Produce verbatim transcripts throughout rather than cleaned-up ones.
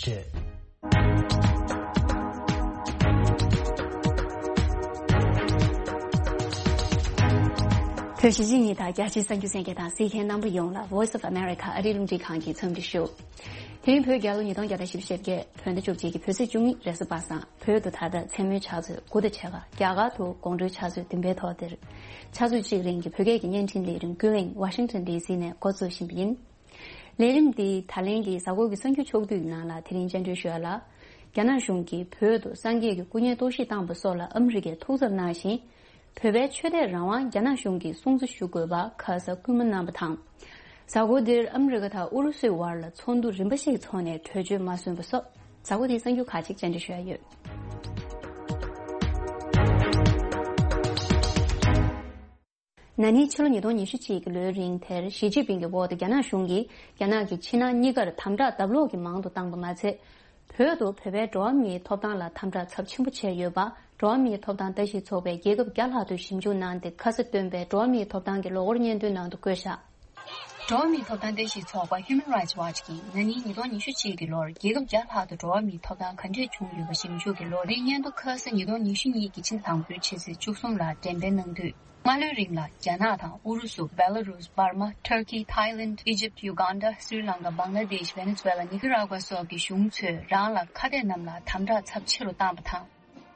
བྱས། བོད་གཞིས་བྱེས་གཉིས་དང་རྒྱ་ཆེའི་གསར་འགྱུར་གསན་མཁན་དང་གཟིགས་མཁན་རྣམ་པ་ཡོངས་ལ་Voice of America ཨ་རིའི་རླུང་འཕྲིན་ཁང་གི་འཚམས་འདྲི་ཞུ། དེ་རིང་བོད་རྒྱལ་ལོ་ཉིས་སྟོང་བརྒྱ་དང་བཞི་བཅུ་ཞེ་བརྒྱད། བོད་ཟླ་བཅུ་གཅིག་གི་བོད་ཚེས་བཅུ་གཉིས་རེས་གཟའ་པ་སངས། བོད་དུ་ད་ལྟ་མཚན་མོའི་ཆུ་ཚོད་དགུ་དང་ཕྱེད་ཀ། རྒྱ་གར་དུ་དགོང་དྲོའི་ཆུ་ཚོད་བདུན་པའི་ཐོག་འདིར། ཆུ་ཚོད་གཅིག་རིང་གི་བོད་སྐད་ཀྱི་བརྙན་འཕྲིན་ལས་རིམ་ཀུན་གླེང་Washington D C ནས་འགོ་འཛུགས་བཞིན་པ་ཡིན། ལས་རིམ་འདི་ད་ལན་གྱི་གཟའ་འཁོར་གྱི་གསར་འགྱུར་ཕྱོགས་བསྡུས་ནང་ལ་དེ་རིང་སྤྱན་འབུལ་ཞུ་ཡ་ལ། རྒྱ་ནག་གཞུང་གིས་བོད་དུ་སངས་རྒྱས་ཀྱི་སྐུ་བརྙན་གཏོར་བཤིག་བཏང་པ་སོགས་ལ་ཨ་མི་རི་ཀས་ཐུགས་འཚབ་གནང་ཞིང་། བོད་པའི་ཆོས་དད་རང་དབང་རྒྱ་ནག་གཞུང་གིས་སྲུང་བརྩི་ཞུ་དགོས་པ་ཁ་ས་སྐུལ་མ་གནང་པ་དང་། གཟའ་འཁོར་འདིར་ཨ་མི་རི་ཀ་དང་ཨུ་རུ་སུའི་བར་ལ་ཚོགས་འདུ་རིམ་པ་ཞིག་འཚོགས་ནས་གྲོས་ཆོད་མ་སོན་པ་སོགས་གཟའ་འཁོར་འདིའི་གསར་འགྱུར་ཁག་ཅིག་བཅར་འདྲི་ཞུ་ཡ་ཡོད། ན་ནིང་ཕྱི་ལོ་ཉིས་སྟོང་ཉི་ཤུ་གཅིག་གི་ལོའི་རིང་དེར་ཞི་ཅིན་ཕིང་གི་འོག་ཏུ་རྒྱ་ནག་གཞུང་གིས་རྒྱ་ནག་གི་ཕྱི་ནང་གཉིས་ཀར་དམ་དྲག་ལྡབ་ལོག་གིས་མང་དུ་བཏང་པ་མ་ཚད། བོད་དུ་བོད་པའི་འགྲོ་བ་མིའི་ཐོབ་ཐང་ལ་དམ་དྲག་ཚབས་ཆེན་པོ་བྱས་ཡོད་པ། འགྲོ་བ་མིའི་ཐོབ་ཐང་ལྟ་ཞིབ་ཚོགས་པས་རྒྱལ་ཁབ་བརྒྱ་ལྷག་ཏུ་ཞིབ་འཇུག་གནང་སྟེ། ཁ་ས་བཏོན་པའི་འགྲོ་བ་མིའི་ཐོབ་ཐང་གི་ལོ་འཁོར་སྙན་ཐོའི་ནང་དུ་བཀོད་བཞག་འགྲོ་བ་མིའི་ཐོབ་ཐང་ལྟ་ཞིབ་ཚོགས་པ་Human Rights Watch གིས་ན་ནིང་ཉིས་སྟོང་ཉི་ཤུ་གཅིག་གི་ལོར་རྒྱལ་ཁབ་བརྒྱ་ལྷག་ཏུ་འགྲོ་བ་མིའི་ཐོབ་ཐང་ག་འདྲས་བྱུང་ཡོད་པ་ཞིབ་འཇུག་གི་ལོ་རེའི་སྙན་ཐོ་ཁ་ས་ཉིས་སྟོང་ཉི་ཤུ་གཉིས་ཀྱི་ཕྱི་ཟླ་དང་པོའི་ཕྱི་ཚེས་བཅུ་གསུམ་ལ་འགྲེམས་སྤེལ་གནང་དུས། སྔ་ལོའི་རིང་ལ་རྒྱ་ནག་དང་ཨུ་རུ་སུ། བེ་ལ་རུས། འབར་མ། ཐུར་ཀི། ཐའི་ལེནཌ། ཨི་ཇིབ། ཡུ་གན་ཌ། སྲི་ལང་ཀ། བང་ལ་དེཤ། ཝེ་ནེ་ཛུ་ཝེ་ལ། ནི་ཀ་ར་གུ་ཝ་སོགས་ཀྱི་གཞུང་ཚོས་རང་ལ་ཁ་གཏད་རྣམས་ལ་དམ་དྲག་ཚབས་ཆེ་རུ་བཏང་པ་དང་།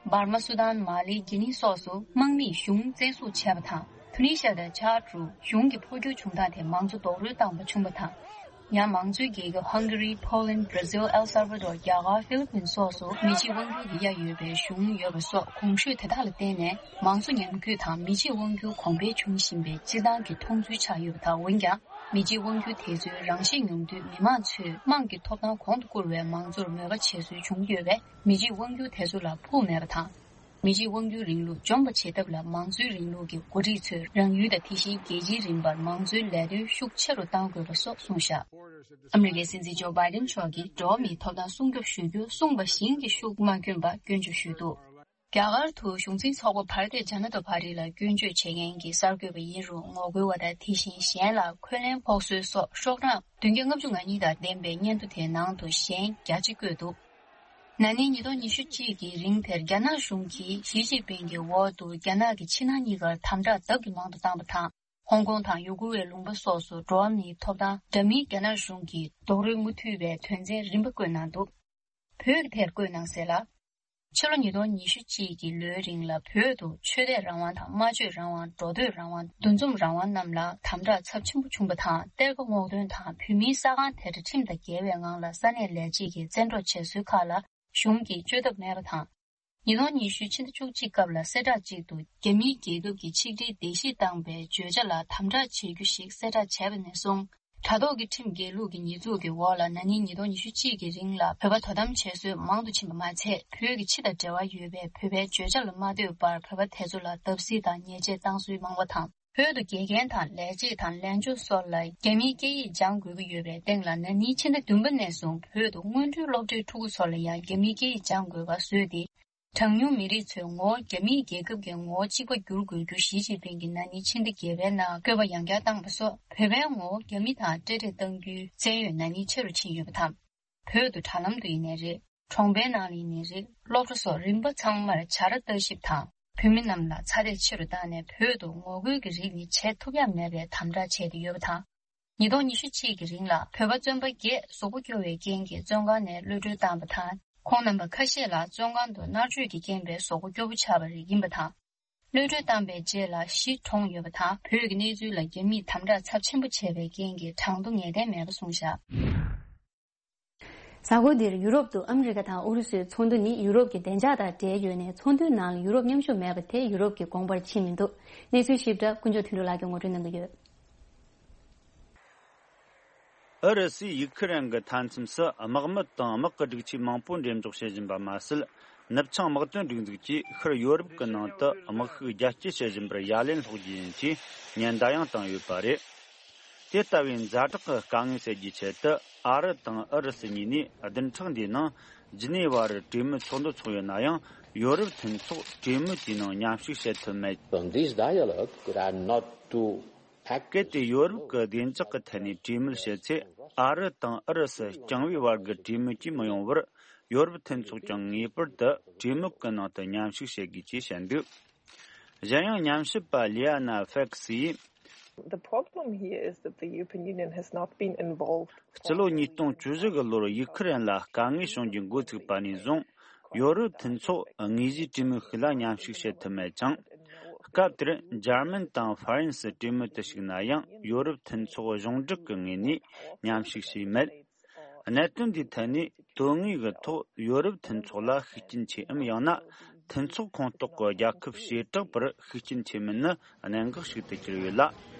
འབར་མ། སུ་དཱན། མ་ལི། གྷི་ནི་སོགས་སུ་དམག་མིས་གཞུང་བཙན་བཟུང་བྱས་པ་དང་། ཐུ་ནི་ཤ་དང་ཆཱཌ་རུ་གཞུང་གི་འཕོ་འགྱུར་བྱུང་སྟངས་དེ་མང་གཙོ་རྡོག་རོལ་བཏང་པ་བྱུང་བ་དང་། ཡང་མང་གཙོའི་རྒྱལ་ཁབ་ཧང་གྷ་རི། ཕོ་ལན། བྷར་ཛིལ། ཨེལ་སལ་ཝ་དོར། རྒྱ་གར། ཧྥི་ལི་པིན་སོགས་སུ་མི་གཅིག་དབང་སྒྱུར་གྱི་ཡ་ཡོད་པའི་གཞུང་ཡོད་པ་སོགས་གོང་ཞུས་དེ་དག་ལ་བརྟེན་ནས་མང་གཙོ་ཉམས་རྒུད་དང་མི་གཅིག་དབང་སྒྱུར་གོང་འཕེལ་འབྱུང་བཞིན་པའི་སྤྱིར་བཏང་གི་མཐོང་ཚུལ་ཆགས་ཡོད་པ་དང་། འོན་ཀྱང་མི་གཅིག་དབང་སྒྱུར་དེ་ཚོའི་རང་ཤེད་ཉུང་དུས་མི་མང་ཚོས་དམངས་ཀྱི་ཐོབ་ཐང་གོང་དུ་བཀུར་བའི་མང་གཙོར་མོས་པ་བྱེད་སྲོལ་བྱུང་ཡོད་པས། མི་གཅིག་དབང་སྒྱུར་དེ་ཚོ་ལ་ཕུགས་མེད་པ་དང་། མི་གཅིག་དབང་སྒྱུར་རིང་ལུགས་འཇོམས་པ་བྱེད་ཐབས་ལ་མང་གཙོའི་རིང་ལུགས་ཀྱི་འགོ་ཁྲིད་ཚོས་རང་ཡུལ་དང་དེ་བཞིན་རྒྱལ་སྤྱིའི་རིམ་པར་མང་གཙོའི་ལས་དོན་ཤུགས་ཆེ་རུ་གཏང་དགོས་པ་སོགས་གསུངས་བཞག་ཨ་མི་རི་ཀའི་སྲིད་འཛིན་ཇོ་བྷའི་ཌེན་མཆོག་གིས་འགྲོ་བ་མིའི་ཐོབ་ཐང་སྲུང་སྐྱོབ་ཞུ་རྒྱུ་གསུངས་པ་བཞིན་གྱི་ཤུགས་མ་བསྐྱོན་པར་སྐྱོན་བརྗོད་ཞུས་འདུག་རྒྱ་གར་དུ་གཞུང་འཛིན་ཚོགས་པ་བྷ་ར་ཏི་ཇ་ན་ཏ་པ་ཊི་ལ་སྐྱོན་བརྗོད་བྱེད་མཁན་གྱི་གསར་འགོད་པ་ཡིན་རུང་ངོ་རྒོལ་བ་དང་དེ་བཞིན་གཞན་ལ་འཁོན་ལན་ཕོག་སྲོལ་སོགས་ཤོག་གྲངས་བདུན་བརྒྱ་ལྔ་བཅུ་ང་གཉིས་དང་ལྡན་པའི་སྙན་ཐོ་དེའི་ནང་དུ་གཞན་བརྒྱ་ཅིག་བཀོད་འདུག་ན་ནིང་ཉིས་སྟོང་ཉི་ཤུ་གཅིག་གི་རིང་དེར་རྒྱ་ནག་གཞུང་གིས་ཞི་ཅིན་ཕིང་གི་འོག་ཏུ་རྒྱ་ནག་གི་ཕྱི་ནང་གཉིས་ཀར་དམ་དྲག་ལྡབ་ཀྱིས་མང་དུ་བཏང་པ་དང་། ཧོང་ཀོང་དང་ཡུ་གུར་བའི་ལུང་པ་སོགས་སུ་འགྲོ་བ་མིའི་ཐོབ་ཐང་འདྲ་མིན་རྒྱ་ནག་གཞུང་གིས་རྡོག་རོལ་མུ་མཐུད་པའི་དོན་ཚན་རིམ་པ་བཀོད་གནང་འདུག་བོད་ཀྱི་དེར་བཀོད་གནང་གསལ་ལ། ཕྱི་ལོ་ཉིས་སྟོང་ཉི་ཤུ་གཅིག་གི་ལོའི་རིང་ལ་བོད་དུ་ཆོས་དད་རང་དབང་དང་སྨྲ་བརྗོད་རང་དབང་། འགྲོ་སྡོད་རང་དབང་། འདུ་འཛོམས་རང་དབང་རྣམས་ལ་དམ་དྲག་ཚབས་ཆེན་པོ་བྱུང་པ་དང་། གཏེར་ཁ་སྔོག་འདོན་དང་བོད་མིའི་ས་ཁང་དེ་འདྲ་ཁྲིམས་དང་འགལ་བའི་ངང་ལ་ས་གནས་ལས་བྱེད་ཀྱིས་བཙན་འཕྲོག་བྱེད་སྲོལ་ཁག་ལ་གཞུང་གིས་བཅོས་ཐབས་མེད་པ་དང་། ཉིས་སྟོང་ཉི་ཤུ་ཕྱི་ཟླ་བཅུ་གཅིག་སྐབས་ལ་གསལ་བསྒྲགས་གཅིག་ཏུ་རྒྱ་མིའི་རྒྱལ་ཁབ་ཀྱི་ཆིག་སྒྲིལ་བརྡལ་བཤིག་བཏང་པའི་བརྗོད་བྱ་ལ་དམ་དྲག་བྱེད་རྒྱུ་ཞིག་གསལ་བསྒྲགས་བྱས་པ་ནས་བཟུང་། དྲ་ཐོག་གི་ཁྲིམས་འགལ་ལུགས་ཀྱི་ཉེས་འཛུགས་ཀྱི་འོག་ལ་ན་ནིང་ཉིས་སྟོང་ཉི་ཤུ་གཅིག་གི་རིང་ལ་བོད་པ་དོ་དམ་བྱེད་སྲོལ་མང་དུ་ཕྱིན་པ་མ་ཚད། བོད་ཀྱི་ཕྱི་དང་འབྲེལ་བ་ཡོད་པའི་བོད་པའི་བརྗོད་བྱ་ལ་མ་ལྟོས་པར་བོད་པ་དེ་ཚོ་ལ་བརྡབ་གསིག་དང་ཉེས་ཆད་བཏང་སྲོལ་མང་བ་དང་། བོད་དུ་དགེ་རྒན་དང་ལས་བྱེད་དང་ལས་བྱེད་ཚོ་ལ་རྒྱ་མིའི་སྐད་ཡིག་སྦྱང་དགོས་ཀྱི་ཡོད་པའི་སྟེང་ལ། ན་ནིང་ཕྱི་ཟླ་བདུན་པ་ནས་བཟུང་བོད་དུ་སྔོན་འགྲོའི་སློབ་གྲྭའི་ཕྲུ་གུ་ཚོ་ལ་ཡང་རྒྱ་མིའི་སྐད་ཡིག་སྦྱང་དགོས་པ་བཟོས་ཏེ། གྲངས་ཉུང་མི་རིགས་ཚོའི་ངོ་བོ་རྒྱ་མིའི་རྒྱལ་ཁབ་ཀྱི་ངོ་བོ་གཅིག་པ་བསྒྱུར་དགོས་རྒྱུ་ཞི་ཅིན་ཕིང་གིས་ན་ནིང་ཕྱི་ཟླ་བརྒྱད་པའི་ནང་བཀོད་པ་ཡང་བསྐྱར་བཏང་པ་སོགས། བོད་པའི་ངོ་བོ་རྒྱ་མི་དང་འབྲེལ་འདྲིས་གཏང་རྒྱུའི་བཙན་གཡོལ་ན་ནིང་ཆེ་རུ་ཕྱིན་ཡོད་པ་དང་། བོད་དུ་དྲ་ལམ་དུ་ཡིན་ནའི་རེད། གྲོང་པའི་ནང་ལ་ཡིན་ནའི་རེད། སློབ་གྲྭ་སོགས་རིམ་པ་ཚང་མར་བྱ་ར་ལྟ་ཞིབ་དང་། བོད་མི་རྣམས་ལ་ཚ་འདེད་ཆེ་རུ་བཏང་ནས། བོད་དུ་ངོ་རྒོལ་གྱི་རིགས་ནི་བྱེད་ཐུབ་ཡ་མེད་པའི་དམ་དྲག་བྱས་ཏེ་ཡོད་པ་དང་། ཉིས་སྟོང་ཉི་ཤུ་གཅིག་གི་རིང་ལ་བོད་པ་བཙོན་པ་བརྒྱད་གཟུགས་པོ་སྐྱོ་བའི་རྐྱེན་གྱིས་བཙོན་ཁང་ནས་གློད་གྲོལ་བཏང་བ་དང་། ཁོང་རྣམ་པ་ཁ་ཤས་ལ་བཙོན་ཁང་དུ་མནར་གཅོད་ཀྱི་རྐྱེན་པས་གཟུགས་པོ་སྐྱོ་པོ་ཆགས་པ་རིགས་ཡིན་པ་དང་། གློད་གྲོལ་བཏང་པའི་རྗེས་ལ་གཞིས་གྲོངས་ཡོད་པ་དང་། བོད་ཀྱི་གནས་ཚུལ་ལ་རྒྱ་མིས་དམ་དྲག་ཚབས་ཆེན་པོ་བྱས་པའི་རྐྱེན་གྱིས་གྲངས་ཐོ་ངེས་གཏན་མེད་པ་གསུངས་བཞག་གཟའ་འཁོར་འདིར་ཡུ་རོབ་ཏུ་ཨ་མི་རི་ཀ་དང་ཨུ་རུ་སུའི་ཚོགས་འདུ་ནི་ཡུ་རོབ་ཀྱི་བདེ་འཇགས་དང་འབྲེལ་ཡོད་ནས། ཚོགས་འདུའི་ནང་ལ་ཡུ་རོབ་མཉམ་ཞུགས་མེད་པ་དེ་ཡུ་རོབ་ཀྱི་དགོངས་པར་ཕྱིན་མི་འདུག་གནས་ཚུལ་ཞིབ་ཕྲ་དཀོན་མཆོག་དོན་གྲུབ་ལགས་ཀྱིས་ངོ་སྤྲོད་གནང་གི་ཡོད། ཨུ་རུ་སུས་ཡུ་ཁུ་རེན་གྱི་མཐའ་མཚམས་སུ་དམག་མི་དང་དམག་གི་སྒྲིག་ཆས་མང་པོ་འགྲེམས་འཇོག་བྱེད་བཞིན་པ་མ་ཟད། ནུབ་བྱང་དམག་དོན་སྒྲིག་འཛུགས་ཀྱིས་ཤར་ཡོ་རོབ་ཀྱི་ནང་དུ་དམག་ཤུགས་རྒྱ་སྐྱེད་བྱེད་བཞིན་པར་ཡ་ལན་སློག་རྒྱུ་ཡིན་ཞེས་ཉེན་བརྡ་ཡང་བཏང་ཡོད་པ་རེད། དེ་ལྟ་བུའི་ཛ་དྲག་གི་དཀའ་ངལ་སེལ་རྒྱུའི་ཆེད་དུ། ཨ་རི་དང་ཨུ་རུ་སུ་གཉིས་ནས་བདུན་ཕྲག་འདིའི་ནང་ཇི་ནི་ཝར་གྲོས་མོལ་ཚོགས་འདུ་འཚོགས་ཡོད་ན་ཡང་། ཡོ་རོབ་མཐུན་ཚོགས་གྲོས་མོལ་དེའི་ནང་མཉམ་ཞུགས་བྱེད་ཐུབ་མེད། On this dialogue, there are not two གལ་ཏེ་ཡོ་རོབ་ཀྱི་བདེ་འཇགས་ཀྱི་ཐད་ནས་གྲོས་མོལ་བྱེད་ཚེ། ཨ་རི་དང་ཨུ་རུ་སུ་རྐྱང་བའི་བར་གྱི་གྲོས་མོལ་གྱིས་མི་ཡོང་བར། ཡོ་རོབ་མཐུན་ཚོགས་ཀྱང་ངེས་པར་དུ་གྲོས་མོལ་གྱི་ནང་དུ་མཉམ་ཞུགས་བྱེད་དགོས་ཅེས་བཤད་འདུག་གཞན་ཡང་། ཉམས་ཞིབ་པ་ལི་ཡ་ན་ཧྥེག་སི་ཡིས། The problem here is that the European Union has not been involved. སྤྱི་ལོ་ཉིས་སྟོང་བཅུ་བཞི་གི་ལོར་ཡུ་ཁུ་རེན་ལ་དཀའ་ངལ་བྱུང་རྒྱུ་འགོ་ཚུགས་པ་ནས་བཟུང་། ཡོ་རོབ་མཐུན་ཚོགས་དངོས་གཞིའི་གྲོས་མོལ་ཞིག་ལ་མཉམ་ཞུགས་བྱེད་ཐུབ་མེད་ཅིང་། སྐབས་དེར་འཇར་མན་དང་ཧྥ་རན་སི་གྲོས་མོལ་དུ་ཞུགས་ན་ཡང་། ཡོ་རོབ་མཐུན་ཚོགས་གཞུང་སྒྲིག་གི་ངོས་ནས་མཉམ་ཞུགས་བྱས་མེད། གནད་དོན་འདིའི་ཐད་ནས་དོན་དངོས་ཀྱི་ཐོག་ཡོ་རོབ་མཐུན་ཚོགས་ལ་ཤུགས་རྐྱེན་ཆེ་འམ། ཡང་ན་མཐུན་ཚོགས་ཁོངས་གཏོགས་ཀྱི་རྒྱལ་ཁབ་བྱེ་བྲག་པར་ཤུགས་རྐྱེན་ཆེ་མིན་ནི་གནད་འགག་ཞིག་ཏུ་གྱུར་ཡོད་ལ།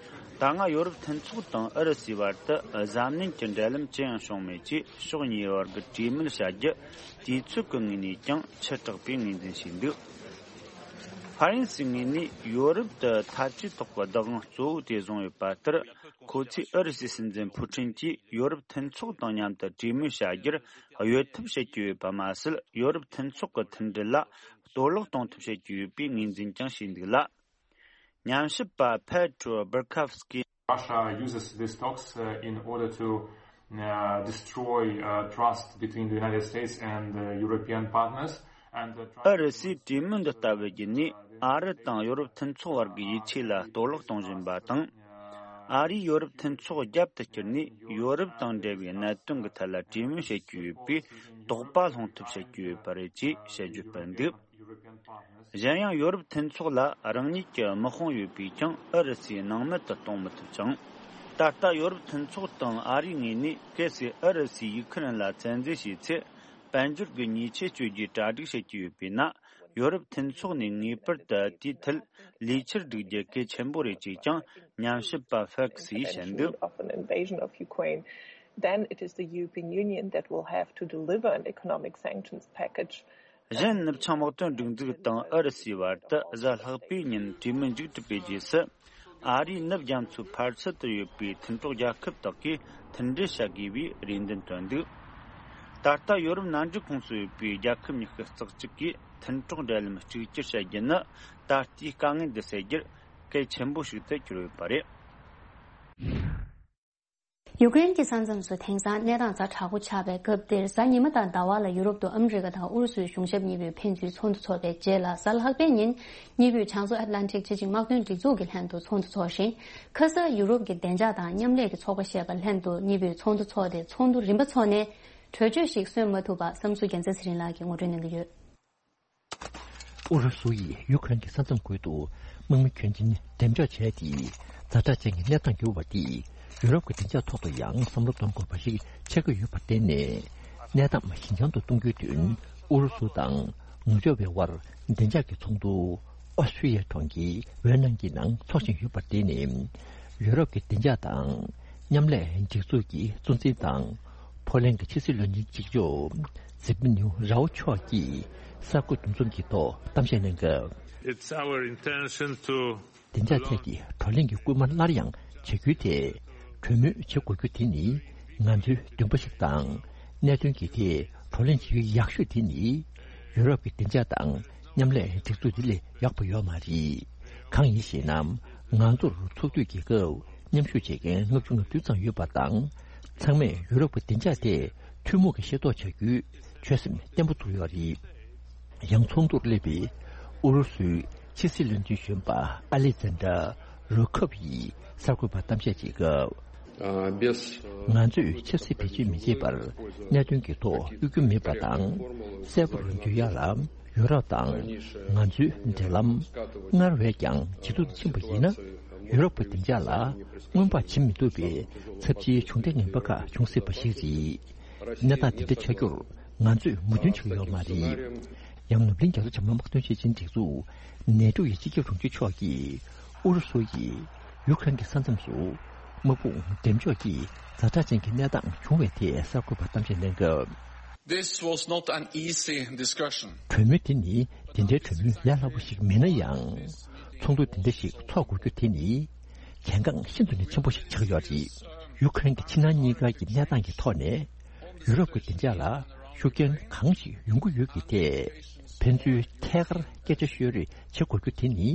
ད་སྔ་ཡོ་རོབ་མཐུན་ཚོགས་དང་ཨུ་རུ་སུའི་བར་དུ་གཟབ་ནན་གྱི་འབྲེལ་ལམ་ཅི་ཡང་བྱུང་མེད་ཅེས། ཕྱོགས་གཉིས་བར་གྱི་གྲོས་མོལ་བྱ་རྒྱུ་དུས་ཚོད་ཀྱི་ངོས་ནས་ཀྱང་ཆེ་དྲགས་པའི་ངོས་འཛིན་བྱས་འདུག་ཧྥ་རན་སིའི་ངོས་ནས་ཡོ་རོབ་ཏུ་འཐབ་ཇུས་ཐོག་གི་བདག་དབང་གཙོ་བོ་དེ་བཟུང་ཡོད་པ་ལྟར། ཁོ་ཚོས་ཨུ་རུ་སུའི་སྲིད་འཛིན་ཕུ་ཁྲིན་གྱིས་ཡོ་རོབ་མཐུན་ཚོགས་དང་མཉམ་དུ་གྲོས་མོལ་བྱ་རྒྱུར་གཡོལ་ཐབས་བྱེད་ཀྱི་ཡོད་པ་མ་ཟད། ཡོ་རོབ་མཐུན་ཚོགས་ཀྱི་མཐུན་སྒྲིལ་ལ་གཏོར་བརླག་གཏོང་ཐབས་བྱེད་ཀྱི་ཡོད་པའི་ངོས་འཛིན་ཀྱང་བྱས་འདུག་ལ། ཉམས་ཞིབ་པ་ཕེ་ཏྲོ་བར་ཁབ་སྐི། Russia uses these talks, uh, in order to, uh, destroy, uh, trust between the United States and, uh, European partners. And, uh, try ཨུ་རུ་སུས་གྲོས་མོལ་འདི་ལྟ་བུ་བརྒྱུད་ནས་ཨ་རི་དང་ཡོ་རོབ་མཐུན་ཚོགས་བར་གྱི་ཡིད་ཆེས་ལ་གཏོར་བརླག་གཏོང་བཞིན་པ་དང་། ཨ་རིས་ཡོ་རོབ་མཐུན་ཚོགས་རྒྱབ་ཏུ་བསྐྱུར་ནས་ཡོ་རོབ་དང་འབྲེལ་བའི་གནད་དོན་གྱི་ཐད་ལ་གྲོས་མོལ་བྱེད་ཀྱི་ཡོད་པའི་དོགས་པ་སློང་ཐབས་བྱེད་ཀྱི་ཡོད་པ་རེད་ཅེས་དཔྱད་བརྗོད་སྤེལ་འདུག་གཞན་ཡང་ཡོ་རོབ་མཐུན་ཚོགས་ལ་རང་ཉིད་ཀྱི་དམག་དཔུང་ཡོད་པས་ཀྱང་ཨུ་རུ་སུའི་སྣང་མེད་དུ་གཏོང་མི་ཐུབ་ཅིང་། ད་ལྟ་ཡོ་རོབ་མཐུན་ཚོགས་དང་ཨ་རིའི་ངོས་ནས་གལ་སྲིད་ཨུ་རུ་སུས་ཡུ་ཁུ་རེན་ལ་བཙན་འཛུལ་བྱས་ཚེ། དཔལ་འབྱོར་གྱི་ཉེས་ཆད་གཅོད་རྒྱུའི་གྲ་སྒྲིག་བྱེད་ཀྱི་ཡོད་པས་ན། ཡོ་རོབ་མཐུན་ཚོགས་ནས་ངེས་པར་དུ་དེའི་ཐད་ལས་འཆར་སྒྲིག་རྒྱུ་གལ་ཆེན་པོ་རེད་ཅེས་ཀྱང་ཉམས་ཞིབ་པ་ཧྥེག་སིས་བཤད་འདུག Of an invasion of Ukraine, then it is the European Union that will have to deliver an economic sanctions package. གཞན། ནུབ་བྱང་དམག་དོན་སྒྲིག་འཛུགས་དང་ཨུ་རུ་སུའི་བར་དུ་གཟའ་ལྷག་པའི་ཉིན་གྲོས་མོལ་མཇུག་གྲུབ་པའི་རྗེས་སུ། ཨ་རིའི་ནུབ་རྒྱ་མཚོའི་ཕར་ཚུར་དུ་ཡོད་པའི་མཐུན་གྲོགས་རྒྱལ་ཁབ་དག་གིས་མཐུན་སྒྲིལ་བྱ་དགོས་པའི་རེ་འདུན་བཏོན་འདུག་ད་ལྟ་ཡོ་རོབ་མནའ་འབྲེལ་ཁོངས་སུ་ཡོད་པའི་རྒྱལ་ཁབ་ཉི་ཤུ་རྩ་གཅིག་གིས་མཐུན་གྲོགས་འབྲེལ་ལམ་གཅིག་གྱུར་བྱ་རྒྱུ་ནི། ད་ལྟའི་དཀའ་ངལ་འདི་སེལ་རྒྱུར་གལ་ཆེན་པོ་ཞིག་ཏུ་གྱུར་ཡོད་པ་རེད། ཡུ་ཀེ་རེན་གྱི་ས་མཚམས་སུ་དེང་སང་གནས་སྟངས་ཛ་དྲག་པོ་ཆགས་པའི་སྐབས་འདིར། གཟའ་ཉི་མ་དང་ཟླ་བ་ལ་ཡུ་རོབ་ཏུ་ཨ་མི་རི་ཀ་དང་ཨུ་རུ་སུའི་གཞུང་ཞབས་གཉིས་པོས་ཕན་ཚུན་ཚོགས་འདུ་འཚོགས་པའི་རྗེས་ལ། གཟའ་ལྷག་པའི་ཉིན་གཉིས་པོས་བྱང་མཚོ་ཨེཊ་ལན་ཊིག་སྤྱི་ཆིངས་དམག་དོན་སྒྲིག་འཛུགས་ཀྱི་ལྷན་དུ་ཚོགས་འདུ་འཚོགས་ཤིང་། ཁ་ས་ཡུ་རོབ་ཀྱི་བདེ་འཇགས་དང་མཉམ་ལས་ཀྱི་ཚོགས་པ་ཞེས་པ་ལྷན་དུ་གཉིས་པོས་ཚོགས་འདུ་འཚོགས་ཏེ། ཚོགས་འདུ་རིམ་པ་འཚོགས་ནས་གྲོས་ཆོད་ཞིག་སོན་མ་ཐུབ་པ། བསམ་ཚུལ་རྒྱལ་མཚན་ཚེ་རིང་ལགས་ཀྱིས་ངོ་སྤྲོད་གནང་གི་ཡོད། ཨུ་རུ་སུ་ཡིས་ཡུ་ཁུ་རེན་གྱི་ས་མཚམས་ཁུལ་དུ་དམག་མི་གྱོན་ཅན་འགྲེམས་འཇོག་བྱས་ཏེ། ཛ་དྲག་ཅན་གྱི་གནས་སྟངས་གྱུར་བ་དེས་ཡུ་རོབ་ཀྱི་བདེ་འཇགས་ཐོག་ཏུ་ཡང་བསམ་བློ་གཏོང་དགོས་པ་ཞིག་ཆགས་ཀྱི་ཡོད་པར་བརྟེན་ནས། གནས་སྟངས་ཞི་འཇམ་དུ་གཏོང་རྒྱུའི་དོན། ཨུ་རུ་སུ་དང་ནུབ་ཕྱོགས་པའི་དབར་བདེ་འཇགས་ཀྱི་ཚོགས་འདུ་ཨོ་སི་ཀྲི་ཡའི་གྲོང་ཁྱེར་ཝེ་ནང་གི་ནང་འཚོགས་བཞིན་ཡོད་པར་བརྟེན་ནས། ཡུ་རོབ་ཀྱི་བདེ་འཇགས་དང་མཉམ་ལས་སྒྲིག་འཛུགས་ཀྱི་གཙོ་འཛིན་དང་། ཕོ་ལན་གྱི་ཕྱི་སྲིད་བློན་ཆེན་གཅིག་ལྕོགས་ཛི་པི་ནིའུ་རའོ་མཆོག་གིས་གསར་འགོད་འདུ་འཛོམས་ཀྱི་ཐོག་གཏམ་བཤད་གནང་སྐབས། It's our intention to བདེ་འཇགས་ཐད་ཀྱི་བགྲོ་གླེང་གི་སྐུལ་མ་སླར་ཡང་བྱ་རྒྱུའི་ཐད་གྲོས་མོལ་བྱེད་དགོས་རྒྱུ་དེ་ནི་ང་ཚོའི་འདུན་པ་ཞིག་དང་། གནད་དོན་གྱི་ཐད་བགྲོ་གླེང་བྱེད་རྒྱུ་ཡག་ཤོས་དེ་ནི་ཡུ་རོབ་ཀྱི་བདེ་འཇགས་དང་མཉམ་ལས་སྒྲིག་འཛུགས་འདི་ལས་ཡག་པ་ཡོད་མ་རེད། གང་ཡིན་ཞེ་ན། ང་ཚོར་ཚོགས་དུས་ཀྱི་སྐབས་མཉམ་ཞུགས་བྱེད་མཁན་ལྔ་བཅུ་ང་བདུན་ཙམ་ཡོད་པ་དང་། ཚང་མས་ཡུ་རོབ་ཀྱི་བདེ་འཇགས་ཐད་ཐུན་མོང་གི་ཤེས་རྟོགས་བྱ་རྒྱུའི་ཆོད་སེམས་བརྟན་པོ་བཙུགས་ཡོད་རེད། ཡང་ཚོགས་འདུར་སླེབས་པའི་ཨུ་རུ་སུའི་ཕྱི་སྲིད་བློན་ཆེན་གཞོན་པ་ཨ་ལེག་ཛན་ཌར་རོ་ཁབ་ཡིས་གསར་འགོད་པར་གཏམ་བཤད་བྱེད་སྐབས། ང་ཚོས་ཆབ་སྲིད་བེད་སྤྱོད་མི་བྱེད་པར་གནད་དོན་གྱི་ཐོག་གཡོ་སྒྱུ་མེད་པ་དང་། གསལ་པོར་འཇུ་ཡག་ལ། ཡུ་རོབ་དང་ང་ཚོའི་འབྲེལ་ལམ་སྔར་བས་ཀྱང་ཇེ་སྡུག་ཏུ་ཕྱིན་པ་ཡིན་ན། ཡུ་རོབ་ཀྱི་བདེ་འཇགས་ལ་སྔོན་དཔག་བྱེད་མི་ཐུབ་པའི་ཚབས་ཆེའི་གྱོང་གུད་ངན་པ་ཁག་འབྱུང་སྲིད་པ་ཞིག་རེད། གནས་སྟངས་དེ་འདྲ་ཆགས་རྒྱུར་ང་ཚོས་མོས་མཐུན་བྱེད་ཀྱི་ཡོད་མ་རེད། ཡང་ནུབ་གླིང་རྒྱ་མཚོ་བྱང་མའི་དམག་དོན་སྤྱི་ཆིངས་སྒྲིག་འཛུགས་ནེ་ཏོ་ཡི་སྤྱི་ཁྱབ་དྲུང་ཆེ་མཆོག་གིས་ཨུ་རུ་སུ་ཡིས་ཡུ་ཁུ་རེན་གྱི་ས་མཚམས་སུ་དམག་དཔུང་འགྲེམས་འཇོག་གིས་ཛ་དྲག་ཅན་གྱི་གནས་སྟངས་བྱུང་བའི་ཐད་གསར་འགོད་པར་གཏམ་བཤད་གནང་སྐབས། This was not an easy discussion. གྲོས་མོལ་དེ་ནི་དེ་འདྲའི་གྲོས་མོལ་ལས་སླ་པོ་ཞིག་མིན་ན་ཡང་། ཚོགས་འདུ་དེ་འདྲ་ཞིག་ཚོགས་དགོས་རྒྱུ་དེ་ནི་གལ་འགངས་ཤིན་ཏུ་ནས་ཆེན་པོ་ཞིག་ཆགས་ཡོད་རེད། ཡུ་ཁུ་རེན་གྱི་ཕྱི་ནང་གཉིས་ཀ་གི་གནས་སྟངས་ཀྱི་ཐོག་ནས་ཡུ་རོབ་ཀྱི་བདེ་འཇགས་ལ་ཤུགས་རྐྱེན་གང་ཞིག་ཡོང་གི་ཡོད་ཀྱི་ཐད་ཕན་ཚུན་ཐད་ཀར་སྐད་ཆ་ཤོད་རེས་བྱེད་དགོས་རྒྱུ་དེ་ནི།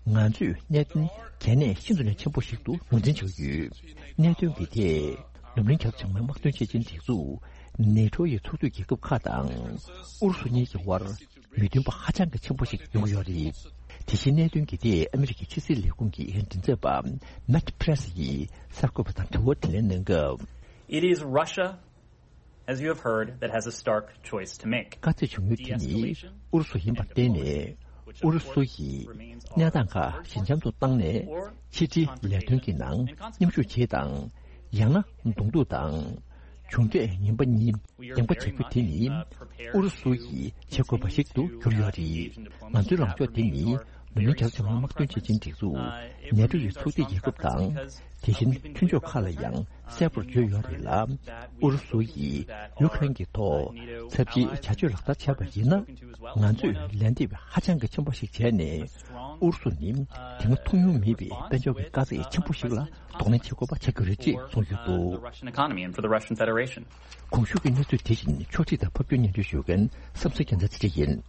ང་ཚོས་གནད་དོན་གལ་གནད་ཤིན་ཏུ་ནས་ཆེན་པོ་ཞིག་ཏུ་ངོས་འཛིན་བྱེད་ཀྱི་ཡོད། གནད་དོན་འདི་དེས་ལུམ་བི་ནི་གྱང་ལྗང་མའི་དམག་དོན་ཆེད་ཆེན་སྒྲིག་འཛུགས་ནེ་ཊོ་ཡི་ཚོགས་འཐུས་རྒྱལ་ཁབ་ཁག་དང་ཨུ་རུ་སུ་གཉིས་ཀྱི་དབར་མི་མཐུན་པ་ཧ་ཅང་གི་ཆེན་པོ་ཞིག་ཡོང་གི་ཡོད་རེད། དེ་བཞིན་གནད་དོན་འདི་དེས་ཨ་མི་རི་ཀའི་ཕྱི་སྲིད་ལས་ཁུངས་ཀྱི་མགྲིན་ཚབ་པ་མེཊ་པྲེ་སི་ཡིས་གསར་འགོད་པ་དང་དྲི་བ་དྲིས་ལན་གནང་སྐབས། It is Russia, as you have heard, that has a stark choice to make. དཀའ་ཚེགས་བྱུང་ཡུལ་དེ་ནི་ཨུ་རུ་སུ་ཡིན་པར་བརྟེན་ནས། ཨུ་རུ་སུ་ཡིས་གནས་སྟངས་ཁག་ཞི་འཇམ་དུ་བཏང་ནས་ཕྱི་འབྲེལ་ལས་དོན་གྱི་ནང་མཉམ་ཞུགས་བྱེད་དང་། ཡང་ན་གདོང་ཐུག་དང་། མཇུག་འབྲས་ངན་པ་གཉིས་འདེམས་པ་བྱ་རྒྱུ་དེ་ནི་ཨུ་རུ་སུ་ཡིས་བྱེད་དགོས་པ་ཞིག་ཏུ་གྱུར་ཡོད་རེད། ང་ཚོའི་ལངས་ཕྱོགས་དེ་ནི་ལུམ་བི་ནི་གྱང་ལྗང་མའི་དམག་དོན་ཆེད་ཆེན་སྒྲིག་འཛུགས་ནེ་ཊོ་ཡི་ཚོགས་སྡེ་རྒྱལ་ཁབ་དང་། དེ་བཞིན་མཐུན་ཕྱོགས་ཁག་ལ་ཡང་གསལ་པོར་བརྗོད་ཡོད་རེད་ལ། ཨུ་རུ་སུ་ཡིས་ཡུ་ཀེ་རེན་གྱི་ཐོག་ཚབས་ཆེའི་བྱ་སྤྱོད་ལག་བསྟར་བྱས་པ་ཡིན་ན། ང་ཚོས་ལན་འདེབས་ཧ་ཅང་གི་ཆེན་པོ་ཞིག་བྱས་ནས། ཨུ་རུ་སུ་ནི་དེ་སྔ་མཐོང་མྱོང་མེད་པའི་དཔལ་འབྱོར་གྱི་དཀའ་ཚེགས་ཆེན་པོ་ཞིག་ལ་གདོང་ལེན་བྱེད་དགོས་པ་ཆགས་ཀྱི་རེད་ཅེས་གསུངས་ཡོད་འདུག། The Russian economy and for the Russian Federation. གོང་ཞུས་ཀྱི་གནས་ཚུལ་དེ་བཞིན་ཕྱོགས་སྒྲིག་དང་ཕབ་སྒྱུར་སྙན་སྒྲོན་ཞུ་མཁན་བསམ་གཟིགས་རྒྱལ་མཚན་ཚེ་རིང་ཡིན།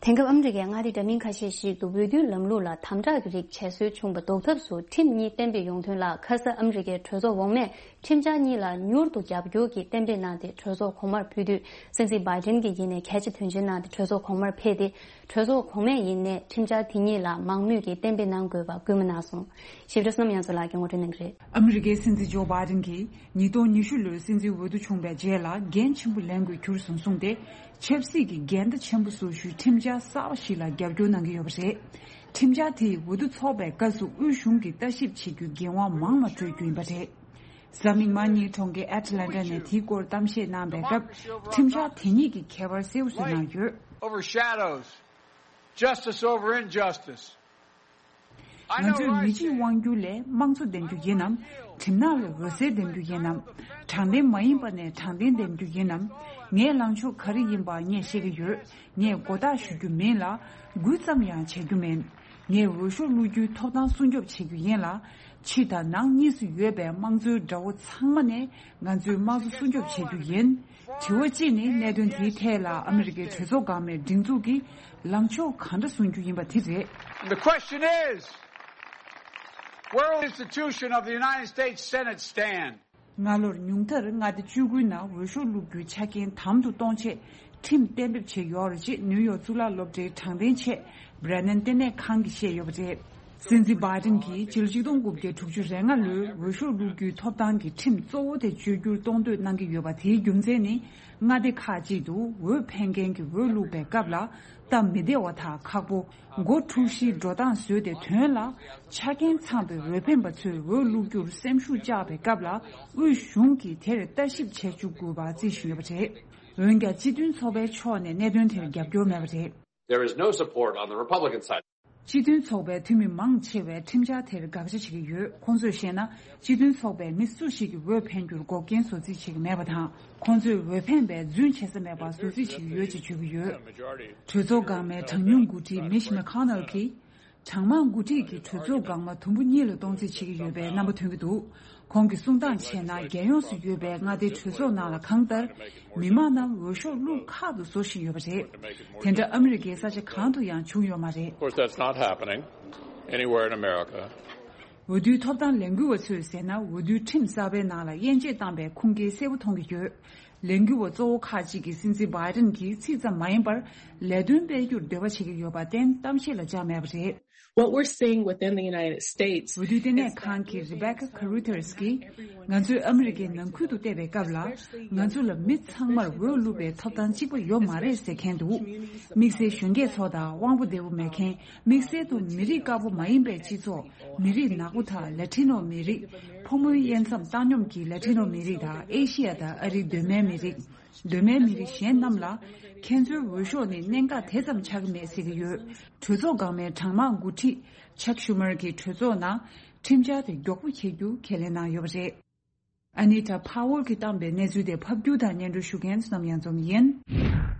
དེང་སྐབས་ཨ་མི་རི་ཀའི་མངའ་སྡེ་འདྲ་མིན་ཁ་ཤས་ཤིག་ཏུ་འོས་བསྡུའི་ལམ་ལུགས་ལ་དམ་དྲག་གི་རིགས་བྱེད་སྲོལ་བྱུང་བ་ཟློག་ཐབས་སུ་ཁྲིམས་གཉིས་གཏན་འབེབས་ཡོང་དོན་ལ། ཁ་ས་ཨ་མི་རི་ཀའི་གྲོས་ཚོགས་འོག་མས་ཁྲིམས་འཆར་གཉིས་ལ་མྱུར་དུ་རྒྱབ་སྐྱོར་གྱི་གཏན་འབེབས་གནང་སྟེ། གྲོས་ཚོགས་གོང་མར་ཕུལ་དུས། སྲིད་འཛིན་བྷའི་ཌེན་གྱིས་ཡིན་ནའི་གལ་ཆེ་དོན་ཆེན་གནང་སྟེ། གྲོས་ཚོགས་གོང་མར་ཕེབས་ཏེ། གྲོས་ཚོགས་གོང་མས་ཡིན་ནའི་ཁྲིམས་འཆར་དེ་གཉིས་ལ་མང་མོས་ཀྱིས་གཏན་འབེབས་གནང་དགོས་པ་སྐུལ་མ་གནང་སོང་། ཞིབ་ཕྲ་བསོད་ནམས་དབྱངས་མཚོ་ལགས་ཀྱིས་ངོ་སྤྲོད་གནང་གི་རེད། ཨ་མི་རི་ཀའི་སྲིད་འཛིན་ཇོ་བྷའི་ཌེན་གྱིས་ཉིས་སྟོང་ཉི་ཤུ་ལོའི་སྲིད་འཛིན་འོས་བསྡུ་བྱུང་བའི་རྗེས་ལ་འགན་ཆེན་པོ་ལེན་དགོས་རྒྱུ་རེད་བཟུང་སྟེ། ཆབ་སྲིད་ཀྱི་འགལ་ཟླ་ཆེན་པོ་བཟོ་རྒྱུའི་ཁྲིམས་འཆར་གསར་པ་ཞིག་ལ་རྒྱབ་སྐྱོར་གནང་གི་ཡོད་པ་རེད། ཁྲིམས་འཆར་དེས་འོས་བསྡུ་འཚོགས་པའི་སྐབས་སུ་དབུས་གཞུང་གིས་ལྟ་ཞིབ་བྱེད་རྒྱུའི་འགན་དབང་མང་བ་སྤྲོད་རྒྱུ་ཡིན་པ་རེད། གཟའ་མིག་དམར་ཉིན་གྲོང་ཁྱེར་ཨེ་ཊ་ལན་ཊ་ནས་དེའི་སྐོར་གཏམ་བཤད་གནང་བའི་སྐབས། ཁྲིམས་འཆར་དེ་གཉིས་ཀྱི་ཁྱད་པར་གསལ་པོ་བཟོས་གནང་ཡོད། Overshadows justice over injustice. ང་ཚོས་མི་གཅིག་དབང་སྒྱུར་ལས་དམངས་གཙོ་འདེམས་རྒྱུ་ཡིན་ནམ། གྲིབ་ནག་ལས་འོད་ཟེར་འདེམས་རྒྱུ་ཡིན་ནམ། དྲང་བདེན་མ་ཡིན་པ་ནས་དྲང་བདེན་འདེམས་རྒྱུ་ཡིན་ནམ། ངའི་ལངས་ཕྱོགས་ག་རེ་ཡིན་པ་ངས་ཤེས་ཀྱི་ཡོད། ངས་མགོ་བཏགས་ཞུ་རྒྱུ་མིན་ལ། འགུལ་ཙམ་ཡང་བྱེད་རྒྱུ་མིན། ངས་འོས་ཤོག་བླུག་རྒྱུའི་ཐོབ་ཐང་སྲུང་སྐྱོབ་བྱེད་རྒྱུ་ཡིན་ལ། ཕྱི་དང་ནང་གཉིས་སུ་ཡོད་པའི་དམངས་གཙོའི་དགྲ་བོ་ཚང་མ་ནས་ང་ཚོའི་དམངས་གཙོ་སྲུང་སྐྱོབ་བྱེད་རྒྱུ་ཡིན། དྲི་བ་གཅིག་ནི། གནད་དོན་དེའི་ཐད་ལ་ཨ་མི་རི་ཀའི་གྲོས་ཚོགས་འགག་མའི་སྒྲིག་འཛུགས་ཀྱིས་ལངས་ཕྱོགས་གང་འདྲ་བཟུང་རྒྱུ་ཡིན་པ་དེ་རེད། And the question is, where will the institution of the United States Senate stand? སྔ་ལོར་ཉུང་མཐར་མངའ་སྡེ་བཅུ་དགུའི་ནང་འོས་ཤོག་བླུག་རྒྱུའི་ཆ་རྐྱེན་དམ་དུ་གཏོང་ཆེད་ཁྲིམས་གཏན་འབེབས་བྱས་ཡོད་རེད་ཅེས་ནིའུ་ཡོག་གཙུག་ལག་སློབ་གྲྭའི་དྲང་བདེན་ཆེད་བྷི་རན་ནན་ལྟེ་གནས་ཁང་གིས་བཤད་ཡོད་པ་རེད། སྲིད་འཛིན་བྷའི་ཌེན་གྱིས་ཕྱི་ལོ་ཆིག་སྟོང་དགུ་བརྒྱ་དྲུག་ཅུ་རེ་ལྔ་ལོའི་འོས་ཤོག་བླུག་རྒྱུའི་ཐོབ་ཐང་གི་ཁྲིམས་གཙོ་བོ་དེ་བཅོས་བསྒྱུར་གཏོང་འདོད་གནང་གི་ཡོད་པ། དེའི་རྒྱུ་མཚན་ནི། མངའ་སྡེ་ཁག་ཅིག་ཏུ་འོས་འཕེན་མཁན་གྱི་འོས་བླུག་པའི་སྐབས་ལ་སྟབས་མི་བདེ་བ་དང་ཁག་པོ། སྒོ་འཁྲུག་གཞིའི་འགྲོ་སྟངས་བཟོས་ཏེ། དོན་ལ་ཆ་རྐྱེན་ཚང་བའི་འོས་འཕེན་པ་ཚོས་འོས་བླུག་རྒྱུར་སེམས་ཤུགས་བཅག་པའི་སྐབས་ལ། དབུས་གཞུང་གིས་དེར་ལྟ་ཞིབ་བྱེད་བཅུག་དགོས་པ་རྩིས་བཞིན་ཡོད་པ་རེད། འོན་ཀྱང་སྤྱི་མཐུན་ཚོགས་པའི་ཕྱོགས་ནས་གནད་དོན་དེར་རྒྱབ་སྐྱོར་མེད་པ་རེད། There is no support on the Republican side. སྤྱི་མཐུན་ཚོགས་པའི་འཐུས་མི་མང་ཆེ་བས་ཁྲིམས་འཆར་དེར་དགག་བྱ་བྱེད་ཀྱི་ཡོད། ཁོང་ཚོས་བཤད་ན། སྤྱི་མཐུན་ཚོགས་པས་མི་སུ་ཞིག་གི་འོས་འཕེན་རྒྱུར་འགོག་རྐྱེན་བཟོ་རྩིས་བྱེད་ཀྱི་མེད་པ་དང་། ཁོང་ཚོས་འོས་འཕེན་པའི་རྫུན་བྱེད་ས་མེད་པ་བཟོ་རྩིས་བྱེད་ཀྱི་ཡོད་ཅེས་བརྗོད་ཀྱི་ཡོད། གྲོས་ཚོགས་འགག་མའི་གྲངས་ཉུང་འགོ་ཁྲིད་མིཆ་མེ་ཁོ་ནལ་གྱིས། གྲངས་མང་འགོ་ཁྲིད་ཀྱིས་གྲོས་ཚོགས་འགག་མ་དུམ་བུ་གཉིས་ལ་གཏོང་རྩིས་བྱེད་ཀྱི་ཡོད་པའི་རྣམ་པ་ཐོན་གྱི་འདུག། ཁོང་གིས་གསུང་སྟངས་བྱས་ན། རྒྱལ་ཡོངས་སུ་ཡོད་པའི་མངའ་སྡེའི་གྲོས་ཚོགས་ནང་ལ་གང་ལྟར་མི་མང་རྣམས་འོས་ཤོག་བླུག་ཁག་ཏུ་བཟོ་བཞིན་ཡོད་པ་རེད། དེ་འདྲ་ཨ་མི་རི་ཀའི་ས་ཆ་གང་དུ་ཡང་བྱུང་ཡོད་མ་རེད། Of course, that's not happening anywhere in America. འོས་བསྡུའི་ཐོབ་ཐང་ལས་འགུལ་བ་ཚོས་ཟེར་ན། འོས་བསྡུའི་ཁྲིམས་གསར་པའི་ནང་ལ་དབྱེ་འབྱེད་བཏང་པའི་ཁུངས་སྐྱེལ་གསལ་པོ་མཐོང་གི་ཡོད། ལས་འགུལ་བ་གཙོ་བོ་ཁག་ཅིག་གིས་སྲིད་འཛིན་བྷའི་ཌེན་གྱིས་ཚིག་ཙམ་མ་ཡིན་པར་ལས་དོན་སྤེལ་རྒྱུར་འདོད་པ་བྱེད་ཀྱི་ཡོད་པར་བརྟེན། གཏམ་བཤད་ལ་བཅར་མེད་པ་རེད། What we're seeing within the United States འོས་བསྡུའི་ལྟེ་གནས་ཁང་གི་Rebecca Carruthers གྱིས། ང་ཚོས་ཨ་མི་རི་ཀའི་ནང་ཁུལ་དུ་བལྟས་པའི་སྐབས་ལ། ང་ཚོ་ལ་མི་ཚང་མར་འོས་བླུག་པའི་ཐོབ་ཐང་གཅིག་པ་ཡོད་མ་རེད་ཟེར་མཁན་འདུག། དམིགས་བསལ་གཞོན་སྐྱེས་ཚོ་དང་དབང་པོ་བདེ་པོ་མེད་མཁན། དམིགས་བསལ་དུ་མི་རིགས་དཀར་པོ་མ་ཡིན་པའི་སྤྱི་ཚོགས། མི་རིགས་ནག་པོ་དང་ལ་ཊི་ནོ་མི་རིགས། ཕོ་མོའི་དབྱེ་མཚམས་བཏང་སྙོམས་ཀྱི་ལ་ཊི་ནོ་མི་རིགས་དང་། ཨེ་ཤི་ཡ་དང་ཨ་རིའི་གདོད་མའི་མི་རིགས། གདོད་མའི་མི་རིགས་གཞན་རྣམས་ལ་ཁྱེད་ཚོའི་འོས་ཤོག་ནི་གནད་འགག་དེ་ཙམ་ཆགས་ཀྱི་མེད་ཟེར་གྱི་ཡོད། གྲོས་ཚོགས་འགག་མའི་གྲངས་མང་འགོ་ཁྲིད་ཅག་ཤུ་མར་གྱིས་གྲོས་ཚོགས་ནང་ཁྲིམས་འཆར་དེ་མགྱོགས་པོ་འཁྱེར་རྒྱུ་ཁས་ལེན་གནང་ཡོད་པ་རེད། ཨ་ནི་ཊ་ཕ་ཝལ་གྱིས་བཏང་པའི་གནས་ཚུལ་དེ་ཕབ་སྒྱུར་དང་སྙན་སྒྲོན་ཞུ་མཁན་བསོད་ནམས་གཡང་འཛོམས་ཡིན།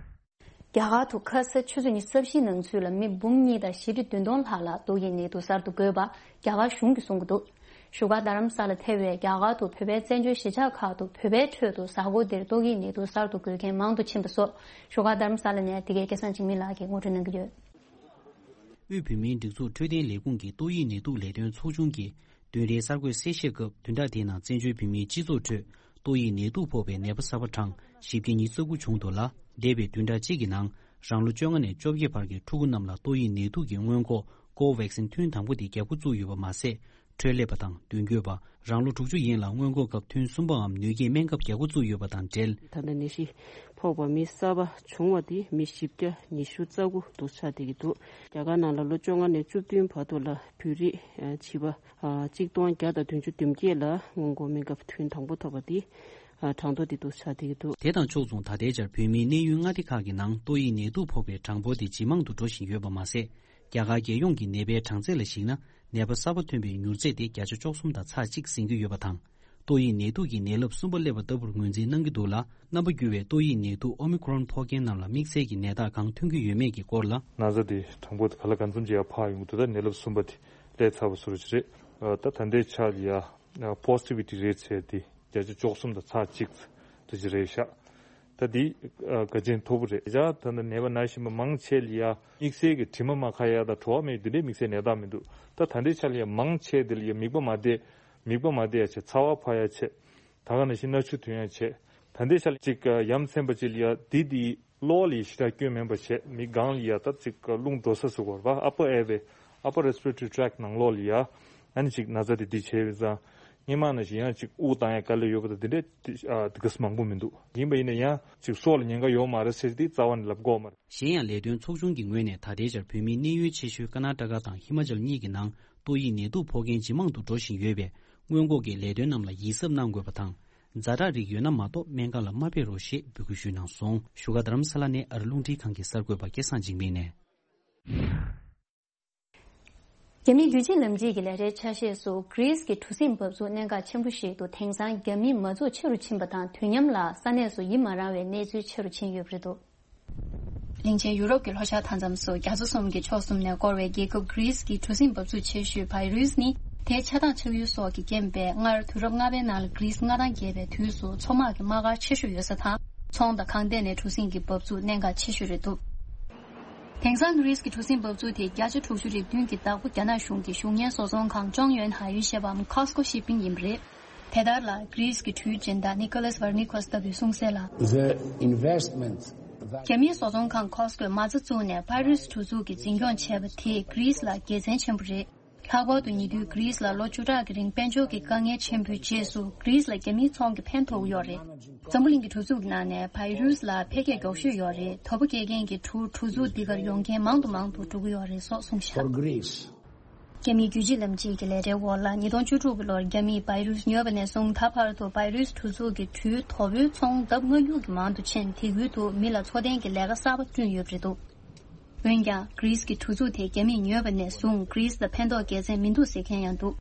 རྒྱ་གར་དུ་ཁ་ས་ཆུ་ཚོད་ཉི་ཤུ་རྩ་བཞིའི་ནང་ཚུད་ལ་མི་འབུམ་གཉིས་དང་བཞི་ཁྲི་བདུན་སྟོང་ལྷག་ལ་ཏོག་དབྱིབས་ནད་དུག་གསར་དུ་འགོས་པ་རྒྱ་གར་གཞུང་གིས་གསུང་གི་འདུག། བཞུགས་སྒར་རྡ་རམ་ས་ལ་ཐེ་བའི་རྒྱ་གར་དུ་བོད་པའི་བཙན་བྱོལ་གཞིས་ཆགས་ཁག་ཏུ་བོད་པའི་ཁྲོད་དུ་གཟའ་འཁོར་འདིར་ཏོག་དབྱིབས་ནད་དུག་གསར་དུ་འགོས་མཁན་མང་དུ་ཕྱིན་པ་སོགས། བཞུགས་སྒར་རྡ་རམ་ས་ལ་ནས་འདི་གའི་སྐལ་བཟང་འཇིགས་མེད་ལགས་ཀྱིས་ངོ་སྤྲོད་གནང་གི་ཡོད། དབུས་བོད་མིའི་སྒྲིག་འཛུགས་འཕྲོད་བསྟེན་ལས་ཁུངས་ཀྱི་ཏོག་དབྱིབས་ནད་དུག་ལས་དོན་ཚོགས་ཆུང་གིས་བདུན་རེའི་གསར་འགོད་གསལ་བཤད་སྐབས། བདུན་ཕྲག་འདིའི་ནང་བཙན་བྱོལ་བོད་མིའི་སྤྱི་ཚོགས་ཁྲོད་ཏོག་དབྱིབས་ནད་དུག་ཕོག་པའི་ནད་པ་གསར་པ་གྲངས་བཞི་བརྒྱ་ཉི་ཤུ་རྩ་དགུ་བྱུང་འདུག་ལ། འདས་པའི་བདུན་ཕྲག་གཅིག་གི་ནང་རང་ལོ་བཅོ་ལྔ་ནས་བཅོ་བརྒྱད་བར་གྱི་ཕྲུ་གུ་རྣམས་ལ་ཏོག་དབྱིབས་ནད་དུག་གི་སྔོན་འགོག་ཀོ་ཝེག་སིན་ཐུན་དང་པོ་དེ་བརྒྱབ་འགོ་བཙུགས་ཡོད་པ་མ་ཟད། འཕྲོད་ལས་པ་དང་མདུན་སྐྱོད་པ། རང་ལོ་དྲུག་ཅུ་ཡན་ལ་སྔོན་འགོག་སྐབས་ཐུན་གསུམ་པའམ་ནུས་སྐྱེད་སྨན་ཁབ་བརྒྱབ་འགོ་བཙུགས་ཡོད་པ་དང་འབྲེལ། ད་ལྟ་ནད་གཞི་ཕོག་པ་མི་གསར་པ་བྱུང་བ་དེ་མི་བཞི་བརྒྱ་ཉི་ཤུ་རྩ་དགུ་འདུ་ཆགས་བསྡད་ཀྱི་འདུག་རྒྱ་གར་ནང་ལ་ལོ་བཅོ་ལྔ་ནས་བཅུ་བདུན་བར་དུ་ལ་བོད་རིགས་བྱིས་པ་གཅིག་སྟོང་བརྒྱ་དང་བདུན་ཅུ་དོན་བརྒྱད་ལ་སྔོན་འགོག་སྨན་ཁབ་ཐུན་དང་པོ་ཐོབ་པ་དེ་གྲངས་ཐོ་དེ་འདུ་ཆགས་བསྡད་ཀྱི་འདུག་དེ་དང་ཕྱོགས་མཚུངས་ད་ལྟའི་ཆར་བོད་མིའི་གནས་ཡུལ་མངའ་སྡེ་ཁག་གི་ནང་ཏོག་དབྱིབས་ནད་དུག་ཕོག་པའི་གྲངས་འབོར་དེ་ཇེ་མང་དུ་འགྲོ་བཞིན་ཡོད་པ་མ་ཟད། རྒྱ་གར་རྒྱལ་ཡོངས་ཀྱི་ནད་པའི་གྲངས་ཚད་ལ་གཞིགས་ན། ནད་པ་གསར་པ་ཐོན་པའི་མྱུར་ཚད་དེ་བརྒྱ་ཆ་བཅུ་གསུམ་དང་ཚེག་གཅིག་ཟིན་གྱི་ཡོད་པ་དང་། ཏོག་དབྱིབས་ནད་དུག་གིས་ནད་རླབས་གསུམ་པ་སླེབས་པ་ལྟ་བུར་ངོས་འཛིན་གནང་གི་འདུག་ལ། རྣམ་པ་འགྱུར་བའི་ཏོག་དབྱིབས་ནད་དུག་ཨོ་མི་ཁོ་རོན་ཕོག་མཁན་རྣམས་ལ་དམིགས་བསལ་གྱི་ནད་རྟགས་གང་ཐོན་གྱི་ཡོད་མེད་ཀྱི་སྐོར་ལ། ན་ཚ་དེ་གྲངས་འབོར་དེ་ག་ལ་གང་འཚམ་ཅིག་ཡར་འཕར་ཡོང་གི་འདུག་ད་ནད་རླབས་གསུམ་པ་དེ་སླེབས་ཚར་བ་བཟོ་འདྲ་ཅིག་རེད། ད་ད་ལྟའི་ཆར་ལ་ཡ་པོ་སི་ཊི་བི་ཊི་རེ་ཊི་ཟེར་དེ་བརྒྱ་ཆ་བཅུ་གསུམ་དང་ཚེག་གཅིག་དེ་ཅིག་རེད་ཤག་ད་འདི་ཨ་དགའ་ཆེན་མཐོ་པོ་རེད། ད་ལྟ་ནད་པ་ན་བཞིན་པ་མང་ཆེ་ལ་ཡ་དམིགས་བསལ་གྱི་དྲི་མ་མ་ཁ་ཡ་དང་བྲོ་བ་མེད་འདི་འདྲའི་དམིགས་བསལ་ནད་རྟགས་མི་འདུག་ད་ད་ལྟའི་ཆ་ལ་ཡ་མང་ཆེ་འདི་ལ་ཡ་མིད་པ་མ་བསྡད། མིད་པ་མ་བསྡད་ཡ་བྱས། ཚ་བ་འཕར་ཡ་བྱས། ད་ག་ནང་བཞིན་སྣ་ཆུ་ཐོན་ཡ་བྱས། ད་ལྟའི་ཆ་ལ་ཅིག་ཡ་མཚན་པ་ཅིག་ལ་ཡ་འདི་འདི་གློ་ལ་ཡ་ཞེ་དྲག་སྐྱོན་མེད་པ་བྱས། མིད་སྒང་ལ་ཡ་ད་ཅིག་རླུང་འགྲོ་ས་ཟེར་དགོས་རེད་པ། ཨ་པར་ཨེར་ཝེ། ཨ་པར་རེ་སི་པི་རེ་ཊོ་རི་ཊེག་ནང་ལོགས་ལ་ཡ། ཨ་ནི་ཅིག་ན་ཚ་དེ་འདི་བྱས་པ་ཙང་། སྔོན་མ་ནང་བཞིན་ཡང་ཅིག་དབུགས་བཏང་ཡ་དཀའ་ལས་ཡོད་པ་དང་དེ་འདྲའི་དེ་ཨ་དེ་ག་ཚོད་མང་པོ་མི་འདུག་ཡིན་པ་ཡིན་ན་ཡང་ཅིག་སྲོག་ལ་ཉེན་ཁ་ཡོད་མ་རེད་ཟེར་དེ་རྩ་བ་ནས་ལབ་དགོས་མ་རེད། གཞན་ཡང་ལས་དོན་ཚོགས་ཆུང་གི་ངོས་ནས་ད་ལྟའི་ཆར་བོད་མིའི་གནས་ཡུལ་ཆེ་ཤོས་ཀར་ནཱ་ཊ་ཀ་དང་ཧི་མ་ཅལ་གཉིས་ཀྱི་ནང་ཏོག་དབྱིབས་ནད་དུག་ཕོག་མཁན་ཇེ་མང་དུ་འགྲོ་བཞིན་ཡོད་པས། སྔོན་འགོག་གི་ལས་དོན་རྣམས་ལ་ཡིད་གཟབ་གནང་དགོས་པ་དང་། ཛ་དྲག་རིགས་ཡོད་ན་མ་གཏོགས་སྨན་ཁང་ལ་མ་ཕེབས་རོགས་ཞེས་འབོད་སྐུལ་ཞུས་གནང་སོང་། བཞུགས་སྒར་རྡ་རམ་ས་ལ་ནས་ཨ་རི་རླུང་འཕྲིན་ཁང་གི་གསར་འགོད་པ་སྐལ་བཟང་འཇིགས་མེད་ནས། རྒྱ་མིའི་རྒྱུད་གཅིག་ལམ་གཅིག་གི་ལས་གྲྭའི་ཆ་ཤས་སུ་གྷི་རིས་ཀྱི་གྲུ་གཟིངས་འབབ་ཚུགས་གནད་འགག་ཆེན་པོ་ཞིག་ཏུ་དེང་སང་རྒྱ་མི་མ་འཛུགས་ཆེ་རུ་ཕྱིན་པ་དང་། དུས་མཉམ་ལ་ས་གནས་སུ་ཡིད་མ་རངས་བའི་གནས་ཚུལ་ཆེ་རུ་ཕྱིན་ཡོད་པ་རེད་འདུག་གླིང་ཆེན་ཡུ་རོབ་ཀྱི་ལྷོ་ཤར་མཐའ་མཚམས་སུ་རྒྱ་མཚོ་གསུམ་གྱི་ཕྱོགས་གསུམ་ནས་བསྐོར་བའི་རྒྱལ་ཁབ་གྷི་རིས་ཀྱི་གྲུ་གཟིངས་འབབ་ཚུགས་ཆེ་ཤོས་བྷའི་རུས་ནི། དེའི་ཆགས་སྡང་ཆགས་ཡུལ་སོགས་ཀྱི་རྐྱེན་པས། སྔར་དུས་རབས་ལྔ་པའི་ནང་ལ་གྷི་རིས་མངའ་ཐང་རྒྱས་པའི་དུས་སུ་མཚོ་དམག་གི་དམག་སྒར་ཆེ་ཤོས་ཡོད་ས་དང་། ཚོང་དང་ཁང་ལྟེ་ནས་གྲུ་གཟིངས་ཀྱི་འབབ་ཚུགས་གནད་འགག་ཆེ་ཤོས་རེད་འདུག་དེང་སང་གྷི་རིས་ཀྱི་གྲུ་གཟིངས་འབབ་ཚུགས་དེ་བརྒྱ་ཆ་དྲུག་ཅུ་རེ་བདུན་གྱི་བདག་པོ་རྒྱ་ནག་གཞུང་གི་གཞུང་གཉེར་བཟོ་ཚོང་ཁང་ཅོང་ཡོན་ཧའེ་ཡུན་ཞེས་པའམ་Costco Shipping ཡིན་པ་རེད། དེ་ལྟར་ལ་གྷི་རིས་ཀྱི་འཕྲུལ་སྦྱོང་བདག་Nicholas Varnikos ལྟ་བུས་གསུངས་གསལ་ལ། The investment that རྒྱ་མིའི་བཟོ་ཚོང་ཁང་Costco མ་རྩ་བཙུགས་ནས་བྷའི་རུས་གྲུ་གཟིངས་ཀྱི་འཛིན་སྐྱོང་བྱས་པ་དེས་གྷི་རིས་ལ་དགེ་མཚན་ཆེན་པོ་རེད། ལྷག་པར་དུ་ཉེ་དུས་གྷི་རིས་ལ་ལོ་བཅུ་ཕྲག་གི་རིང་དཔལ་འབྱོར་གྱི་དཀའ་ངལ་ཆེན་པོའི་རྗེས་སུ་གྷི་རིས་ལ་རྒྱ་མིའི་ཚོང་གིས་ཕན་ཐོགས་ཀྱི་ཡོད་རེད། འཛམ་བུ་གླིང་གི་གྲུ་གཟིངས་ཀྱི་ནང་ནས་བྷའི་རུས་ལ་འཕེལ་རྒྱས་མགྱོགས་ཤོས་ཡོད་རེད། དོ་པོ་སྐྱེལ་མཁན་གྱི་གྲུ་གྲུ་གཟིངས་འདི་གར་ཡོང་མཁན་མང་དུ་མང་དུ་འགྲོ་གི་ཡོད་རེད་སོགས་གསུངས་བཞག་རྒྱ་མིའི་རྒྱུད་གཅིག་ལམ་གཅིག་གི་ལས་གྲྭའི་འོག་ལ་ཉིས་སྟོང་བཅུ་དྲུག་གི་ལོར་རྒྱ་མིས་བྷའི་རུས་ཉོས་པ་ནས་བཟུང་ད་བར་དུ་བྷའི་རུས་གྲུ་གཟིངས་ཀྱི་གྲུའི་དོ་པོའི་ཚོང་ལྡབ་ལྔ་བཅུ་གི་མང་དུ་ཕྱིན། དེ་ཁུལ་དུ་མི་ལ་འཚོ་རྟེན་གྱི་ལས་ཀ་གསར་པ་བསྐྲུན་ཡོད་པ་རེད་འདུག་འོན་ཀྱང་གྷི་རིས་ཀྱི་གྲུ་གཟིངས་དེ་རྒྱ་མིས་ཉོས་པ་ནས་བཟུང་གྷི་རིས་ལ་ཕན་ཐོགས་དགེ་མཚན་མི་འདུག་ཟེར་མཁན་ཡང་འདུག་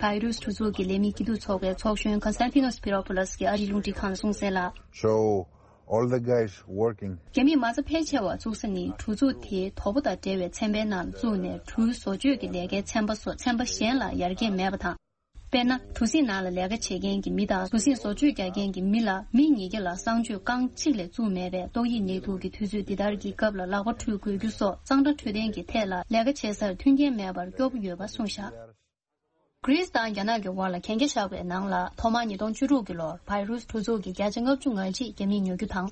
བྷའི་རུས་གྲུ་གཟིངས་ཀྱི་ལས་མི་སྐྱིད་སྡུག་ཚོགས་པའི་ཚོགས་གཞོན་Konstantinos Spiropoulos གྱིས་ཨ་རིའི་རླུང་འཕྲིན་ཁང་ལ་གསུངས་གསལ་ལ། So all the guys working རྒྱ་མིས་མ་རྩ་ཕལ་ཆེ་བ་བཙུགས་ས་ནི་གྲུ་གཟིངས་དེའི་དོ་པོ་དང་འབྲེལ་བའི་ཚན་པའི་ནང་བཙུགས་ནས་གྲུ་བཟོ་བཅོས་ཀྱི་ལས་ཀའི་ཚན་པ་སོགས་ཚན་པ་གཞན་ལ་ཡར་རྒྱས་མེད་པ་དང་། དཔེར་ན། གྲུ་གཟིངས་ནང་ལ་ལས་ཀ་བྱེད་མཁན་གྱི་མི་དང་གྲུ་གཟིངས་བཟོ་བཅོས་རྒྱག་མཁན་གྱི་མི་ལ་མི་གཉིས་ཀ་ལ་གསང་སྤྱོད་རྐང་གཅིག་ལས་བཙུགས་མེད་པས། ཏོག་དབྱིབས་ནད་དུག་གི་དུས་ཚོད་འདི་ལྟར་གྱི་སྐབས་ལ་ལག་པ་འཁྲུད་དགོས་རྒྱུ་སོགས་གཙང་སྦྲ་འཕྲོད་བསྟེན་གྱི་ཐད་ལ་ལས་ཀ་བྱེད་སར་མཐུན་རྐྱེན་མེད་པར་སྐྱོ་པོ་ཡོད་པ་གསུངས་བཞག་གྷི་རིས་དང་རྒྱ་ནག་གི་དབར་ལ་གན་རྒྱ་བཞག་པའི་ནང་ལ་ཐོག་མར་ཉིས་སྟོང་བཅུ་དྲུག་གི་ལོར་བྷའི་རུས་གྲུ་གཟིངས་ཀྱི་བརྒྱ་ཆ་ལྔ་བཅུ་ང་གཅིག་རྒྱ་མིས་ཉོ་རྒྱུ་དང་།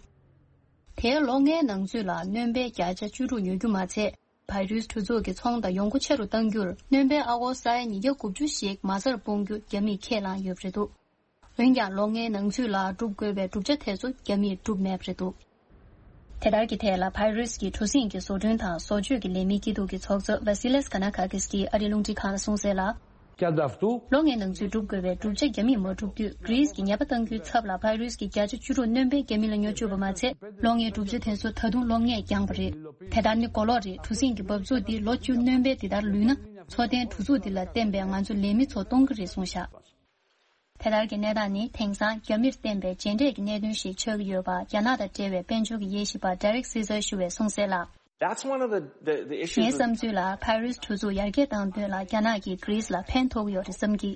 དེའི་ལོ་ལྔའི་ནང་ཚུད་ལ་སྣོན་པའི་བརྒྱ་ཆ་བཅུ་དྲུག་ཉོ་རྒྱུ་མ་ཚད། བྷའི་རུས་གྲུ་གཟིངས་ཀྱི་ཚོང་དང་ཡོང་སྒོ་ཆེ་རུ་གཏང་རྒྱུར་སྣོན་པའི་ཨ་སྒོར་ས་ཡ་ཉིས་བརྒྱ་དགུ་བཅུ་ཞིག་མ་རྩར་སྤུངས་རྒྱུ་རྒྱ་མིས་ཁས་བླངས་ཡོད་པ་རེད་འདུག་འོན་ཀྱང་ལོ་ལྔའི་ནང་ཚུད་ལ་སྒྲུབ་དགོས་པའི་གྲུབ་ཆ་དེ་ཚོ་རྒྱ་མིས་བསྒྲུབས་མེད་པ་རེད་འདུག་དེ་ལྟར་གྱི་ཐད་ལ་བྷའི་རུས་ཀྱི་གྲུ་གཟིངས་ཀྱི་བཟོ་སྐྲུན་དང་བཟོ་བཅོས་ཀྱི་ལས་མི་སྐྱིད་སྡུག་གི་ཚོགས་གཙོ་Vasilis Kanakakis གྱིས་ཨ་རིའི་རླུང་འཕྲིན་ཁང་ལ་གསུངས་གསལ་ལ། Cadavtu ལོ་ལྔའི་ནང་ཚུད་སྒྲུབ་དགོས་པའི་གྲུབ་ཆ་རྒྱ་མིས་མ་བསྒྲུབས་དུས་གྷི་རིས་ཀྱིས་ཉེས་པ་གཏང་རྒྱུའི་ཚབ་ལ་བྷའི་རུས་ཀྱི་བརྒྱ་ཆ་བཅུ་དྲུག་སྣོན་པའི་རྒྱ་མི་ལ་ཉོ་བཅུག་པ་མ་ཚད། ལོ་ལྔའི་གྲུབ་ཆ་དེ་ཚོ་ད་དུང་ལོ་ལྔས་འགྱངས་པ་རེད། དེ་ལྟར་ནི་གོ་ལོག་རེད། གྲུ་གཟིངས་ཀྱི་འབབ་ཚུགས་འདི་ལོ་བཅུ་སྣོན་པའི་འདི་ལྟར་ལུས་ན། འཚོ་རྟེན་གྲུ་གཟིངས་འདི་ལ་བརྟེན་པའི་ང་ཚོ་ལས་མི་ཚོ་སྟོང་གི་རེད་གསུངས་བཞག་དེ་ལྟར་གྱི་གནས་སྟངས་ནི་དེང་སང་རྒྱ་མིར་བརྟེན་པའི་རྗེས་འབྲས་ཀྱི་གནད་དོན་ཞིག་ཆགས་ཀྱི་ཡོད་པ་རྒྱ་ནག་དང་འབྲེལ་བའི་དཔལ་འབྱོར་གྱི་དབྱེ་ཞིབ་པ་Derek Caesar ཞུ་བས་གསུངས་གསལ་ལ། That's one of the, the, the issues ངའི་བསམ་ཚུལ་ལ་བྷའི་རུས་གྲུ་གཟིངས་ཡར་རྒྱས་བཏང་དོན་ལ་རྒྱ་ནག་གིས་གྷི་རིས་ལ་ཕན་ཐོགས་ཀྱི་ཡོད་རེད་བསམ་གི།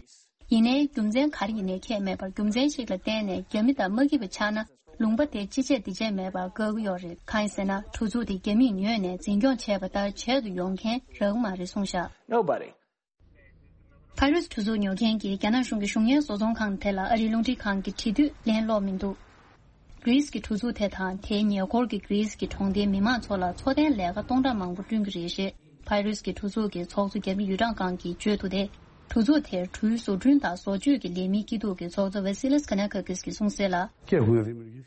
ཡིན་ནའི་རྒྱུ་མཚན་ག་རེ་ཡིན་ནའི་ཁྱད་མེད་པར་རྒྱུ་མཚན་ཞིག་ལ་བརྟེན་ནས་རྒྱ་མི་དང་མ་སྐྱིད་པ་ཆགས་ན། ལུང་པ་དེ་ཅི་བྱེད་འདི་བྱེད་མེད་པར་བཀག་གི་ཡོད་རེད། གང་ཡིན་ཟེར་ན། གྲུ་ཚུགས་དེ་རྒྱ་མིས་ཉོས་ནས་འཛིན་སྐྱོང་བྱས་པ་ལྟར་བྱེད་དུ་ཡོང་མཁན་རག་གི་མ་རེད་གསུངས་བཞག Nobody. ཕ་རུས་གྲུ་ཚུགས་ཉོ་མཁན་གྱིས་རྒྱ་ནག་གཞུང་གི་གཞུང་གཉེར་བཟོ་ཚོང་ཁང་དེ་ལ་ཨ་རིའི་རླུང་འཕྲིན་ཁང་གི་འབྲེལ་མཐུད་ལེན་སློག་མི་འདུག་གྷི་རིས་ཀྱི་གྲུ་ཚུགས་དེ་དང་དེའི་ཉེ་འཁོར་གྱི་གྷི་རིས་ཀྱི་གྲོང་སྡེའི་མི་མང་ཚོ་ལ་འཚོ་རྟེན་ལས་ཀ་སྟོང་ཕྲག་མང་པོ་བསྐྲུན་གྱི་རེད་ཞེས། ཕ་རུས་ཀྱི་གྲུ་ཚུགས་ཀྱི་ཚོགས་གཙོ་རྒྱ་མི་ཡུས་ཀྲང་ཀང་གིས་བརྗོད་འདུག་སྟེ། གྲུ་ཚུགས་དེར་གྲུའི་བཟོ་སྐྲུན་དང་བཟོ་བཅོས་ཀྱི་ལས་མིའི་སྐྱིད་སྡུག་གི་ཚོགས་གཙོ་Vasilis Kanakas གིས་གསུངས་གསལ་ལ།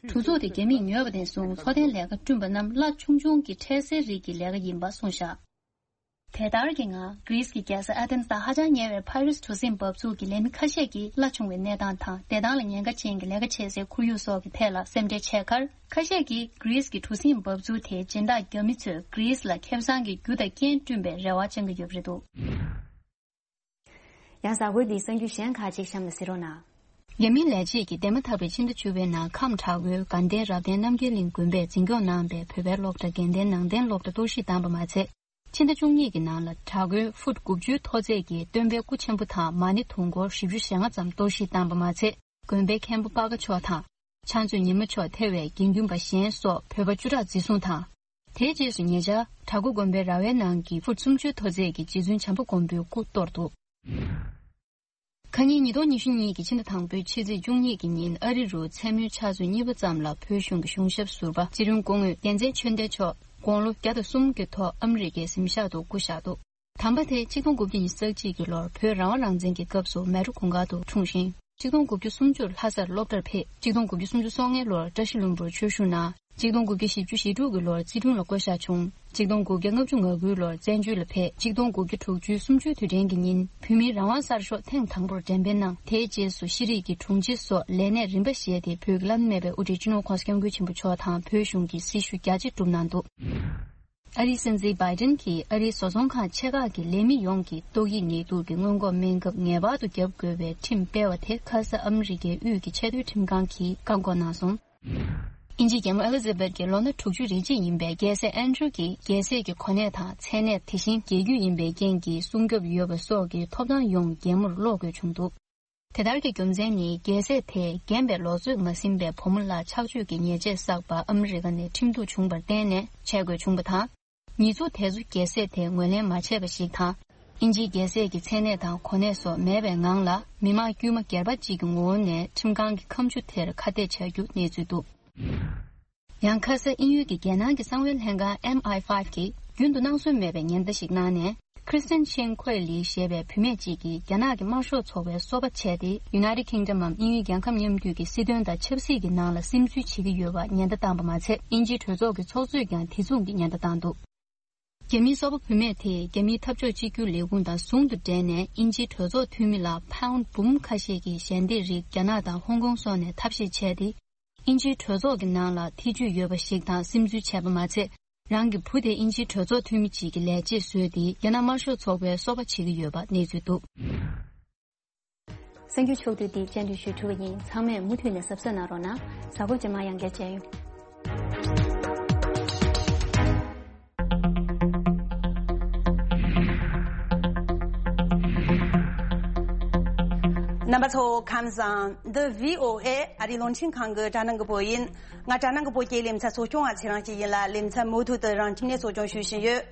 གྲུ་ཚུགས་དེ་རྒྱ་མིས་ཉོས་པ་ནས་བཟུང་འཚོ་རྟེན་ལས་ཀ་བསྐྲུན་པ་རྣམས་གླ་ཆུང་ཆུང་གི་འཕྲལ་སེལ་རིགས་ཀྱི་ལས་ཀ་ཡིན་པ་གསུངས་བཞག་དེ་ལྟར་གྱི་ངང་གྷི་རིས་ཀྱི་རྒྱལ་ས་ཨ་ཐེན་སི་དང་ཧ་ཅང་ཉེ་བའི་ཕ་རུས་གྲུ་གཟིངས་འབབ་ཚུགས་ཀྱི་ལས་མི་ཁ་ཤས་ཀྱིས་གླ་ཆུང་བའི་གནས་སྟངས་དང་བདེ་ཐང་ལ་ཉེན་ཁ་ཅན་གྱི་ལས་ཀ་བྱེད་སའི་ཁོར་ཡུག་སོགས་ཀྱི་ཐད་ལ་སེམས་ཁྲལ་བྱས་ཁར། ཁ་ཤས་ཀྱིས་གྷི་རིས་ཀྱི་གྲུ་གཟིངས་འབབ་ཚུགས་དེ་སྦྱིན་བདག་རྒྱ་མི་ཚོས་གྷི་རིས་ལ་ཁེ་བཟང་གི་རྒྱུ་དང་རྐྱེན་བསྐྲུན་པའི་རེ་བ་བཅང་གི་ཡོད་པ་རེད་འདུག་ཡང་གཟའ་འཁོར་འདིའི་གསར་འགྱུར་གཞན་ཁག་ཅིག་གཤམ་ལ་གཟིགས་རོགས་གནང་། རྒྱ་མིའི་ལས་བྱེད་ཀྱིས་འདས་མ་ཐག་པའི་ཕྱི་ཟླ་བཅུ་པའི་ནང་ཁམས་བྲག་མགོའི་དགའ་ལྡན་རབ་བརྟན་རྣམ་རྒྱལ་གླིང་དགོན་པས་འཛིན་སྐྱོང་གནང་བའི་བོད་པའི་སློབ་གྲྭ་དགེ་ལྡན་ནང་བསྟན་སློབ་གྲྭ་གཏོར་བཤིག་བཏང་པ་མ་ཚད། ཕྱི་ཟླ་བཅུ་གཉིས་ཀྱི་ནང་ལ་བྲག་མགོའི་ཧྥུཊ་དགུ་བཅུའི་མཐོ་ཚད་ཀྱི་སྟོན་པའི་སྐུ་ཆེན་པོ་དང་མ་ཎི་དུང་འཁོར་བཞི་བཅུ་ཞེ་ལྔ་ཙམ་གཏོར་བཤིག་བཏང་པ་མ་ཚད། དགོན་པའི་མཁན་པོ་སྤ་ཁ་མཆོག་དང་། ཕྱག་མཛོད་ཉི་མ་མཆོག་ཐེ་བའི་དགེ་འདུན་པ་གཞན་སོགས་བོད་པ་བཅུ་ཕྲག་འཛིན་བཟུང་དང་། དེའི་རྗེས་སུ་ཉེ་ཆར་བྲག་མགོ་དགོན་པའི་ར་བའི་ནང་གི་ཧྥུཊ་སུམ་ཅུའི་མཐོ་ཚད་ཀྱི་རྗེ་བཙུན་བྱམས་པ་མགོན་པོའི་སྐུ་གཏོར་འདུག་ཁ་ཉིན་ཉིས་སྟོང་ཉི་ཤུ་གཉིས་ཀྱི་ཕྱི་ཟླ་དང་པོའི་ཕྱི་ཚེས་བཅུ་གཉིས་ཀྱི་ཉིན་ཨ་རི་རུ་མཚན་མོའི་ཆུ་ཚོད་གཉིས་པ་ཙམ་ལ་བོད་གཞུང་གི་གཞུང་ཞབས་ཟུར་པ་སྤྱི་དོན་སྐུ་ངོ་རྒྱལ་མཚན་ཆོས་ལྡན་མཆོག་དགུང་ལོ་བརྒྱ་དང་གསུམ་གྱི་ཐོག་ཨ་མི་རི་ཀའི་གཟིམ་ཤག་ཏུ་སྐུ་བཞག་འདུག་དམ་པ་དེ་ཆིག་སྟོང་དགུ་བརྒྱ་ཉི་ཤུ་རྩ་གཅིག་གི་ལོར་བོད་རང་དབང་རང་བཙན་གྱི་སྐབས་སུ་མལ་གྲོ་གུང་དཀར་དུ་འཁྲུངས་ཤིང་། ཆིག་སྟོང་དགུ་བརྒྱ་སུམ་ཅུར་ལྷ་སར་སློབ་གྲྭར་ཕེབས། ཆིག་སྟོང་དགུ་བརྒྱ་སུམ་ཅུ་སོ་ལྔའི་ལོར་བཀྲ་ཤིས་ལྷུན་པོར་ཆོས་ཞུ་གནང་། ཆིག་སྟོང་དགུ་བརྒྱ་བཞི་བཅུ་ཞེ་དྲུག་གི་ལོར་ཙི་ཁྲོན་ལ་བསྐོ་བཞག་བྱུང་། ཆིག་སྟོང་དགུ་བརྒྱ་ལྔ་བཅུ་ང་དགུའི་ལོར་བཙན་བྱོལ་ལ་ཕེབས། ཆིག་སྟོང་དགུ་བརྒྱ་དྲུག་ཅུའི་གསུམ་བཅུའི་དུས་དྲན་གྱི་ཉིན་བོད་མིའི་རང་དབང་གསར་ཤོག་ཐེངས་དང་པོར་འགྲེམས་སྤེལ་གནང་། དེའི་རྗེས་སུ་ཤེས་རིག་གི་དྲུང་ཆེ་སོགས་ལས་གནས་རིམ་པ་བཞེས་ཏེ་བོད་ཀྱི་བླ་ན་མེད་པའི་དབུ་ཁྲིད་སྤྱི་ནོར་༸གོང་ས་༸སྐྱབས་མགོན་ཆེན་པོ་མཆོག་དང་བོད་གཞུང་གི་སྲི་ཞུ་རྒྱ་ཆེ་བསྒྲུབས་གནང་འདུག་ཨ་རིའི་སྲིད་འཛིན་བྷའི་ཏིན་གྱིས་ཨ་རིའི་བཟོ་ཚོང་ཁང་ཆེ་ཁག་གི་ལས་མི་ཡོངས་ཀྱི་ཏོག་དབྱིབས་ནད་དུག་གི་སྔོན་འགོག་སྨན་ཁབ་ངེས་པར་དུ་བརྒྱབ་དགོས་པའི་ཁྲིམས་སྤེལ་བ་དེ་ཁ་ས་ཨ་མི་རི་ཀའི་དབུས་ཀྱི་ཆེས་མཐོའི་ཁྲིམས་ཁང་གིས་བཀག་འགོག་གནང་སོང་། དབྱིན་ཇིའི་རྒྱལ་མོ་ཨེ་ལི་ཛ་བེད་ཀྱི་ལོ་ན་དྲུག་ཅུ་རེ་གཅིག་ཡིན་པའི་རྒྱལ་སྲས་ཨན་ཌྲུ་གྱིས་རྒྱལ་སྲས་ཀྱི་གོ་གནས་དང་མཚན་གནས། དེ་བཞིན་རྒྱལ་རྒྱུད་ཡིན་པའི་རྐྱེན་གྱིས་སྲུང་སྐྱོབ་ཡོད་པ་སོགས་ཀྱི་ཐོབ་ཐང་ཡོངས་རྒྱལ་མོར་སློག་དགོས་བྱུང་འདུག་དེ་ལྟར་གྱི་རྒྱུ་མཚན་ནི་རྒྱལ་སྲས་དེས་རྒན་པའི་ལོ་ཚོད་མ་ཟིན་པའི་བུ་མོ་ལ་ཆགས་སྤྱོད་ཀྱི་ཉེས་ཆད་བསགས་པ་ཨ་མི་རི་ཀ་ནས་ཁྲིམས་གཏུག་བྱུང་བར་བརྟེན་ནས་བྱེད་དགོས་བྱུང་བ་དང་། ཉེས་འཛུགས་དེ་ཚོ་རྒྱལ་སྲས་དེས་ངོས་ལེན་མ་བྱས་པ་ཞིག་དང་། དབྱིན་ཇིའི་རྒྱལ་སྲས་ཀྱི་མཚན་གནས་དང་གོ་གནས་སོགས་མེད་པའི་ངང་ལ་མི་དམངས་དཀྱུས་མ་སྒེར་པ་གཅིག་གི་ངོ་བོ་ནས་ཁྲིམས་ཁང་གི་ཁ་མཆུ་དེར་ཁ་གཏད་བྱ་རྒྱུ་གནས་ཚུལ་འདུག་ཡང་ཁ་ས་དབྱིན་ཡུལ་གྱི་རྒྱལ་ནང་གི་གསང་བའི་ལྷན་ཁང་ཨེམ་ཨའི་ཕའིབ་ཀྱིས་རྒྱུན་དུ་སྣང་ཟོན་མེད་པའི་ཉེན་བརྡ་ཞིག་གནང་ནས། Kristen Chin Kuei Lee ཞེས་པའི་བུད་མེད་ཅིག་གིས་རྒྱ་ནག་གི་དམར་ཤོག་ཚོགས་པའི་སོ་པ་བྱས་ཏེ། United Kingdom འམ་དབྱིན་ཡུལ་རྒྱལ་ཁབ་མཉམ་འདུས་ཀྱི་སྲིད་དོན་དང་ཆབ་སྲིད་ཀྱི་ནང་ལ་སིམ་འཛུལ་བྱེད་ཀྱི་ཡོད་པ་ཉེན་བརྡ་བཏང་པ་མ་ཚད། དབྱིན་ཇིའི་གྲོས་ཚོགས་ཀྱི་ཚོགས་གཙོས་ཀྱང་དེ་མཚུངས་ཀྱི་ཉེན་བརྡ་བཏང་འདུག་རྒྱ་མིའི་སོ་པ་བུད་མེད་དེས་རྒྱ་མིའི་འཐབ་ཕྱོགས་གཅིག་གྱུར་ལས་ཁུངས་དང་ཟུང་དུ་འབྲེལ་ནས་དབྱིན་ཇིའི་གྲོས་ཚོགས་འཐུས་མི་ལ་ཕའུན་འབུམ་ཁ་ཤས་ཀྱི་ཞལ་འདེབས་རིགས་རྒྱ་ནག་དང་ཧོང་ཀོང་སོགས་ནས་ཐབས་ཤེས་བྱས་ཏེ། དབྱིན་ཇིའི་གྲོས་ཚོགས་ཀྱི་ནང་ལ་ཐེ་ཇུས་ཡོད་པ་ཞིག་དང་སིམ་འཛུལ་བྱས་པ་མ་ཚད། རང་གི་བུ་དེ་དབྱིན་ཇིའི་གྲོས་ཚོགས་འཐུས་མི་གཅིག་གི་ལས་བྱེད་བཟོས་ཏེ། རྒྱ་ནག་དམར་ཤོག་ཚོགས་པའི་སོ་པ་བྱེད་ཀྱི་ཡོད་པ་གནས་ཚུལ་འདུག་གསར་འགྱུར་ཕྱོགས་བསྡུས་འདི་སྤྱན་འབུལ་ཞུས་གྲུབ་པ་ཡིན། ཚང་མས་མུ་མཐུད་ནས་གཟབ་གཟབ་གནང་རོགས་གནང་། གཟའ་འཁོར་རྗེས་མ་ཡང་བསྐྱར་མཇལ་ཡོང་། རྣམ་པ་ཚོ་ཁམས་བཟང་། འདི་བྷི་ཨོ་ཨེ་ཨ་རིའི་རླུང་འཕྲིན་ཁང་གི་དྲ་སྣང་གི་བོད་ཡིན། ང་དྲ་སྣང་གི་བོད་ཀྱི་ལེ་ཚན་གཙོ་སྐྱོང་བ་ཚེ་རིང་སྐྱིད་ཡིན་ལ། ལེ་ཚན་མུ་མཐུད་དུ་རང་ཁྱིམ་ནས་གཙོ་སྐྱོང་ཞུ་བཞིན་ཡོད།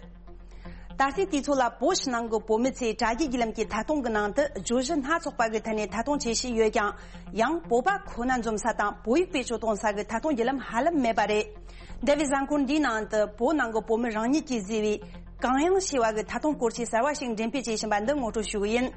ད་ལྟའི་དུས་ཚོད་ལ་བོད་ཕྱི་ནང་གི་བོད་མི་ཚོས་དྲ་རྒྱའི་བརྒྱུད་ལམ་གྱི་ཐད་གཏོང་གི་ནང་དུ་བརྗོད་གཞི་སྣ་ཚོགས་པ་གི་ཐད་ནས་ཐད་གཏོང་བྱེད་བཞིན་ཡོད་ཀྱང་། ཡང་བོད་པ་ཁོ་ན་འཛོམས་ས་དང་བོད་ཡིག་བེད་སྤྱོད་གཏོང་ས་གི་ཐད་གཏོང་བརྒྱུད་ལམ་ཧ་ལམ་མེད་པ་རེད། འདས་པའི་གཟའ་འཁོར་འདིའི་ནང་དུ་བོད་ནང་གི་བོད་མི་རང་ཉིད་ཀྱིས་བཟོས་པའི་གང་ཡང་ཞེས་པ་གི་ཐད་གཏོང་སྐོར་ཆས་གསར་བ་ཞིག་འགྲེམས་སྤེལ་བྱེད་བཞིན་པ་འདི་ངོ་སྤྲོད་ཞུ་གི་ཡིན།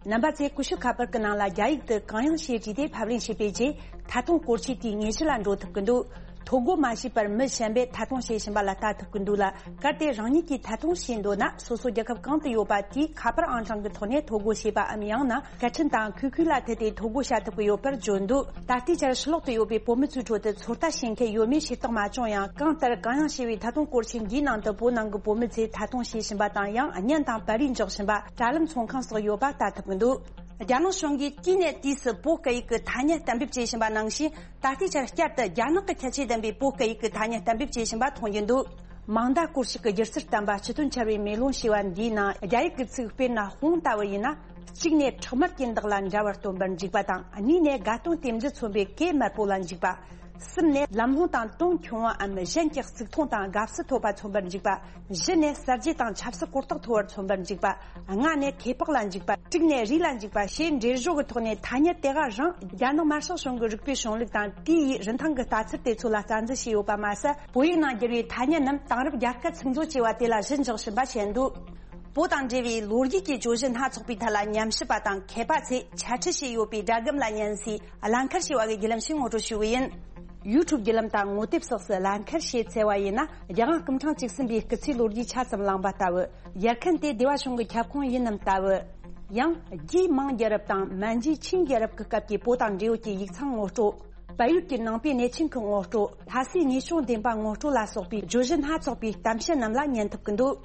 རྣམ་པ་ཚོས་ཀུ་ཤུ་ཁ་པར་གྱི་ནང་ལ་རྒྱ་ཡིག་ཏུ་གང་ཡང་ཞེས་བྲིས་ཏེ་ཕབ་ལེན་བྱས་པའི་རྗེས། ཐད་གཏོང་སྐོར་ཆས་དེའི་ཉེ་ཆར་ལ་འགྲོ་ཐུབ་ཀྱི་འདུག་ཐོ་འགོད་མ་བྱས་པར་མི་གཞན་པས་ཐད་གཏོང་བྱེད་བཞིན་པ་ལ་ལྟ་ཐུབ་ཀྱི་འདུག་ལ། གལ་ཏེ་རང་ཉིད་ཀྱིས་ཐད་གཏོང་བྱེད་འདོད་ན། སོ་སོ་རྒྱལ་ཁབ་གང་དུ་ཡོད་པ་དེའི་ཁ་པར་ཨང་གྲངས་ཀྱི་ཐོག་ནས་ཐོ་འགོད་བྱེད་པའམ། ཡང་ན་སྐད་འཕྲིན་དང་ཁུལ་ཁུལ་ལ་མཐུད་དེ་ཐོ་འགོད་བྱ་ཐུབ་ཀྱི་ཡོད་པར་བརྗོད་འདུག་ད་ལྟའི་ཆར་ཕྱི་ལོག་ཏུ་ཡོད་པའི་བོད་མི་ཚོའི་ཁྲོད་དུ་ཚོད་ལྟ་བྱེད་མཁན་ཡོད་མེད་ཤེས་རྟོགས་མ་བྱུང་ཡང་། གང་ལྟར་གང་ཡང་ཞེས་པའི་ཐད་གཏོང་སྐོར་ཆས་འདིའི་ནང་དུ་བོད་ནང་གི་བོད་མི་ཚོས་ཐད་གཏོང་བྱེད་བཞིན་པ་དང་། ཡང་བརྙན་དང་པར་རིས་འཇོག་བཞིན་པ། དྲ་ལམ་ཚོང་ཁང་སོགས་ཡོད་པ་ལྟ་ཐུབ་ཀྱི་འདུག་རྒྱ་ནག་གཞུང་གིས་དུས་ནས་དུས་སུ་བོད་སྐད་ཡིག་གི་ཐ་སྙད་གཏན་འབེབས་བྱེད་བཞིན་པ་ནང་བཞིན། ད་ལྟའི་ཆར་བསྐྱར་དུ་རྒྱ་ནག་གི་ཁྱད་ཆོས་ལྡན་པའི་བོད་སྐད་ཡིག་གི་ཐ་སྙད་གཏན་འབེབས་བྱེད་བཞིན་པ་མཐོང་རྒྱུ་འདུག་མང་མདའ་སྐོར་ཞིག་གི་སྒྱུ་རྩལ་བསྟན་པ་སྤྱི་དོན་འཆར་བའི་མེ་ལོང་ཞེས་པ་འདིའི་ནང་། རྒྱ་ཡིག་གི་ཚིག་དཔེར་ན་དཔུང་ལྟ་བུ་ཡིན་ན། གཅིག་ནས་ཁྲག་དམར་གྱི་མདོག་ལ་འདྲ་བར་སྟོན་པར་འཇུག་པ་དང་། གཉིས་ནས་དགའ་སྟོན་རྟེན་འབྲེལ་མཚོན་པའི་གོས་དམར་པོ་ལ་འཇུག་པ། གསུམ་ནས་ལམ་ལྷོང་དང་དོན་ཆུང་བའམ་གཞན་གྱི་གཙིགས་མཐོང་དང་དགའ་བསུ་ཐོབ་པ་མཚོན་པར་འཇུག་པ། བཞི་ནས་གསར་བརྗེ་དང་ཆབ་སྲིད་གོ་རྟོགས་མཐོ་བར་མཚོན་པར་འཇུག་པ། ལྔ་ནས་ཁེ་སྤོགས་ལ་འཇུག་པ། དྲུག་ནས་རིགས་ལ་འཇུག་པ་ཞེས་འགྲེལ་བརྗོད་ཀྱི་ཐོག་ནས་ཐ་སྙད་དེ་ག་རང་རྒྱ་ནག་དམར་ཤོག་གཞུང་གི་རིག་པའི་གཞུང་ལུགས་དང་དེའི་རིན་ཐང་གི་ལྟ་ཚུལ་དེ་ཚོ་ལ་རྩ་འཛིན་བྱས་ཡོད་པ་མ་ཟད། བོད་ཡིག་ནང་བསྒྱུར་བའི་ཐ་སྙད་རྣམས་དེང་རབས་རྒྱལ་ཁབ་ཚིག་མཛོད་ཅེས་པ་དེ་ལ་གཞི་འཇོག་བཞིན་པ་བྱས་འདུག་བོད་དང་འབྲེལ་བའི་ལོ་རྒྱུས་ཀྱི་བརྗོད་གཞི་སྣ་ཚོགས་པའི་ཐད་ལ་ཉམས་ཞིབ་པ་དང་མཁས་པ་ཚོས་འཆད་ཁྲིད་བྱས་ཡོད་པའི་སྒྲ་སྒམ་ལ་ཉན་སའི་ལམ་ཁར་ཞེས་པ་གི་བརྒྱུད་ལམ་ཞིག་ངོ་སྤྲོད་ཞུས་པ་ཡིན། ཡུ་ཊུབ་བརྒྱུད་ལམ་དང་ངོ་དེབ་སོགས་སུ་ལམ་ཁར་ཞེས་བཙལ་བ་ཡིན་ན། རྒྱལ་དབང་སྐུ་ཕྲེང་བཅུ་གསུམ་པའི་སྐུ་ཚེའི་ལོ་རྒྱུས་ཆ་ཙམ་བླངས་པ་ལྟ་བུ། ཡར་མཁན་དེ་སྡེ་བ་གཞུང་གི་ཁྱབ་ཁོངས་ཡིན་ནམ་ལྟ་བུ། ཡང་རྒྱའི་མིང་རྒྱལ་རབས་དང་མན་ཇུའི་ཆིང་རྒྱལ་རབས་ཀྱི་སྐབས་ཀྱི་བོད་དང་འབྲེལ་ཡོད་ཀྱི་ཡིག་ཚང་ངོ་སྤྲོད། བལ་ཡུལ་གྱི་ནང་པའི་གནས་ཆེན་ཁག་ངོ་སྤྲོད། ལྷ་སའི་དངོས་བྱུང་བདེན་པ་ངོ་སྤྲོད་ལ་སོགས་པའི་བརྗོད་གཞི་སྣ་ཚོགས་པའི་གཏམ་བཤད་རྣམས་ལ་ཉན་ཐུབ་ཀྱི་འདུག་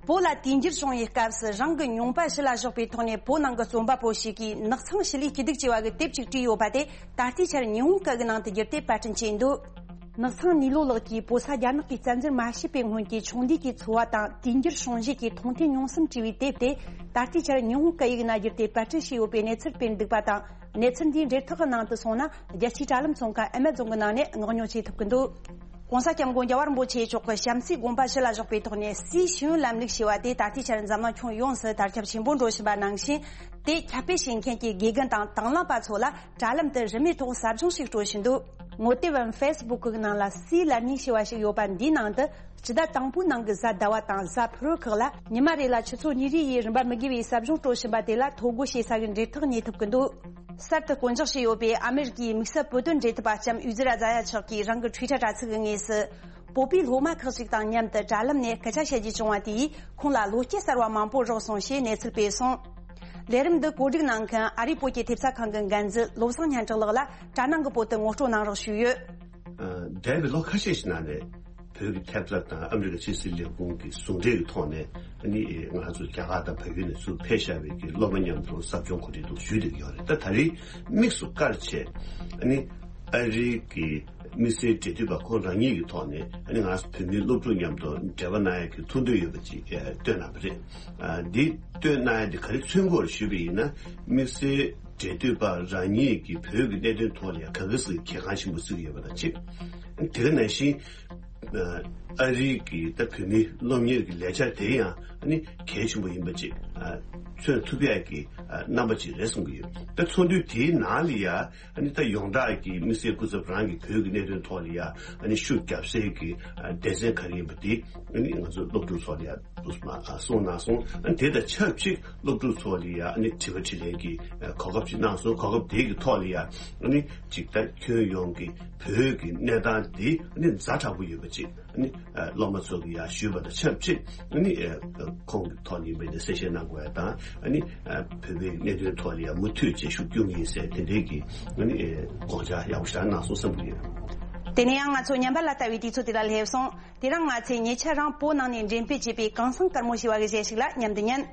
བོད་ལ་དུས་འགྱུར་བྱུང་བའི་སྐབས་སུ་རང་གི་མྱོང་པ་ཕྱི་ལ་བཞག་པའི་ཐོག་ནས་བོད་ནང་གི་རྩོམ་པ་པོ་ཞིག་གིས་ནགས་ཚང་ཞི་ལུའི་སྐྱིད་སྡུག་ཅེས་པ་གི་དེབ་ཅིག་བྲིས་ཡོད་པ་དེ་ད་ལྟའི་ཆར་ཉི་ཧོང་སྐད་ཀྱི་ནང་དུ་བསྒྱུར་ཏེ་པར་སྐྲུན་བྱས་འདུག་ནགས་ཚང་ནུས་ལོ་ལགས་ཀྱིས་བོད་ས་རྒྱ་ནག་གིས་བཙན་འཛུལ་མ་བྱས་པའི་སྔོན་གྱི་ཆུང་དུས་ཀྱི་འཚོ་བ་དང་དུས་འགྱུར་བྱུང་རྗེས་ཀྱི་མཐོང་ཐོས་མྱོང་བསམ་བྲིས་པའི་དེབ་དེ་ད་ལྟའི་ཆར་ཉི་ཧོང་སྐད་ཡིག་ནང་བསྒྱུར་ཏེ་པར་སྐྲུན་བྱས་ཡོད་པའི་གནས་ཚུལ་སྤེལ་འདུག་པ་དང་། གནས་ཚུལ་འདིའི་འབྲེལ་ཐག་གི་ནང་དུ་སོང་ན། རྒྱལ་སྤྱིའི་དྲ་ལམ་ཚོང་ཁང་ཨེ་མ་ཛོན་གྱི་ནང་ནས་མངགས་ཉོ་བྱེད་ཐུབ་ཀྱི་འདུག ྋགོང་ས་ྋསྐྱབས་མགོན་རྒྱལ་བ་རིན་པོ་ཆེ་མཆོག་གི་བྱམས་བརྩེའི་དགོངས་པ་ཕྱི་ལ་བཞག་པའི་ཐོག་ནས། སའི་ཤེས་ཡོན་ལམ་ལུགས་ཞེས་པ་དེ་ད་ལྟའི་ཆར་འཛམ་གླིང་ཁྱོན་ཡོངས་སུ་དར་ཁྱབ་ཆེན་པོ་འགྲོ་བཞིན་པ་ནང་བཞིན། དེ་ཁྱབ་སྤེལ་བྱེད་མཁན་གྱི་དགེ་རྒན་དང་དང་བླངས་པ་ཚོ་ལ་དྲ་ལམ་དུ་རིན་མེད་ཐོག་ཟབ་སྦྱོང་ཞིག་སྤྲོད་བཞིན་འདུག་ངོ་དེབ་ཨམ་ཕེ་སི་བུག་གི་ནང་ལ་སའི་ལར་ནིང་ཞེས་པ་ཞིག་ཡོད་པ་འདིའི་ནང་དུ། སྤྱི་ཟླ་དང་པོའི་ནང་གི་གཟའ་ཟླ་བ་དང་གཟའ་ཕུར་བུ་ཁག་ལ་ཉི་མ་རེ་ལ་ཆུ་ཚོད་གཉིས་རེ་ཡི་རིན་པ་མི་དགོས་པའི་ཟབ་སྦྱོང་སྤྲོད་བཞིན་པ་དེ་ལ་ཐོ་འགོད་བྱེད་ས་གི་འབྲེལ་ཐག་རྙེད་ཐུབ་ཀྱི་འདུག་གསར་དུ་བསྐོ་འཇོག་བྱས་ཡོད་པའི་ཨ་མེ་རི་ཀའི་དམིགས་བསལ་བོད་དོན་འབྲེལ་མཐུད་པ་ལྕམ་ཡུ་ཛི་ར་ཛ་ཡ་མཆོག་གིས་རང་གི་ཊུའི་ཊར་དྲ་ཚིགས་ཀྱི་ངོས་སུ། བོད་པའི་སློབ་མ་ཁག་ཅིག་དང་མཉམ་དུ་དྲ་ལམ་ནས་སྐད་ཆ་བཤད་རྒྱུ་བྱུང་བ་དེ་ཡིས་ཁོང་ལ་བློ་སྐྱེད་གསར་བ་མང་པོ་རག་སོང་ཞེས་གནས་ཚུལ་སྤེལ་སོང་། ལས་རིམ་འདི་གོ་སྒྲིག་གནང་མཁན་ཨ་རིའི་བོད་ཀྱི་ཐེབས་རྩ་ཁང་གི་འགན་འཛིན་བློ་བཟང་སྙན་གྲགས་ལགས་ལ་དྲ་ནང་གི་བོད་དུ་ངོ་སྤྲོད་གནང་རོགས་ཞུས་ཡོད། འདས་པའི་ལོ་ཁ་ཤས་ཤིག་ནང་ནས། བོད་ཀྱི་ཐེབས་རྩ་དང་ཨ་མི་རི་ཀ་ཕྱི་སྲིད་ལས་ཁུངས་ཀྱི་ཟུང་འབྲེལ་གྱི་ཐོག་ནས། ཨ་ནི་ང་ཚོ་རྒྱ་གར་དང་བལ་ཡུལ་ནས་ཚུར་ཕེབས་བཞག་པའི་གི་སློབ་མ་མཉམ་དུ་ཟབ་སྦྱོང་གོ་སྒྲིག་འདུག་ཞུས་བསྡད་ཀྱི་ཡོད་རེད། ད་ད་རེས་དམིགས་སུ་བཀར་བྱས། ཨ་ནི་ཨ་རིའི་གི་དམིགས་བསལ་འབྲེལ་མཐུད་པ་ཁོང་རང་ཉིད་ཀྱི་ཐོག་ནས། ཨ་ནི་ང་ཚོ་བོད་མིའི་སློབ་ཕྲུག་མཉམ་དུ་འབྲེལ་བ་གནང་ཡག་གི་ཐུགས་འདུན་ཡོད་པ་ཅིག་བཏོན་གནང་བ་རེད། འདི་བཏོན་གནང་ཡག་འདི་ག་རེ་མཚོན་གྱི་ཡོད་རེད་ཞུས་པ་ཡིན་ན། དམིགས་བསལ་འབྲེལ་མཐུད་པ་རང་ཉིད་ཀྱིས་བོད་ཀྱི་གནད་དོན་ཐོག་ལ་ཡང་ག་གེ་སར་གྱི་གལ་འགངས་ཆེན་པོ་བརྩི་གི་ཡོད་པ་དང་གཅིག་དེ་ག་ནང་བཞིན། ཨ་རིའི་གི་ད་བོད་མིའི་སློབ་གཉེར་གྱི་ལས་འཆར་དེ་ཡང་ཨ་ནི་གལ་ཆེན་པོ་ཡིན་པ་ཅིག་མཚོན་ཐུབ་ཡག་གི་རྣམ་པ་ཅིག་རེད་བསམ་གྱི་ཡོད། ད་ཚོགས་འདུ་དེའི་ནང་ལ་ཡང་ཨ་ནི་ད་ཡོངས་གྲགས་ཀྱི་དམིགས་བསལ་སྐུ་ཚབ་རང་གི་བོད་ཀྱི་གནད་དོན་ཐོག་ལ་ཡང་ཨ་ནི་ཤུགས་རྒྱབ་སའི་གི་སྡེ་ཚན་ག་རེ་ཡིན་པ་དེ་ཨ་ནི་ང་ཚོ་སློབ་ཕྲུག་ཚོ་ལ་ཡང་གསུངས་གནང་སོང་། ཨ་ནི་དེ་དང་ཆབས་ཅིག་སློབ་ཕྲུག་ཚོ་ལ་ཡང་ཨ་ནི་དྲི་བ་དྲིས་ལན་གྱི་གོ་སྐབས་ཅིག་གནང་སོང་། གོ་སྐབས་དེ་གི་ཐོག་ལ་ཡང་ཨ་ནི་ཅིག་ད་ཁྱོན་ཡོངས་ཀྱི་བོད་ཀྱི་གནས་སྟངས་འདི་ཨ་ནི་ཛ་དྲག་པོ་ཡོད་པ་ཅིག་ཨ་ནི་སློབ་མ་ཚོ་གི་ཡང་ཞུས་པ་དང་ཆབས་ཅིག་ཨ་ནི་ཁོང་གི་ཐོག་ནས་ཡིན་པ་ཡིན་ན་གསལ་བཤད་གནང་དགོས་ཡ་དང་། ཨ་ནི་བོད་པའི་གནད་དོན་ཐོག་ལ་ཡང་མུ་མཐུད་བྱས་ཤུགས་རྒྱུག་གི་ཡིན་ཟེར་དེ་འདྲའི་གི་ཨ་ནི་དགོངས་འཆར་ཡག་པོ་ཞིག་གནང་སོང་བསམ་གྱི་ཡོད། དེ་ནས་ཡང་ང་ཚོ་ཉམས་པ་ལ་ལྟ་བའི་དུས་ཚོད་དེ་ལ་སླེབས་སོང་། དེ་རིང་ང་ཚོས་ཉེ་ཆར་རང་བོད་ནང་ནས་འགྲེམས་སྤེལ་བྱས་པའི་གངས་སེང་དཀར་མོ་ཞེས་པ་གི་གཞས་ཤིག་ལ་མཉམ་དུ་ཉན།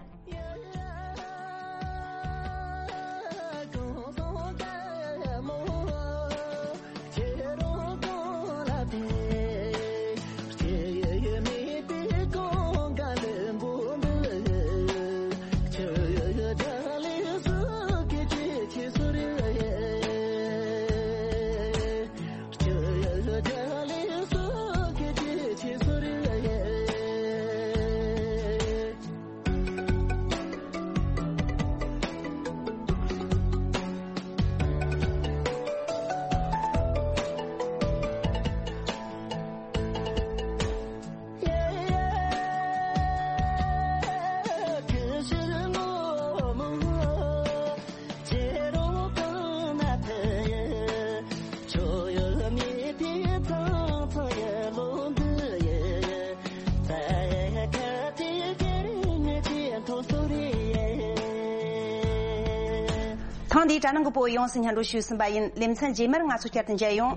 ཐེངས་འདིའི་དྲ་ནང་གི་བོད་ཡོངས་སུ་སྙན་སྒྲོན་ཞུས་ཟིན་པ་ཡིན། ལེ་ཚན་རྗེས་མར་ང་ཚོ་བསྐྱར་དུ་མཇལ་ཡོང་།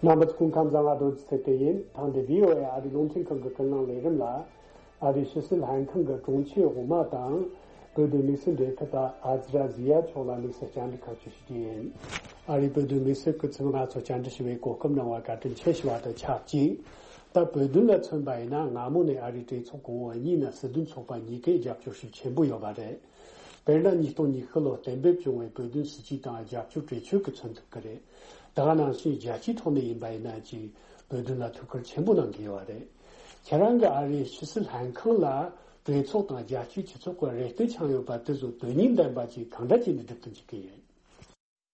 རྣམ་པ་ཚོ་སྐུ་ཁམས་བཟང་། ང་རྡོ་རྗེ་ཚེ་བརྟན་ཡིན། ཐེངས་འདི་བྷི་ཨོ་ཨེ་ཨ་རིའི་རླུང་འཕྲིན་ཁང་གི་ཀུན་གླེང་ལས་རིམ་ལ། ཨ་རིའི་ཕྱི་སྲིད་ལྷན་ཁང་གི་དྲུང་ཆེ་འོག་མ་དང་ བོད་དོན་དམིགས་བསལ་འབྲེལ་མཐུད་པ་ཨ་ཛི་ར་ཛི་ཡ་མཆོག་ལ་དམིགས་བསལ་བཅར་འདྲི་ཁག་ཅིག་ཞུ་རྒྱུ་ཡིན། ཨ་རིའི་བོད་དོན་དམིགས་བསལ་སྐུ་ཚབ་ང་ཚོ་བཅར་འདྲི་ཞུ་བའི་གོ་སྐབས་གནང་བར་བཀའ་དྲིན་ཆེ་ཞུ་བ་དང་ཆབས་ཅིག་ད་བོད་དོན་ལ་མཚོན་པ་ཡིན་ན། སྔ་མོ་ནས་ཨ་རིའི་གྲོས་ཚོགས་གོང་འོག་གཉིས་ན་སྲིད་དོན་ཚོགས་པ་གཉིས་ཀས་རྒྱབ་སྐྱོར་ཤུགས་ཆེན་པོ་ཡོད་པ་རེད། དཔེར་ན། ཉིས་སྟོང་ཉི་ཤུ་ལོར་གཏན་འབེབས་བྱུང་བའི་བོད་དོན་སྲིད་བྱུས་དང་རྒྱབ་སྐྱོར་གྲོས་ཆོད་ཀྱིས་མཚོན་ཐུབ་ཀྱི་རེད། ད་ག་ནང་བཞིན་རྒྱལ་སྤྱིའི་ཐོག་ནས་ཡིན་པ་ཡིན་ན་ཅིག་བོད་དོན་ལ་ཐུགས་ཁུར་ཆེན་པོ་གནང་གི་ཡོད་པ་རེད། ཁྱེད་རང་གིས་ཨ་རིའི་ཕྱི་སྲིད་ལྷན་ཁང་ལ་གྲོས་ཚོགས་དང་རྒྱལ་སྤྱིའི་སྤྱི་ཚོགས་ཀྱི་རེ་ལྟོས་འཆང་ཡོད་པ་དེ་ཚོ་དོན་སྙིང་ལྡན་པ་ཅིག་གང་འདྲ་བྱས་ནས་སྒྲུབ་ཏུ་འཇུག་གི་ཡིན།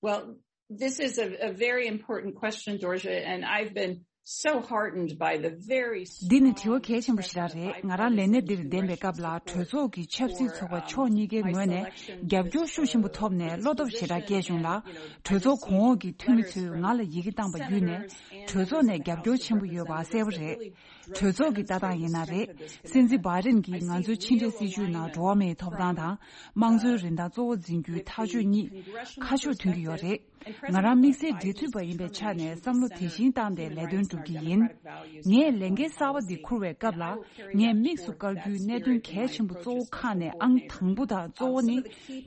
Well, this is a, a very important question, Dorje, and I've been so heartened by the very འདི་ནི་དྲི་བ་གལ་ཆེན་པོ་ཞེ་དྲག་རེད། ང་རང་ལས་གནས་འདིར་བདམས་པའི་སྐབས་ལ་གྲོས་ཚོགས་ཀྱི་ཆབ་སྲིད་ཚོགས་པ་ཕྱོགས་གཉིས་ཀའི་ངོས་ནས་རྒྱབ་སྐྱོར་ཤུགས་ཆེན་པོ་ཐོབ་ནས་བློ་སྟོབས་ཞེ་དྲག་སྐྱེས་བྱུང་ལ། གྲོས་ཚོགས་གོང་འོག་གི་འཐུས་མི་ཚོས་ང་ལ་ཡི་གེ་བཏང་བ་བརྒྱུད་ནས་གྲོས་ཚོགས་ནས་རྒྱབ་སྐྱོར་ཆེན་པོ་ཡོད་པ་གསལ་པོ་རེད། གྲོས་ཚོགས་ཀྱི་ལྟ་སྟངས་ཡིན་ན་རེད། སྲིད་འཛིན་བྷའི་ཌེན་གྱིས་ང་ཚོའི་ཕྱི་འབྲེལ་སྲིད་ཇུས་ནང་འགྲོ་བ་མིའི་ཐོབ་ཐང་དང་། དམངས་གཙོའི་རིན་ཐང་གཙོ་བོ་འཛིན་རྒྱུའི་ཐག་གཅོད་གཉིས་ཁ་ཕྱོགས་མཐུན་གྱི་ཡོད་རེད། ང་རང་དམིགས་བསལ་འབྲེལ་མཐུད་པ་ཡིན་པའི་ཆ་ནས་བསམ་བློ་དེ་བཞིན་བཏང་སྟེ་ལས་དོན་སྒྲུབ་ཀྱི་ཡིན། ངས་ལས་འགན་གསར་པ་འདི་འཁུར་བའི་སྐབས་ལ། ངས་དམིགས་སུ་བཀར་རྒྱུའི་གནད་དོན་གལ་ཆེན་པོ་གཙོ་བོ་ཁག་ནས་ཨང་དང་པོ་དང་གཙོ་བོ་ནི།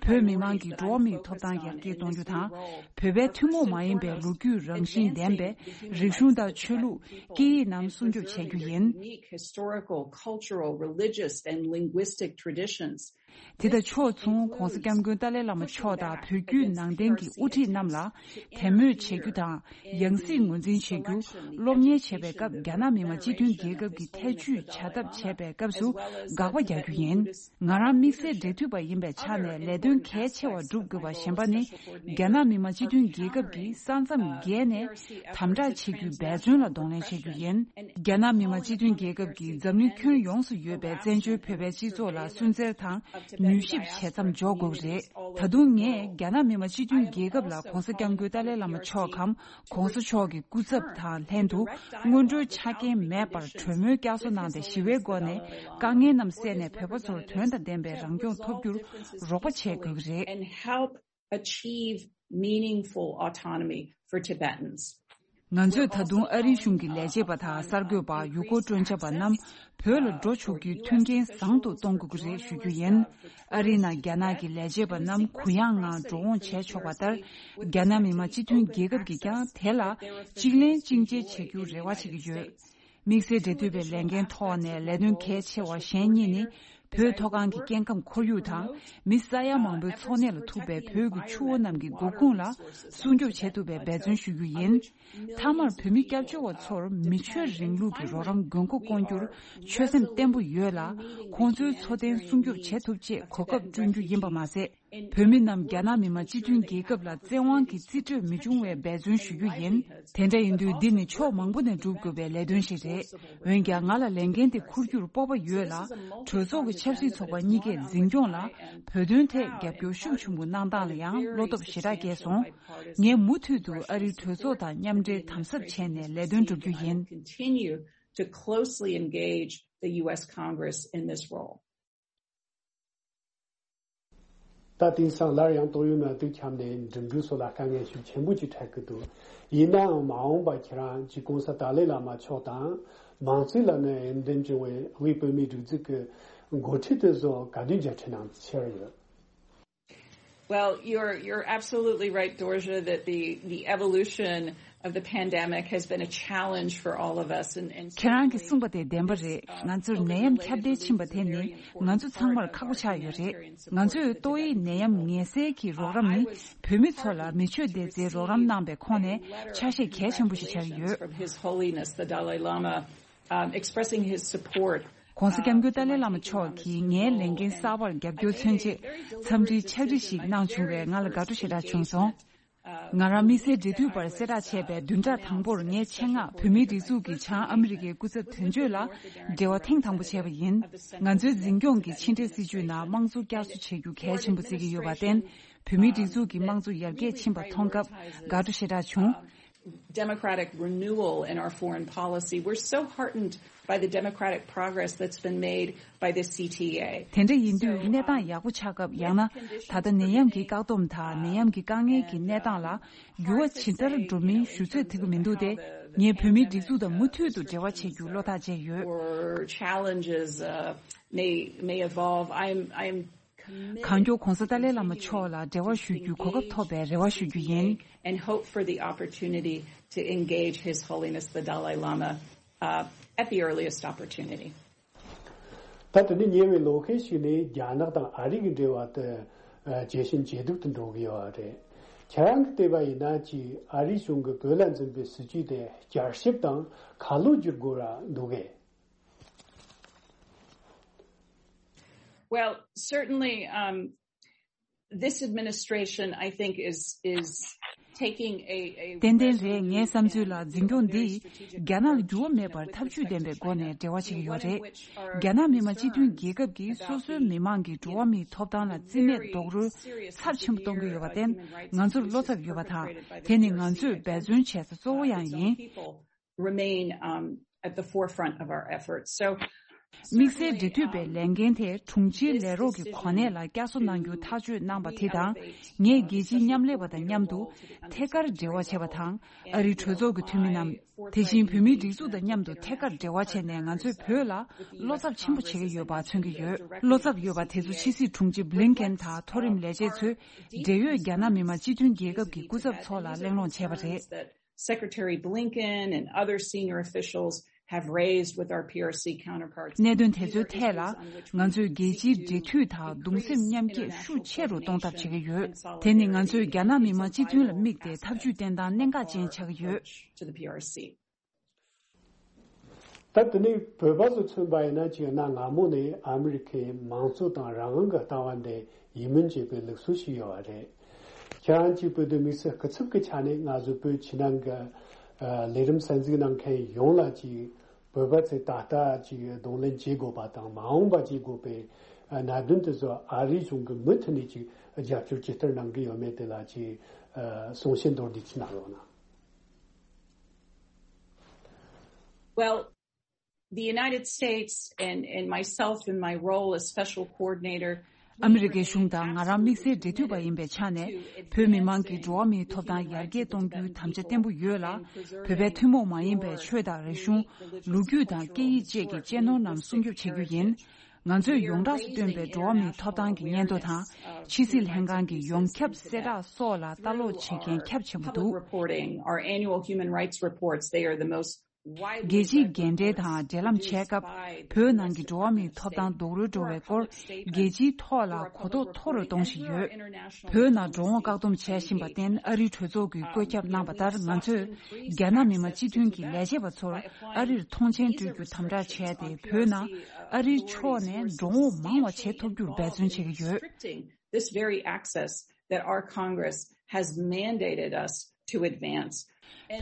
བོད་མི་མང་གི་འགྲོ་བ་མིའི་ཐོབ་ཐང་ཡར་རྒྱས་གཏོང་རྒྱུ་དང་། བོད་པའི་ཐུན་མོང་མ་ཡིན་པའི་ལོ་རྒྱུས་རང་བཞིན་ལྡན་པའི་རིག་གཞུང་དང་ཆོས་ལུགས། སྐད་ཡིག་རྣམས་སྲུང་སྐྱོབ་བྱེད་རྒྱུ་ཡིན། Unique historical, cultural, religious, and linguistic traditions. དེ་དང་ཕྱོགས་མཚུངས། ྋགོང་ས་ྋསྐྱབས་མགོན་ཏཱ་ལའི་བླ་མ་མཆོག་དང་བོད་བརྒྱུད་ནང་བསྟན་གྱི་དབུ་ཁྲིད་རྣམས་ལ་དད་མོས་བྱེད་རྒྱུ་དང་། ཡང་སྲིད་ངོས་འཛིན་བྱེད་རྒྱུ། སློབ་གཉེར་བྱེད་པའི་སྐབས་རྒྱ་ནག་མི་དམངས་སྤྱི་མཐུན་རྒྱལ་ཁབ་ཀྱི་ཐེ་ཇུས་བྱ་ཐབས་བྱེད་པའི་སྐབས་སུ་དགག་པ་རྒྱག་རྒྱུ་ཡིན། ང་རང་དམིགས་བསལ་འབྲེལ་མཐུད་པ་ཡིན་པའི་ཆ་ནས་ལས་དོན་གལ་ཆེ་བ་སྒྲུབ་དགོས་པ་གཞན་པ་ནི། རྒྱ་ནག་མི་དམངས་སྤྱི་མཐུན་རྒྱལ་ཁབ་ཀྱིས་ས་མཚམས་བརྒལ་ནས་དམ་དྲག་བྱེད་རྒྱུའི་འབད་བརྩོན་ལ་གདོང་ལེན་བྱེད་རྒྱུ་ཡིན། རྒྱ་ནག་མི་དམངས་སྤྱི་མཐུན་རྒྱལ་ཁབ་ཀྱིས་འཛམ་གླིང་ཁྱོན་ཡོངས་སུ་ཡོད་པའི་བཙན་བྱོལ་བོད་པའི་སྤྱི་ཚོགས་ལ་སུན་གཙེར་དང་མྱུལ་ཞིབ་བྱེད་མཚམས་འཇོག་དགོས་ཀྱི་རེད། ད་དུང་ངས་རྒྱ་ནག་མི་དམངས་སྤྱི་མཐུན་རྒྱལ་ཁབ་ལ་ྋགོང་ས་ྋསྐྱབས་མགོན་ཏཱ་ལའི་བླ་མ་མཆོག་གམ་ྋགོང་ས་མཆོག་གི་སྐུ་ཚབ་དང་ལྷན་དུ་སྔོན་འགྲོའི་ཆ་རྐྱེན་མེད་པར་གྲོས་མོལ་བསྐྱར་གསོ་གནང་སྟེ་ཞི་བའི་སྒོ་ནས་དཀའ་ངལ་རྣམས་སེལ་ནས་བོད་པ་ཚོར་དོན་དང་ལྡན་པའི་རང་སྐྱོང་ཐོབ་རྒྱུར་རོགས་པ་བྱེད་དགོས་ཀྱི་རེད། And help achieve meaningful autonomy for Tibetans. ང་ཚོས་ད་དུང་ཨ་རིའི་གཞུང་གི་ལས་བྱེད་པ་དང་གསར་འགོད་པ། ཡུལ་སྐོར་སྤྲོ་འཆམ་པ་རྣམས་བོད་ལ་འགྲོ་ཆོག་རྒྱུའི་མཐུན་རྐྱེན་བཟང་དུ་གཏོང་དགོས་ཀྱི་རེད་ཞུ་རྒྱུ་ཡིན། ཨ་རིའི་ནང་རྒྱ་ནག་གི་ལས་བྱེད་པ་རྣམས་གུ་ཡངས་ངང་འགྲོ་འོང་བྱས་ཆོག་པ་ལྟར། རྒྱ་ནག་མི་དམངས་སྤྱི་མཐུན་རྒྱལ་ཁབ་ཀྱིས་ཀྱང་དེ་ལ་གཅིག་ལན་གཅིག་འཇལ་བྱེད་རྒྱུར་རེ་བ་བྱེད་ཀྱི་ཡོད། དམིགས་བསལ་འབྲེལ་མཐུད་པའི་ལས་འགན་ཐོག་ནས་ལས་དོན་གལ་ཆེ་བ་གཞན་གཉིས་ནི། བོད་མཐོ་སྒང་གི་སྐྱེ་ཁམས་ཁོར་ཡུག་དང་། མི་ས་ཡ་མང་པོའི་འཚོ་གནས་ལ་ཐུག་པའི་བོད་ཀྱི་ཆུ་བོ་རྣམས་ཀྱི་མགོ་ཁུངས་ལ་སྲུང་སྐྱོབ་བྱེད་ཐུབ་པའི་འབད་བརྩོན་ཞུ་རྒྱུ་ཡིན། མཐའ་མར་བོད་མི་སྐྱབས་བཅོལ་བ་ཚོར་མི་ཆོས་རིང་ལུགས་ཀྱི་རོགས་རམ་དགོས་མཁོ་སྐོང་རྒྱུར་ཆོད་སེམས་བརྟན་པོ་ཡོད་ལ། ཁོང་ཚོའི་འཚོ་རྟེན་སྲུང་སྐྱོབ་བྱེད་ཐུབ་ཆེད་གོ་སྐབས་བསྐྲུན་རྒྱུ་ཡིན་པ་མ་ཟད། བོད་མི་རྣམས་རྒྱ་ནག་མི་དམངས་སྤྱི་མཐུན་རྒྱལ་ཁབ་ལ་བཙན་དབང་གིས་རྩིས་སྤྲོད་མི་འབྱུང་བའི་འབད་བརྩོན་ཞུ་རྒྱུ་ཡིན། དེ་འདྲ་ཡིན་དུས་འདི་ནི་ཕྱོགས་མང་པོ་ནས་སྒྲུབ་དགོས་པའི་ལས་དོན་ཞིག་རེད། འོན་ཀྱང་ང་ལ་ལས་འགན་དེ་འཁུར་རྒྱུར་སྤོབས་པ་ཡོད་ལ། གྲོས་ཚོགས་ཀྱི་ཆབ་སྲིད་ཚོགས་པ་གཉིས་ཀས་འཛིན་སྐྱོང་ལ་བོད་དོན་ཐད་རྒྱབ་སྐྱོར་ཤུགས་ཆེན་པོ་གནང་སྟངས་ལ་ཡང་བློ་སྟོབས་ཞེ་དྲག་སྐྱེས་སོང་། ངས་མུ་མཐུད་དུ་ཨ་རིའི་གྲོས་ཚོགས་དང་མཉམ་འབྲེལ་དམ་ཟབ་བྱས་ནས་ལས་དོན་སྒྲུབ་རྒྱུ་ཡིན། Continue to closely engage the U S Congress in this role. ད་དེང་སང་སླར་ཡང་ཏོག་དབྱིབས་ནད་དུག་ཁྱབ་ནས་འགྲིམ་འགྲུལ་སོགས་ལ་དཀའ་ངལ་ཤུགས་ཆེན་པོ་ཅིག་འཕྲད་ཀྱི་འདུག་ཡིན་ནའང་མ་འོངས་པར་ཁྱེད་རང་གཅིག་ྋགོང་ས་ཏཱ་ལའི་བླ་མ་མཆོག་དང་མང་གཙོའི་ལམ་ནས་འོས་འདེམས་བྱུང་བའི་དབུས་བོད་མིའི་སྒྲིག་འཛུགས་ཀྱི་འགོ་ཁྲིད་དེ་ཚོ་ག་དུས་མཇལ་འཕྲད་གནང་འཆར་ཡོད། Well, you're you're absolutely right, Dorje, that the the evolution of the pandemic has been a challenge for all of us. And, and ཁྱེད་རང་གིས་གསུངས་པ་དེ་བདེན་པ་རེད། ང་ཚོར་ནད་ཡམས་ཁྱབ་གདལ་ཕྱིན་པ་དེ་ནི་ང་ཚོ་ཚང་མར་ཁག་པོ་ཆགས་ཡོད་རེད། ང་ཚོས་ཏོག་དབྱིབས་ནད་ཡམས་ངལ་སེལ་གྱི་རོགས་རམ་ནི་བོད་མི་ཚོ་ལ་མི་ཆོས་སྡེ་རྩའི་རོགས་རམ་གནང་པའི་ཁོངས་ནས་ཆ་ཤས་གལ་ཆེན་པོ་ཞིག་ཆགས་ཡོད། From His Holiness the Dalai Lama, um, expressing his support. ྋགོང་ས་ྋསྐྱབས་མགོན་ཏཱ་ལའི་བླ་མ་མཆོག་གིས་ངའི་ལས་འགན་གསར་པར་རྒྱབ་སྐྱོར་མཚོན་ཆེད་འཚམས་འདྲིའི་ཕྱག་བྲིས་ཤིག་གནང་བྱུང་བས་ང་ལ་དགའ་སྤྲོ་ཞེ་དྲག་བྱུང་སོང་། ང་རང་དམིགས་བསལ་འབྲེལ་མཐུད་པར་གསལ་བསྒྲགས་བྱས་པའི་བདུན་ཕྲག་དང་པོར་ངས་ཆེད་མངགས་བོད་མིའི་སྒྲིག་འཛུགས་ཀྱི་བྱང་ཨ་མི་རི་ཀའི་སྐུ་ཚབ་དོན་གཅོད་ལ་འབྲེལ་བ་ཐེངས་དང་པོ་བྱས་པ་ཡིན། ང་ཚོའི་འཛིན་སྐྱོང་གི་ཕྱི་འབྲེལ་སྲིད་བྱུས་ནང་དམངས་གཙོ་བསྐྱར་གསོ་བྱེད་རྒྱུ་གལ་ཆེན་པོ་བརྩི་གི་ཡོད་པར་བརྟེན། བོད་མིའི་སྒྲིག་འཛུགས་ཀྱི་དམངས་གཙོ་ཡར་རྒྱས་ཕྱིན་པ་མཐོང་སྐབས་དགའ་སྤྲོ་ཞེ་དྲག་བྱུང་། Democratic renewal in our foreign policy. We're so heartened by the democratic progress that's been made by the C T A. དེ་འདྲ་ཡིན་དུས་གནས་སྟངས་ཡག་པོ་ཆགས་སྐབས། ཡང་ན་ད་ལྟ་ནད་ཡམས་ཀྱི་བཀག་སྡོམ་དང་ནད་ཡམས་ཀྱི་དཀའ་ངལ་གྱི་གནས་སྟངས་ལ་འགྱུར་བ་ཇི་ལྟར་འགྲོ་མིན་ཞུ་ཚོད་ཐིག་གི་མི་འདུག་སྟེ། ངས་བོད་མིའི་སྒྲིག་འཛུགས་དང་མུ་མཐུད་དུ་འབྲེལ་བ་བྱེད་རྒྱུར་བློ་ཐག་བཅད་ཡོད། Or challenges, uh, may may evolve. I'm I'm གང་མགྱོགས་༧གོང་ས་ཏཱ་ལའི་བླ་མ་མཆོག་ལ་འབྲེལ་བ་ཞུ་རྒྱུའི་གོ་སྐབས་ཐོབ་པའི་རེ་བ་ཞུ་རྒྱུ་ཡིན། And hope for the opportunity to engage His Holiness the Dalai Lama, uh, at the earliest opportunity. ད་དེ་ནས་ཉེ་བའི་ལོ་ཤས་ཤིག་ནས་རྒྱ་ནག་དང་ཨ་རི་གི་འབྲེལ་བ་དེ་ཇེ་ཞན་ཇེ་སྡུག་ཏུ་འགྲོ་གི་ཡོད་པ་རེད། ཁྱེད་རང་གི་བལྟས་པ་ཡིན་ན་ཅིག་ཨ་རིའི་གཞུང་གིས་བོད་ལ་འཛིན་པའི་སྲིད་ཇུས་དེ་བསྐྱར་ཞིབ་དང་ཁ་ལོ་བསྒྱུར་དགོས་ར་འདུག་གས། Well, certainly, um, this administration, I think, is is taking a a ཏན་ཏན་རེད། ངའི་བསམ་ཚུལ་ལ་འཛིན་སྐྱོང་འདིས་རྒྱ་ནག་ལ་འགྱུར་བ་མེད་པར་ཐབས་ཇུས་ལྡན་པའི་སྒོ་ནས་འབྲེལ་བ་བྱེད་ཀྱི་ཡོད་རེད། རྒྱ་ནག་མི་དམངས་སྤྱི་མཐུན་རྒྱལ་ཁབ་ཀྱིས་སོ་སོའི་མི་དམངས་ཀྱི་འགྲོ་བ་མིའི་ཐོབ་ཐང་ལ་རྩིས་མེད་རྡོག་རོལ་ཚབས་ཆེན་པོ་གཏོང་གི་ཡོད་པར་བརྟེན། ང་ཚོར་བློ་འཚབ་ཡོད་པ་དང་། དེ་ནི་ང་ཚོས་འབད་བརྩོན་བྱེད་ས་གཙོ་བོ་ཡང་ཡིན། Remain, um, at the forefront of our efforts. So དམིགས་བསལ་འབྲེལ་མཐུད་པའི་ལས་འགན་དེ་དྲུང་ཆེའི་ལས་རོགས་ཀྱི་གོ་གནས་ལ་བསྐྱར་གསོ་གནང་རྒྱུ་ཐག་གཅོད་གནང་པ་དེ་དང་། ངས་རྒྱལ་སྤྱིའི་མཉམ་ལས་པ་དང་མཉམ་དུ་ཐད་ཀར་འབྲེལ་བ་བྱས་པ་དང་། ཨ་རིའི་གྲོས་ཚོགས་ཀྱི་འཐུས་མི་རྣམས། དེ་བཞིན་བོད་མིའི་སྒྲིག་འཛུགས་དང་མཉམ་དུ་ཐད་ཀར་འབྲེལ་བ་བྱས་ནས་ང་ཚོས་བོད་ལ་བློ་འཚབ་ཆེན་པོ་བྱེད་ཀྱི་ཡོད་པ་མཚོན་གྱི་ཡོད། བློ་འཚབ་ཡོད་པ་དེ་ཚོ་ཕྱི་སྲིད་དྲུང་ཆེ་བྷི་ལིན་ཀེན་དང་མཐོ་རིམ་ལས་བྱེད་ཚོས་འབྲེལ་ཡོད་རྒྱ་ནག་མི་དམངས་སྤྱི་མཐུན་རྒྱལ་ཁབ་ཀྱི་སྐུ་ཚབ་ཚོ་ལ་གླེང་སློང་བྱས་པ་རེད། Secretary Blinken and other senior officials have raised with our P R C counterparts. གནད་དོན་དེ་ཚོའི་ཐད་ལ་ང་ཚོས་རྒྱལ་སྤྱིའི་འབྲེལ་མཐུད་དང་གདུང་སེམས་མཉམ་སྐྱེད་ཤུགས་ཆེ་རུ་གཏོང་ཐབས་བྱེད་ཀྱི་ཡོད། དེ་ནི་ང་ཚོས་རྒྱ་ནག་མི་དམངས་སྤྱི་མཐུན་ལ་དམིགས་ཏེ་ཐབས་ཇུས་བསྟེན་སྟངས་གནད་འགག་ཅན་ཆགས་ཀྱི་ཡོད། To the P R C. ད་དེ་ནས་བོད་པ་ཚོ་མཚོན་པ་ཡིན་ན་ཅིག་གནའ་སྔ་མོ་ནས་ཨ་མི་རི་ཁའི་མང་གཙོ་དང་རང་དབང་གི་ལྟ་བ་འདི་ཡིད་སྨོན་བྱེད་པའི་ལུགས་སྲོལ་ཞིག་ཡོད་པ་རེད། ཁྱེད་རང་གཅིག་བོད་དོན་དམིགས་བསལ་སྐུ་ཚབ་ཀྱི་ཆ་ནས་ང་ཚོ་བོད་ཕྱི་ནང་གི་ལས་རིམ་གསན་གཟིགས་གནང་མཁན་ཡོངས་ལ་ཅིག་བོད་པ་ཚོས་ད་ལྟ་ཅིག་གདོང་ལེན་བྱེད་དགོས་པ་དང་མ་འོངས་པ་བྱེད་དགོས་པའི་གནད་དོན་དེ་ཚོ་ཨ་རིའི་གཞུང་གིས་མུ་མཐུད་ནས་ཅིག་རྒྱབ་སྐྱོར་ཇི་ལྟར་གནང་གི་ཡོད་མེད་དེ་ལ་ཅིག་གསུང་བཤད་མདོར་བསྡུས་ཅིག་གནང་རོགས་གནང་། Well, the United States and, and myself in my role as special coordinator, ཨ་མི་རི་ཀའི་གཞུང་དང་ང་རང་དམིགས་བསལ་འབྲེལ་མཐུད་པ་ཡིན་པའི་ཆ་ནས། བོད་མི་མང་གི་འགྲོ་བ་མིའི་ཐོབ་ཐང་ཡར་རྒྱས་གཏོང་རྒྱུའི་དམ་བཅའ་བརྟན་པོ་ཡོད་ལ། བོད་པའི་ཐུན་མོང་མ་ཡིན་པའི་ཆོས་དང་རིག་གཞུང་། ལོ་རྒྱུས་དང་སྐད་ཡིག་བཅས་ཀྱི་གཅེས་ནོར་རྣམས་སྲུང་སྐྱོབ་བྱེད་རྒྱུ་ཡིན། ང་ཚོས་ཡོངས་གྲགས་སུ་བཏོན་པའི་འགྲོ་བ་མིའི་ཐོབ་ཐང་གི་སྙན་ཐོ་དང་། ཕྱི་སྲིད་ལྷན་ཁང་གི་ཡོངས་ཁྱབ་གསལ་བསྒྲགས་སོགས་ལ་ལྟ་ཀློག་བྱེད་མཁན་ཁྱབ་ཆེན་པོ་འདུག Reporting, our annual human rights reports, they are the most རྒྱལ་སྤྱིའི་འགན་འཁྲི་དང་འབྲེལ་ལམ་བྱས་སྐབས། བོད་ནང་གི་འགྲོ་བ་མིའི་ཐོབ་ཐང་རྡོག་རོལ་འགྲོ་བའི་སྐོར་རྒྱལ་སྤྱིའི་ཐོག་ལ་གོ་རྟོགས་མཐོ་རུ་གཏོང་བཞིན་ཡོད། བོད་ནང་འགྲོ་འོང་བཀག་སྡོམ་བྱས་བཞིན་པར་བརྟེན། ཨ་རིའི་གྲོས་ཚོགས་ཀྱིས་བཀོད་ཁྱབ་གནང་བ་ལྟར། ང་ཚོས་རྒྱ་ནག་མི་དམངས་སྤྱི་མཐུན་གྱི་ལས་བྱེད་པ་ཚོར་ཨ་རིར་ཐོངས་མཆན་སྤྲོད་རྒྱུ་དམ་དྲག་བྱས་ཏེ། བོད་ནང་ཨ་རིའི་ཕྱོགས་ནས་འགྲོ་འོང་མང་བ་བྱེད་ཐུབ་རྒྱུར་འབད་བརྩོན་བྱེད་ཀྱི་ཡོད། This very access that our Congress has mandated us to advance.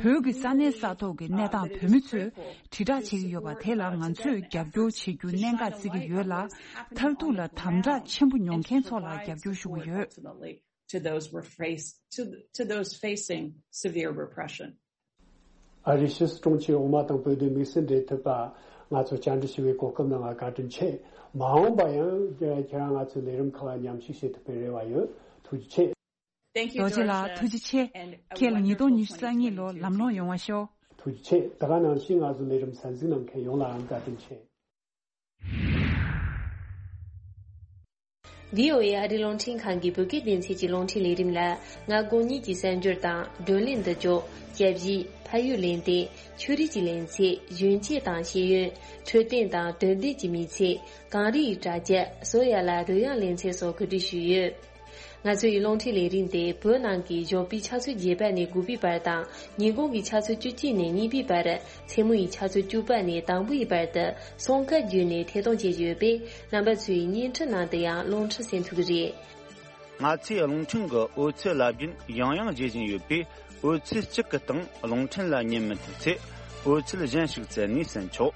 བོད་ཀྱི་ས་གནས་ས་ཐོག་གི་གནས་སྟངས་བོད་མི་ཚོས་དྲིལ་བསྒྲགས་བྱེད་ཀྱི་ཡོད་པ་དེ་ལ་ང་ཚོས་རྒྱབ་སྐྱོར་བྱེད་རྒྱུ་གནད་འགག་བརྩི་གི་ཡོད་ལ། མཐར་ཐུག་ལ་དམ་དྲག་ཆེན་པོ་མྱོང་མཁན་ཚོ་ལ་རྒྱབ་སྐྱོར་ཞུ་གི་ཡོད། To those were face to, to those facing severe repression. ཨ་རིའི་ཕྱི་སྲིད་དྲུང་ཆེ་འོག་མ་དང་བོད་དོན་དམིགས་བསལ་འབྲེལ་མཐུད་པ་ང་ཚོ་བཅར་འདྲི་ཞུ་བའི་གོ་སྐབས་གནང་བར་བཀའ་དྲིན་ཆེ། མ་འོངས་པ་ཡང་ཁྱེད་རང་ང་ཚོའི་ལས་རིམ་ཁག་ལ་མཉམ་ཞུགས་བྱེད་ཐུབ་པའི་རེ་བ་ཡོད། ཐུགས་རྗེ་ཆེ། Thank you, རྡོ་རྗེ་ལགས། Georgia. ཐུགས་རྗེ་ཆེ། And, uh, ཁྱེད་ལ་ཉིས་སྟོང་ཉི་ཤུ་རྩ་གཉིས་ལོ་ལམ་ལྷོང་ཡོང་བ་ཤོག་ཐུགས་རྗེ་ཆེ། ད་ག་ནང་བཞིན་ང་ཚོའི་ལས་རིམ་གསན་གཟིགས་གནང་མཁན་ཡོངས་ལའང་བཀའ་དྲིན་ཆེ། བྷི་ཨོ་ཨེ་ཨ་རིའི་རླུང་འཕྲིན་ཁང་གི་བོད་སྐད་སྡེ་ཚན་གྱི་རླུང་འཕྲིན་ལས་རིམ་ལ། མངའ་ཁོངས་གཉིས་ཀྱི་གསར་འགྱུར་དང་། བགྲོ་གླེང་འདི་ལྕོག་སྐྱབས་ཡིག་ཕ་ཡུལ་གླེང་སྟེགས། ཆོས་རིག་གི་གླེང་ཚིག་གཞོན་སྐྱེས་དང་ཤེས་ཡོན། འཕྲོད་བསྟེན་དང་དོན་ལྡན་གྱི་མི་ཚེ། གངས་རི་ཡི་གྲྭ་རྒྱ། བཟོ་ཡ་ལ་རོལ་དབྱངས་གླེང་ཚིག་སོགས་གོ་སྒྲིག་ཞུས་ཡོད། ང་ཚོ་ཡི་རླུང་འཕྲིན་ལས་རིམ་དེ་བོད་ནང་གི་ཞོགས་པའི་ཆུ་ཚོད་བརྒྱད་པ་ནས་དགུ་པའི་བར་དང་། ཉིན་གུང་གི་ཆུ་ཚོད་བཅུ་གཅིག་ནས་གཉིས་པའི་བར། མཚན་མོ་ཡི་ཆུ་ཚོད་བཅུ་པ་ནས་དང་པོ་ཡི་བར་དུ་སྲུང་སྐར་བརྒྱུད་ནས་ཐད་གཏོང་བྱེད་ཀྱི་ཡོད་པས། རྣམ་པ་ཚོས་བརྙན་འཕྲིན་ནང་དུ་ཡང་རླུང་འཕྲིན་གསན་ཐུབ་ཀྱི་རེད། ང་ཚོའི་རླུང་འཕྲིན་གྱི་འོད་ཚད་རླབས་རྒྱུན་ཡང་ཡང་རྒྱས་བཞིན་ཡོད་པས། འོད་ཚད་གཅིག་གི་སྟེང་རླུང་འཕྲིན་ལ་ཉན་མི་ཐུབ་ཚེ། འོད་ཚད་གཞན་ཞིག་བཙལ་ནས་གསན་ཆོག་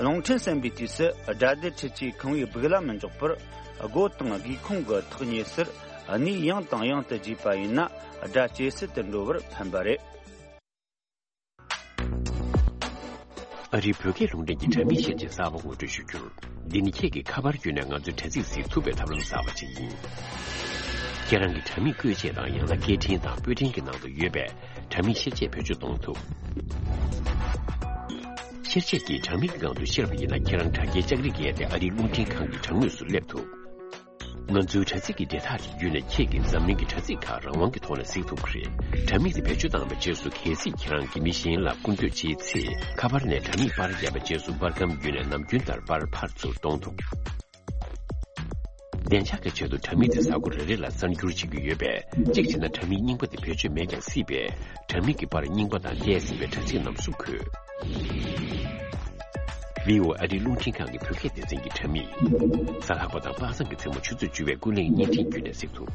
རླུང་འཕྲིན་གསན་པའི་དུས་སུ། སྒྲ་སྡུད་འཕྲུལ་ཆས་ཁང་བའི་སྦུག་ལ་མི་འཇོག་པར། སྒོ་དང་སྒེའུ་ཁུང་གི་ཐག་ཉེ་སར་གནས་ཡང་དང་ཡང་དུ་བརྗེས་པ་ཡིན་ན། སྒྲ་ཇེ་གསལ་དུ་འགྲོ་བར་ཕན་པ་རེད། ཨ་རིའི་བོད་སྐད་རླུང་འཕྲིན་གྱི་དྲ་མིག་བཤད་བྱའི་གསར་པ་ངོ་སྤྲོད་ཞུ་རྒྱུར། འདི་ནི་ཁྱེད་ཀྱིས་ཁ་པར་བརྒྱུད་ནས་ང་ཚོའི་དྲ་ཚིགས་གཟིགས་ཐུབ་པའི་ཐབས་ལམ་གསར་པ་ཞིག་ཡིན། ཁྱེད་རང་གི་དྲ་མིག་བཀོད་ཆས་དང་། ཡང་ན་སྐད་འཕྲིན་དང་སྤུས་འཕྲིན་གྱི་ནང་དུ་ཡོད་པའི་དྲ་མིག་བཤེར་ཆས་བེད་སྤྱོད་གཏོང་ཐུབ། བཤེར་ཆས་ཀྱིས་དྲ་མིག་གི་སྒང་དུ་བཤེར་བ་ཡིན་ན། ཁྱེད་རང་དྲ་རྒྱའི་ལྕགས་རིགས་བརྒལ་ཏེ་ཨ་རིའི་རླུང་འཕྲིན་ཁང་གི་དྲ་ངོས་སུ་སླེབས་ཐུབ། ང་ཚོའི་དྲ་ཚིགས་ཀྱི་བརྒྱ་ཕྲག་དེ་བརྒྱུད་ནས་ཁྱེད་ཀྱིས་འཛམ་གླིང་གི་དྲ་ཚིགས་ཁག་རང་དབང་གི་ཐོག་ནས་གཟིགས་ཐུབ་ཀྱི་རེད། དྲ་མིག་དེ་བེད་སྤྱོད་བཏང་བའི་རྗེས་སུ། གལ་སྲིད་ཁྱེད་རང་གིས་མི་གཞན་ལ་སྐུར་འདེབས་བྱེད་ཚེ། ཁ་པར་ནས་དྲ་མིག་པར་བརྒྱབ་པའི་རྗེས་སུ། པར་སྒམ་བརྒྱུད་ནས་ནམ་རྒྱུན་ལྟར་པར་ཕར་ཚུར་གཏོང་ཐུབ། བདེ་འཇགས་ཀྱི་ཆེད་དུ་དྲ་མིག་དེ་གཟའ་འཁོར་རེ་རེ་ལ་གསར་འགྱུར་བྱེད་ཀྱི་ཡོད་པས། གཅིག་བྱས་ན་དྲ་མིག་རྙིང་པ་དེ་བེད་སྤྱོད་མེད་ཀྱང་སྲིད་པས། དྲ་མིག་གི་པར་རྙིང་པ་དང་ལྷས་ཟིན་པའི་དྲ་ཚིགས་རྣམས་སུ་འཁོད། བྷི་ཨོ་ཨེ་ཨ་རིའི་རླུང་འཕྲིན་ཁང་གི་བོད་སྐད་སྡེ་ཚན་གྱི་དྲ་མིག་གཟའ་ལྷག་པ་དང་པ་སངས་ཀྱི་མཚན་མོ་ཆུ་ཚོད་བཅུ་པའི་ཀུན་གླེང་བརྙན་འཕྲིན་བརྒྱུད་ནས་གཟིགས་ཐུབ།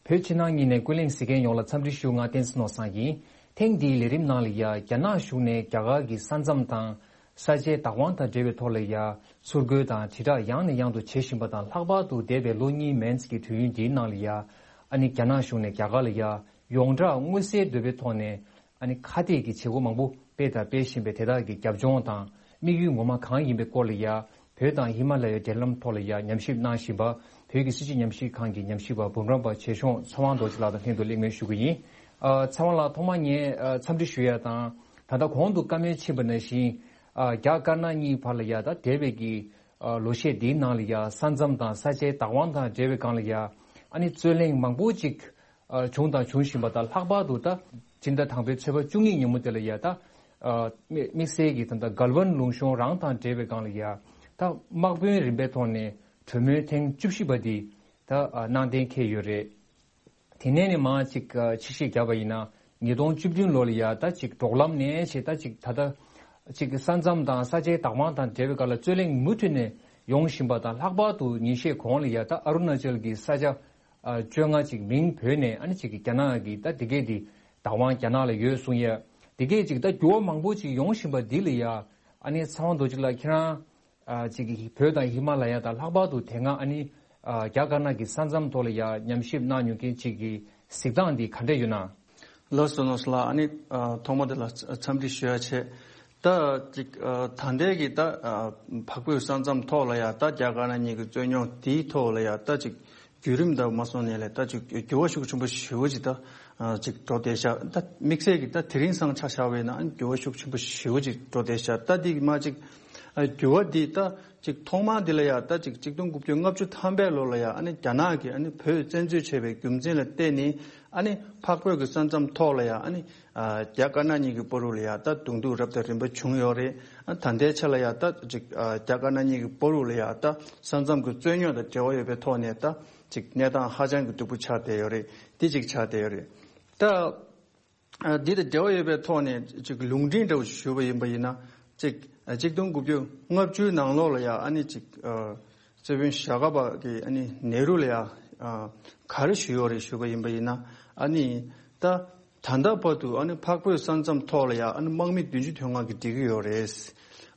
བོད་ཕྱི་ནང་གཉིས་ནས་ཀུན་གླེང་གཟིགས་མཁན་ཡོངས་ལ་འཚམས་འདྲི་ཞུ། ང་བསྟན་འཛིན་ནོར་བཟང་ཡིན། ཐེངས་འདིའི་ལས་རིམ་ནང་ལ་ཡ། རྒྱ་ནག་གཞུང་ནས་རྒྱ་གར་གྱི་ས་མཚམས་དང་ས་ཆའི་བདག་དབང་དང་འབྲེལ་བའི་ཐོག་ལ་ཡ། ཚུར་རྒོལ་དང་དྲིལ་བསྒྲགས་ཡང་ནས་ཡང་དུ་བྱེད་བཞིན་པ་དང་། ལྷག་པར་དུ་འདས་པའི་ལོ་གཉིས་མན་ཙམ་གྱི་དུས་ཡུན་འདིའི་ནང་ལ་ཡ། ཨ་ནི་རྒྱ་ནག་གཞུང་ནས་རྒྱ་གར་ལ་ཡ། ཡོངས་གྲགས་མངོན་གསལ་དོད་པའི་ཐོག་ནས། ཨ་ནི་ཁ་གཏད་ཀྱི་བྱེད་སྒོ་མང་པོ་སྤེལ་དང་སྤེལ་བཞིན་པའི་དེ་དག་གི་རྒྱབ་ལྗོངས་དང་། དམིགས་ཡུལ་ངོ་མ་གང་ཡིན་པའི་སྐོར་ལ་ཡ། བོད་དང་ཧི་མ་ལ་ཡའི་འབྲེལ་ལམ་ཐོག་ལ་ཡ་ཉམས་ཞིབ་གནང་བཞིན་པ། བོད་ཀྱི་སྲིད་བྱུས་ཉམས་ཞིབ་ཁང་གི་ཉམས་ཞིབ་པ་འབུམ་རམས་པ་ཆེ་ཆུང་ཚེ་དབང་རྡོ་རྗེ་ལགས་དང་ལྷན་དུ་གླེང་མོལ་ཞུ་གི་ཡིན། ཨ། ཚེ་དབང་ལགས། ཐོག་མར་ངས་ཨ། འཚམས་འདྲི་ཞུ་ཡ་དང་། ད་ལྟ་གོང་དུ་བཀའ་མོལ་ཕྱིན་པ་ནང་བཞིན། ཨ། རྒྱ་དཀར་ནག་གཉིས་བར་ལ་ཡ། ད་འདས་པའི་གི་ཨ། ལོ་ཤས་འདིའི་ནང་ལ་ཡ། ས་མཚམས་དང་ས་ཆའི་བདག་དབང་དང་འབྲེལ་བའི་སྒང་ལ་ཡ། ཨ་ནི་རྩོད་གླེང་མང་པོ་ཅིག་ཨ། བྱུང་དང་འབྱུང་བཞིན་པ་དང་། ལྷག་པར་དུ་ད་སྤྱི་ཟླ་དང་པོའི་ཚེས་པ་བཅུ་གཉིས་ཉིན་མོ་དེ་ལ་ཡ། ད་ཨ། དམིགས་དམིགས་བསལ་གྱི་ད་ལྟ་གྷལ་ཝན་ལུང་གཤོང་རང་དང་འབྲེལ་བའི་སྒང་ལ་ཡ། ད་དམག་དཔོན་རིམ་པའི་ཐོག་ནས་གྲོས་མོལ་ཐེངས་བཅུ་བཞི་པ་འདི་ད་ཨ། གནང་གཏན་འཁེལ་ཡོད་རེད། དེ་ནས་ནི་མར་ཅིག་ཨ། ཕྱིར་བཤད་བརྒྱབ་པ་ཡིན་ན། ཉིས་སྟོང་བཅུ་བདུན་ལོ་ལ་ཡ། ད་ཅིག་འབྲོག་ལམ་ནས་བྱས། ད་ཅིག་ད་ལྟ་ཅིག་ས་མཚམས་དང་ས་ཆའི་བདག་དབང་དང་འབྲེལ་བའི་སྒང་ལ་རྩོད་གླེང་མུ་མཐུད་ནས་ཡོང་བཞིན་པ་དང་། ལྷག་པར་དུ་ཉིན་ཤས་གོང་ལ་ཡ། ད་ཨ་རུ་ན་ཅལ་གྱི་ས་ཆ་ཨ། བཅོ་ལྔ་ཅིག་མིང་བོས་ནས། ཨ་ནི་ཅིག་གི་རྒྱ་ནག་གི་ད་དེ་གས་དེ་བདག་དབང་རྒྱ་ནག་ལ་ཡོད་གསུང་ཡ། དེ་གས་ཅིག་ད་འགྱུར་བ་མང་པོ་ཅིག་ཡོང་བཞིན་པ་འདི་ལ་ཡ། ཨ་ནི་ཚེ་དབང་རྡོ་རྗེ་ལགས་ཁྱེད་རང་ཨ། ཅིག་གི་བོད་དང་ཧི་མ་ལ་ཡ་དང་། ལྷག་པར་དུ་དེ་སྔ་ཨ་ནི་ཨ། རྒྱ་དཀར་ནག་གི་ས་མཚམས་ཐོག་ལ་ཡ་ཉམས་ཞིབ་གནང་མྱོང་མཁན་ཅིག་གི་གཟིགས་སྟངས་འདི་ག་འདྲ་ཡོད་ན། ལགས་སོ། ནོར་བཟང་ལགས། ཨ་ནི་ཨ། ཐོག་མ་དེ་ལ་འཚམས་འདྲི་ཞུ་ཡ་བྱས། ད་ཅིག་ཨ། ད་ལྟའི་གི་ད་ཨ། འཕགས་བོད་ས་མཚམས་ཐོག་ལ་ཡ། ད་རྒྱ་དཀར་ནག་གཉིས་ཀྱི་རྩོད་རྙོག་དེའི་ཐོག་ལ་ཡ། ད་ཅིག་བརྒྱུད་རིམ་དང་མ་སོང་ནས་ལས། ད་ཅིག་འགྱུར་བ་ཤུགས་ཆེན་པོ་ཞེ་པོ་ཅིག་ད་ཨ། ཅིག་འགྲོ་བསྡད་ཤག་ད་དམིགས་བསལ་གྱི་ད་དེ་རིང་སང་ཆ་བཞག་པ་ཡིན་ན། ཨ་ནི་འགྱུར་བ་ཤུགས་ཆེན་པོ་ཞེ་པོ་ཅིག་འགྲོ་བསྡད་ཤག་ད་འདི་གི་མ་ཅིག་ཨ། འགྱུར་བ་འདི་ད་ཅིག་ཐོག་མ་འདི་ལ་ཡ། ད་ཅིག་གཅིག་སྟོང་དགུ་བརྒྱ་ལྔ་བཅུ་ཐམ་པའི་ལོ་ལ་ཡ། ཨ་ནི་རྒྱ་ནག་གིས་ཨ་ནི་བོད་བཙན་འཛུལ་བྱས་པའི་རྒྱུ་མཚན་ལ་བརྟེན་ནས། ཨ་ནི་འཕགས་བོད་ཀྱི་ས་མཚམས་ཐོག་ལ་ཡ། ཨ་ནི་ཨ། རྒྱ་དཀར་ནག་གཉིས་ཀྱི་བར་དུ་ལ་ཡ། ད་གདོང་ཐུག་རབ་དང་རིམ་པ་བྱུང་ཡོད་རེད། ཨ། ད་ལྟའི་ཆ་ལ་ཡ། ད་ཅིག་ཨ། རྒྱ་དཀར་ནག་གཉིས་ཀྱི་བར་དུ་ལ་ཡ། ད་ས་མཚམས་ཀྱི་རྩོད་རྙོག་དང་འབྲེལ་བ་ཡོད་པའི་ཐོག་ནས། ད་ཅིག་གནས་སྟངས་ཧ་ཅང་གི་སྡུག་པོ་ཆགས་བསྡད་ཡོད་རེད། འདི་གཅིག་ཆགས་བསྡད་ཡོད་རེད། ད་ཨ། འདི་དང་འབྲེལ་བ་ཡོད་པའི་ཐོག་ནས་ཅིག་ལུང་འདྲེན་འདྲ་བོ་ཞུས་པ་ཡིན་པ་ཡིན་ན། ཅིག་ཨ། གཅིག་སྟོང་དགུ་བརྒྱ་ལྔ་བཅུའི་ནང་ལོགས་ལ་ཡ། ཨ་ནི་ཅིག་ཨ། སྲིད་དཔོན་ཞྭ་སྒབ་པ་གིས་ཨ་ནི་ནེ་རུ་ལ་ཡ། ཨ། ག་རེ་ཞུས་ཡོད་རེད་ཞུས་པ་ཡིན་པ་ཡིན་ན། ཨ་ནི་ད་ད་ལྟ་བར་དུ་ཨ་ནི་འཕགས་བོད་ས་མཚམས་ཐོག་ལ་ཡ། ཨ་ནི་དམག་མི་བདུན་ཅུ་དོན་ལྔ་གིས་སྒྲིག་གི་ཡོད་རེད།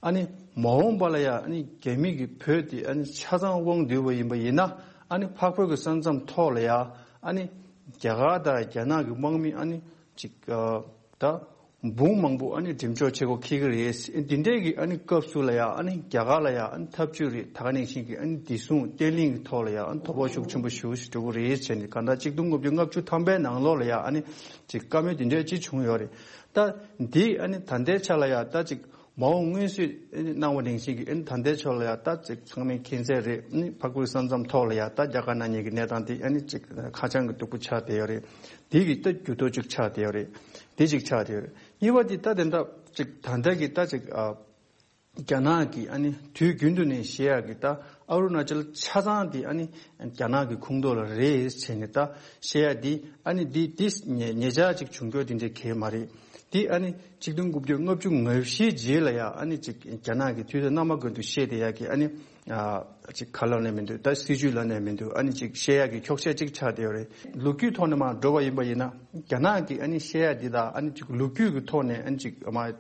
ཨ་ནི་མ་འོངས་པ་ལ་ཡ། ཨ་ནི་རྒྱ་མི་གིས་བོད་དེ་ཨ་ནི་ཆ་ཚང་དབང་བསྡུས་པ་ཡིན་པ་ཡིན་ན། ཨ་ནི་འཕགས་བོད་ཀྱི་ས་མཚམས་ཐོག་ལ་ཡ། ཨ་ནི་རྒྱ་གར་དང་རྒྱ་ནག་གི་དམག་མི་ཨ་ནི་ཅིག་ཨ། ད་འབུམ་མང་པོ་ཨ་ནི་འགྲེམས་འཇོག་བྱེད་སྒོ་འཁེལ་གྱི་རེད། འདི་འདྲའི་གི་ཨ་ནི་སྐབས་སུ་ལ་ཡ། ཨ་ནི་རྒྱ་གར་ལ་ཡ། ཨ་ནི་འཐབ་ཇུས་རེད། ད་ག་ནང་བཞིན་གྱི་ཨ་ནི་བདེ་སྲུང་བརྟན་ལྷིང་གི་ཐོག་ལ་ཡ། ཨ་ནི་དོ་ཕོག་ཤུགས་ཆེན་པོ་ཞེ་པོ་ཞིག་འགྲོ་གི་རེད་བྱས་ནས། གང་ལྟར་གཅིག་སྟོང་དགུ་བརྒྱ་ལྔ་བཅུ་ཐམ་པའི་ནང་ལོགས་ལ་ཡ། ཨ་ནི་ཅིག་བཀའ་མོལ་འདི་འདྲ་ཅིག་བྱུང་ཡོད་རེད། ད་འདི་ཨ་ནི་ད་ལྟའི་ཆ་ལ་ཡ། ད་ཅིག་མ་འོངས་སྔོན་བསུས་ཨ་ནི་གནང་བ་ནང་བཞིན་གྱི། ཨ་ནི་ད་ལྟའི་ཆ་ལ་ཡ། ད་ཅིག་ཚང་མས་མཁྱེན་གསལ་རེད། ཨ་ནི་འཕགས་བོད་ས་མཚམས་ཐོག་ལ་ཡ། ད་རྒྱ་དཀར་ནག་གཉིས་ཀྱི་གནས་སྟངས་འདི་ཨ་ནི་ཅིག་ཧ་ཅང་གི་སྡུག་པོ་ཆགས་བསྡད་ཡོད་རེད། འདི་གི་ད་འགྱུར་ལྡོག་ཅིག་ཆགས་བསྡད་ཡོད་རེད། འདི་ཅིག་ཆགས་བསྡད་ཡོད་རེད། གཉིས་པ་འདི་ད་དེ་འདྲ་ཅིག་ད་ལྟ་གི་ད་ཅིག་ཨ། རྒྱ་ནག་གིས་ཨ་ནི་དུས་རྒྱུན་དུ་ནས་བཤད་ཡག་གི། ད་ཨ་རུ་ན་ཅལ་ཆ་ཚང་འདི་ཨ་ནི་རྒྱ་ནག་གི་ཁོངས་གཏོགས་ལ་རེད་ཟེར་ནས་ད་བཤད་ཡག་འདི། ཨ་ནི་འདི་འདི་ཉེ་ཉེ་ཆར་ཅིག་བྱུང་རྒྱུ་འདི་འདྲ་གང་ཡང་མ་རེད། འདི་ཨ་ནི་གཅིག་སྟོང་དགུ་བརྒྱ་ལྔ་བཅུ་ང་བཞིའི་རྗེས་ལ་ཡ། ཨ་ནི་ཅིག་རྒྱ་ནག་གིས་དུས་དང་རྣམ་པ་ཀུན་ཏུ་བཤད་བསྡད་ཡག་གི། ཨ་ནི་ཨ་ཅིག་ག་ལབ་ནའི་མི་འདུག་ད་སྲིད་བྱུས་ལབ་ནའི་མི་འདུག་ཨ་ནི་ཅིག་བཤད་ཡག་གི་འཁྱོག་བཤད་ཅིག་ཆགས་བསྡད་ཡོད་རེད། ལོ་རྒྱུས་ཐོག་ནས་མར་འགྲོ་བ་ཡིན་པ་ཡིན་ན། རྒྱ་ནག་གིས་ཨ་ནི་བཤད་ཡག་འདི་དང་། ཨ་ནི་ཅིག་ལོ་རྒྱུས་ཀྱི་ཐོག་ནས་ཨ་ནི་ཅིག་མ་ཨེ།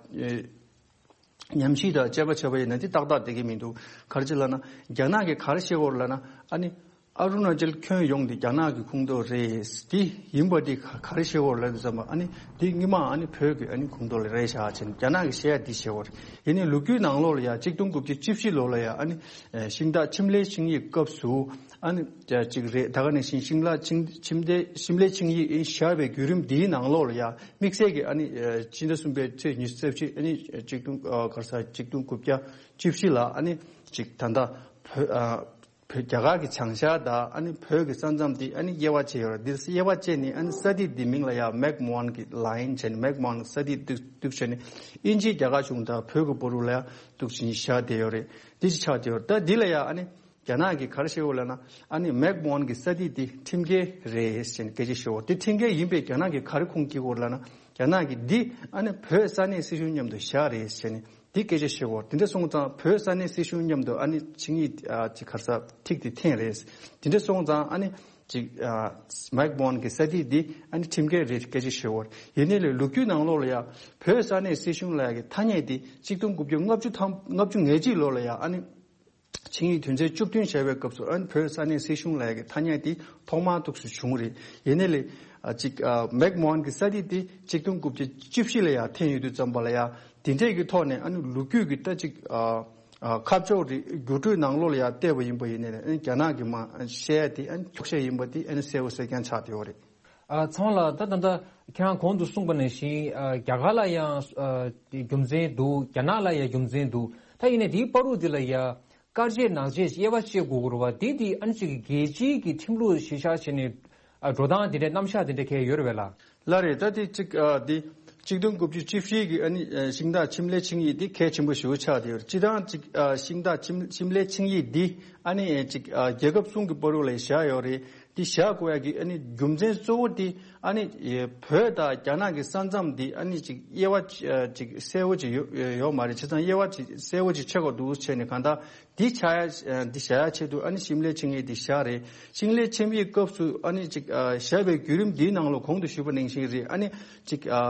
ཉམས་ཞིབ་དང་དཔྱད་པ་བྱས་པ་ཡིན་ན། འདི་ཏག་ཏག་བསྡད་ཀྱི་མི་འདུག་ག་རེ་བྱས་ལབ་ན། རྒྱ་ནག་གིས་ག་རེ་བཤད་ཀྱི་ཡོད་རེད་ལབ་ན། ཨ་ནི་ཨ་རུ་ན་ཅལ་ཁྱོན་ཡོངས་འདི་རྒྱ་ནག་གི་ཁོངས་གཏོགས་རེད། འདི་ཡིན་པ་འདི་ག་ག་རེ་བཤད་ཀྱི་ཡོད་རེད་ལབ་དུས་ཙམ་པ། ཨ་ནི་འདི་སྔོན་མ་ཨ་ནི་བོད་ཀྱི་ཨ་ནི་ཁོངས་གཏོགས་ལ་རེད་བཞག་བྱས་ནས་རྒྱ་ནག་གིས་བཤད་ཡག་འདི་བཤད་ཀྱི་ཡོད་རེད། ཡིན་ནའི་ལོ་རྒྱུས་ནང་ལོགས་ལ་ཡ། གཅིག་སྟོང་དགུ་བརྒྱ་བཅུ་བཞི་ལོ་ལ་ཡ། ཨ་ནི་ཨེ། ཤིང་རྟ་ཁྱིམ་ལའི་ཆིངས་ཡིག་སྐབས་སུ། ཨ་ནི་ཅིག་རེད། ད་ག་ནང་བཞིན་ཤིང་ལ་ཆིངས་ཁྱིམ་སྡེ་ཤིམ་ལའི་ཆིངས་ཡིག་ཨེ་བཞག་པའི་བརྒྱུད་རིམ་འདིའི་ནང་ལོགས་ལ་ཡ། དམིགས་བསལ་གྱི་ཨ་ནི་ཨེ། ཕྱི་ཟླ་གསུམ་པའི་ཚེས་ཉི་ཤུ་རྩ་བཞི། ཨ་ནི་ཨེ། གཅིག་སྟོང་ཨ། ག་རེ་ཟ། གཅིག་སྟོང་དགུ་བརྒྱ་བཅུ་བཞི་ལ། ཨ་ནི་ ཅིག་ད་ལྟ་བོད་ཨ་བོད་རྒྱ་གར་གྱི་བྱང་ཤར་དང་ཨ་ནི་བོད་ཀྱི་ས་མཚམས་དེ་ཨ་ནི་དབྱེ་བ་ཕྱེ་ཡོད་རེད། འདིར་དབྱེ་བ་ཕྱེ་ནས་ཨ་ནི་ས་ཐིག་འདི་མིང་ལ་ཡང་མེག་མོ་ཧན་གྱི་ལ་ཡིན་བྱས་ནས་མེག་མོ་ཧན་གྱི་ས་ཐིག་འདུག་འདུག་བྱས་ནས་དབྱིན་ཇིའི་རྒྱ་གར་གཞུང་དང་བོད་ཀྱི་བར་དུ་ལ་ཡང་འདུག་བྱས་ནས་བཞག་བསྡད་ཡོད་རེད། འདི་ཅིག་ཆགས་བསྡད་ཡོད་རེད། ད་འདི་ལ་ཡང་ཨ་ནི་རྒྱ་ནག་གིས་ག་རེ་བཤད་ཡོད་ལབ་ན། ཨ་ནི་མེག་མོ་ཧན་གྱི་ས་ཐིག་འདི་ཁྲིམས་འགལ་རེད་ཟེར་ནས་སྐད་ཆ་བཤད་ཡོད། དེ་ཁྲིམས་འགལ་ཡིན་པས་རྒྱ་ནག་གིས་ག་རེ་ཁུངས་སྐྱེལ་དགོས་ལབ་ན། རྒྱ་ནག་གིས་འདི་ཨ་ནི་བོད་ས་གནས་སྲིད་གཞུང་མཉམ་དུ་བཞག་རེད་ཟེར་ནས་འདི་སྐད་ཆ་བཤད་ཡོད། དེ་འདྲ་སོང་ཙང་བོད་ས་གནས་སྲིད་གཞུང་མཉམ་དུ་ཨ་ནི་ཆིངས་ཡིག་ཨ་ཅིག་ག་རེ་ཟེར་ཐིག་དེ་འཐེན་རེད། དེ་འདྲ་སོང་ཙང་ཨ་ནི་ཅིག་ཨ་མེག་མོ་ཧན་གྱི་ས་ཐིག་འདི་ཨ་ནི་ཁྲིམས་འགལ་རེད་སྐད་ཆ་བཤད་ཡོད། ཡིན་ནའི་ལས་ལོ་རྒྱུས་ནང་ལོགས་ལ་ཡང་བོད་ས་གནས་སྲིད་གཞུང་ལབ་ཡག་གི་ཐ་སྙད་འདི་གཅིག་སྟོང་དགུ་བརྒྱ་ལྔ་བཅུ་ཐམ་ལྔ་བཅུ་ང་གཅིག་ལོ་ལ་ཡང་ཨ་ནི་ཆིངས་ཡིག་དོན་ཚན་བཅུ་བདུན་བཞག་པའི་སྐབས་སུ་ཨ་ནི་བོད་ས་གནས་སྲིད་གཞུང་ལབ་ཡག་གི་ཐ་སྙད་དེ་ཐོག་མར་འདུག་སེ་བྱུང་རེད། ཡིན་ནའི་ལས་ཨ་ཅིག་ཨ་མེག་མོ་ཧན་གྱི་ས་ཐིག་དེ་གཅིག་སྟོང་དགུ་བརྒྱ་བཅུ་བཞི་ལ་ཡང་འཐེན་ཡོད་དུས་ཙམ་པ་ལ་ཡང་དེ་འདྲས་ཀྱི་ཐོག་ནས་ཨ་ནི་ལོ་རྒྱུས་ཀྱི་ད་ཅིག་ཨ་ཨ་ཁ་ཕྱོགས་རེ་བསྒྱུར་བཅོས་ནང་ལོགས་ལ་ཡང་བལྟས་པ་ཡིན་པ་ཡིན་ནའི་ཨ་ནི་རྒྱ་ནག་གི་མ་བཤད་ཡ་དེ་ཨ་ནི་འཁྱོག་བཤད་ཡིན་པ་དེ་ཨ་ནི་གསལ་པོ་གསལ་རྐྱང་ཆགས་བསྡད་ཡོད་རེད། ཨ་ཚང་ལ་ད་ད་ལྟ་ཁྱེད་རང་གོང་དུ་གསུངས་པ་ནང་བཞིན་ཨ་རྒྱ་གར་ལ་ཡང་ཨ་རྒྱུ་མཚན་འདུག་རྒྱ་ནག་ལ་ཡང་རྒྱུ་མཚན་འདུག་ད་ཡིན་ནའི་དེའི་བར་དུ་འདི་ལ་ཡང་དཀར་ཆས་ནག་ཆས་དབྱེ་བ་ཕྱེ་དགོས་ཀྱི་རེད་བ། དེ་དེ་ཨ་ནི་ཅིག་རྒྱལ་སྤྱིའི་གི་ཁྲིམས་ལུགས་གཞི་བཞག་བྱས་ནས་ཨ་འགྲོ་སྟངས་དེ་འདྲའི་རྣམ་གཞག་དེ་འདྲ་གང་ཡོད་རེད་བས་ལགས། ལགས་རེད། ད་དེ་གཅིག་ཨ་དེ་གཅིག་སྟོང་དགུ་བརྒྱ་བཅུ་བཞི་གི་ཨ་ནི་ཨ་ཤིང་རྟ་ཁྱིམ་ལས་ཆིངས་ཡིག་དེ་གལ་ཆེན་པོ་ཞེ་པོ་ཆགས་བསྡད་ཡོད་རེད། སྤྱིར་བཏང་གཅིག་ཨ་ཤིང་རྟ་ཁྱིམ་ཁྱིམ་ལས་ཆིངས་ཡིག་འདི་ཨ་ནི་ཨ་ཅིག་ཨ་རྒྱལ་ཁབ་གསུམ་གྱི་བར་དུ་ལ་བཞག་ཡོད་རེད། འདི་བཞག་དགོས་ཡ་གི་ཨ་ནི་རྒྱུ་མཚན་གཙོ་བོ་འདི་ཨ་ནི་ཨེ་བོད་དང་རྒྱ་ནག་གི་ས་མཚམས་འདི་ཨ་ནི་ཅིག་དབྱེ་བ་ཅིག་ཨ་ཅིག་གསལ་བོ་ཅིག་ཡོད་ཡོད་མ་རེད། བྱས་ཙང་དབྱེ་བ་ཅིག་གསལ་བོ་ཅིག་ཕྱེ་དགོས་འདུག་བྱས་ནས་གང་ལྟར་འདི་བཞག་ཡ་ཨ་འདི་བཞག་ཡ་ཆེད་དུ་ཨ་ནི་ཤིང་ལས་ཆིངས་ཡིག་འདི་བཞག་རེད། ཤིང་ལས་ཆིངས་ཡིག་སྐབས་སུ་ཨ་ནི་ཅིག་ཨ་བཞག་པའི་བརྒྱུད་རིམ་འདིའི་ནང་ལོགས་གོང་དུ་ཞུས་པ་ནང་བཞིན་རེད། ཨ་ནི་ཅིག་ཨ་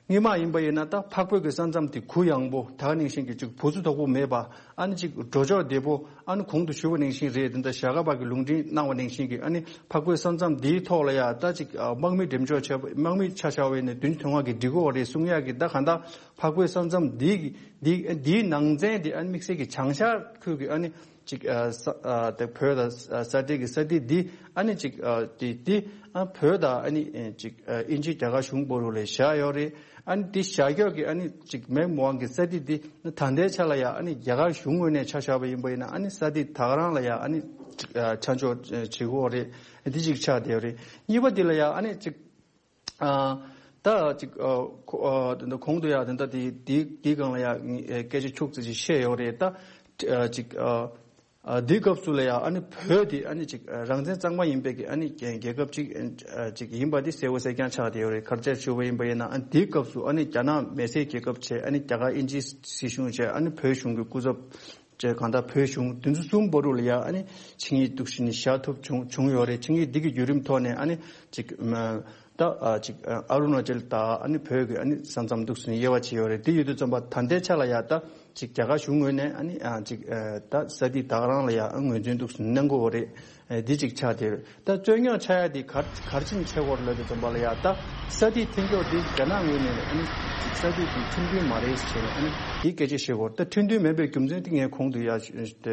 སྔོན་མ་ཡིན་པ་ཡིན་ན་ད་འཕགས་བོད་ཀྱི་ས་མཚམས་དེ་གུ་ཡངས་པོ་ད་ག་ནང་བཞིན་གྱི་ཅིག་བུ་ཚུ་དོག་པོ་མེད་པ། ཨ་ནི་ཅིག་འགྲོ་ཕྱོགས་བདེ་པོ། ཨ་ནི་གོང་དུ་ཞུས་པ་ནང་བཞིན་རེད། དེ་འདྲ་ཞྭ་སྒབ་པ་གི་ལུང་འདྲེན་གནང་བ་ནང་བཞིན་གྱི་ཨ་ནི་འཕགས་བོད་ས་མཚམས་འདིའི་ཐོག་ལ་ཡ་ད་ཅིག་ཨ་དམག་མི་འགྲེམས་འཇོག་བྱས་པ་དམག་མི་ཆ་བཞག་པ་ཡིན་ན་བདུན་ཅུ་དོན་ལྔ་གི་འགྲིག་གི་ཡོད་རེད་གསུང་ཡག་གི། ད་གང་ལྟར་འཕགས་བོད་ས་མཚམས་འདི་གི་འདི་འདིའི་ནང་ཚན་དེ་ཨ་ནི་དམིགས་བསལ་གྱི་བྱང་ཤར་ཁུལ་གྱི་ཨ་ནི་ཅིག་ཨ་ས་ཨ་དེ་བོད་དང་ས་ས་འབྲེལ་གྱི་ས་ཐིག་འདི་ཨ་ནི་ཅིག་ཨ་དེ་འདི་ཨ་བོད་དང་ཨ་ནི་ཨེ་ཅིག་ཨ་དབྱིན་ཇི་རྒྱ་གར་གཞུང་བར་དུ་ལ་བཞག་ཡོད་རེད། ཨ་ནི་འདི་བཞག་ཡག་གི་ཨ་ནི་ཅིག་མེག་མོ་ཧན་གྱི་ས་ཐིག་འདི་ད་ལྟའི་ཆ་ལ་ཡ་ཨ་ནི་རྒྱ་གར་གཞུང་ངོས་ནས་ཆ་བཞག་པ་ཡིན་པ་ཡིན་ན་ཨ་ནི་ས་ཐིག་ད་ག་རང་ལ་ཡ་ཨ་ནི་ཅིག་ཨ་ཆ་འཇོག་བྱེད་དགོས་རེད། འདི་ཅིག་ཆགས་བསྡད་ཡོད་རེད། གཉིས་པ་འདི་ལ་ཡ་ཨ་ནི་ཅིག་ཨ་ད་ཅིག་ཨ་ཁོ་ཨ་ད་ལྟ་གོང་དུ་ཡ་ད་ལྟ་དེ་དེ་དེའི་སྒང་ལ་ཡ་ངས་སྐད་ཆ་ཁྱུག་ཙམ་ཅིག་བཤད་ཡོད་རེད། ད་ཨ་ཅིག་ཨ་ཨ་དེའི་སྐབས་སུ་ལ་ཡ་ཨ་ནི་བོད་དེ་ཨ་ནི་ཅིག་ཨ་རང་བཙན་གཙང་མ་ཡིན་པའི་གི་ཨ་ནི་རྒྱལ་རྒྱལ་ཁབ་ཅིག་ཨ་ཅིག་ཡིན་པ་དེ་གསལ་པོ་གསལ་རྐྱང་ཆགས་བསྡད་ཡོད་རེད། ག་རེ་བྱས་ཞུས་པ་ཡིན་པ་ཡིན་ན་ཨ་ནི་དེའི་སྐབས་སུ་ཨ་ནི་རྒྱ་ནག་མི་སེར་རྒྱལ་ཁབ་བྱས། ཨ་ནི་རྒྱ་གར་དབྱིན་ཇིའི་སྲིད་གཞུང་བྱས། ཨ་ནི་བོད་གཞུང་གི་སྐུ་ཚབ་བྱས། གང་ལྟར་བོད་གཞུང་དེ་ཚོ་གསུམ་བར་དུ་ལ་ཡ་ཨ་ནི་ཆིངས་ཡིག་འདུག་སེ་ནས་བཞག་ཐུབ་བྱུང་བྱུང་ཡོད་རེད། ཆིངས་ཡིག་འདི་གི་བརྒྱུད་རིམ་ཐོག་ནས་ཨ་ནི་ཅིག་ཨ་ད་ཨ་ཅིག་ཨ་ཨ་རུ་ན་ཅལ་དང་ཨ་ནི་བོད་ཀྱི་ཨ་ནི་ས་མཚམས་འདུག་སེ་ནས་དབྱེ་བ་ཕྱེ་ཡོད་རེད། དེ་ཡོད་དུས་ཙམ་པ་ད་ལྟའི་ཆ་ལ་ཡ་ད་ཅིག་རྒྱ་གར་གཞུང་ངོས་ནས་ཨ་ནི་ཨ་ཅིག་ཨ་ད་ས་ཐིག་ད་ག་རང་ལ་ཡ་ཨ་ངོས་འཛིན་འདུག་སེ་གནང་གི་ཡོད་རེད། ཨ་འདི་ཅིག་ཆགས་བསྡད་རེད། ད་རྩོད་རྙོག་ཆགས་ཡ་དེ་ག་ག་རེ་བྱས་ནས་ཆགས་ཀྱི་ཡོད་རེད་ལབ་དུས་ཙམ་པ་ལ་ཡ་ད་ས་ཐིག་འཐེན་ཕྱོགས་དེ་རྒྱ་ནག་ངོས་ནས་ཨ་ནི་ཅིག་ས་ཐིག་དེ་ཁྲིམས་མཐུན་མ་རེད་ཟེར་ནས་ཨ་ནི་དེ་སྐད་ཆ་བཤད་ཀྱི་ཡོད་རེད། ད་ཁྲིམས་མཐུན་མེད་པའི་རྒྱུ་མཚན་དེ་ངས་གོང་དུ་ཡ་བཤད་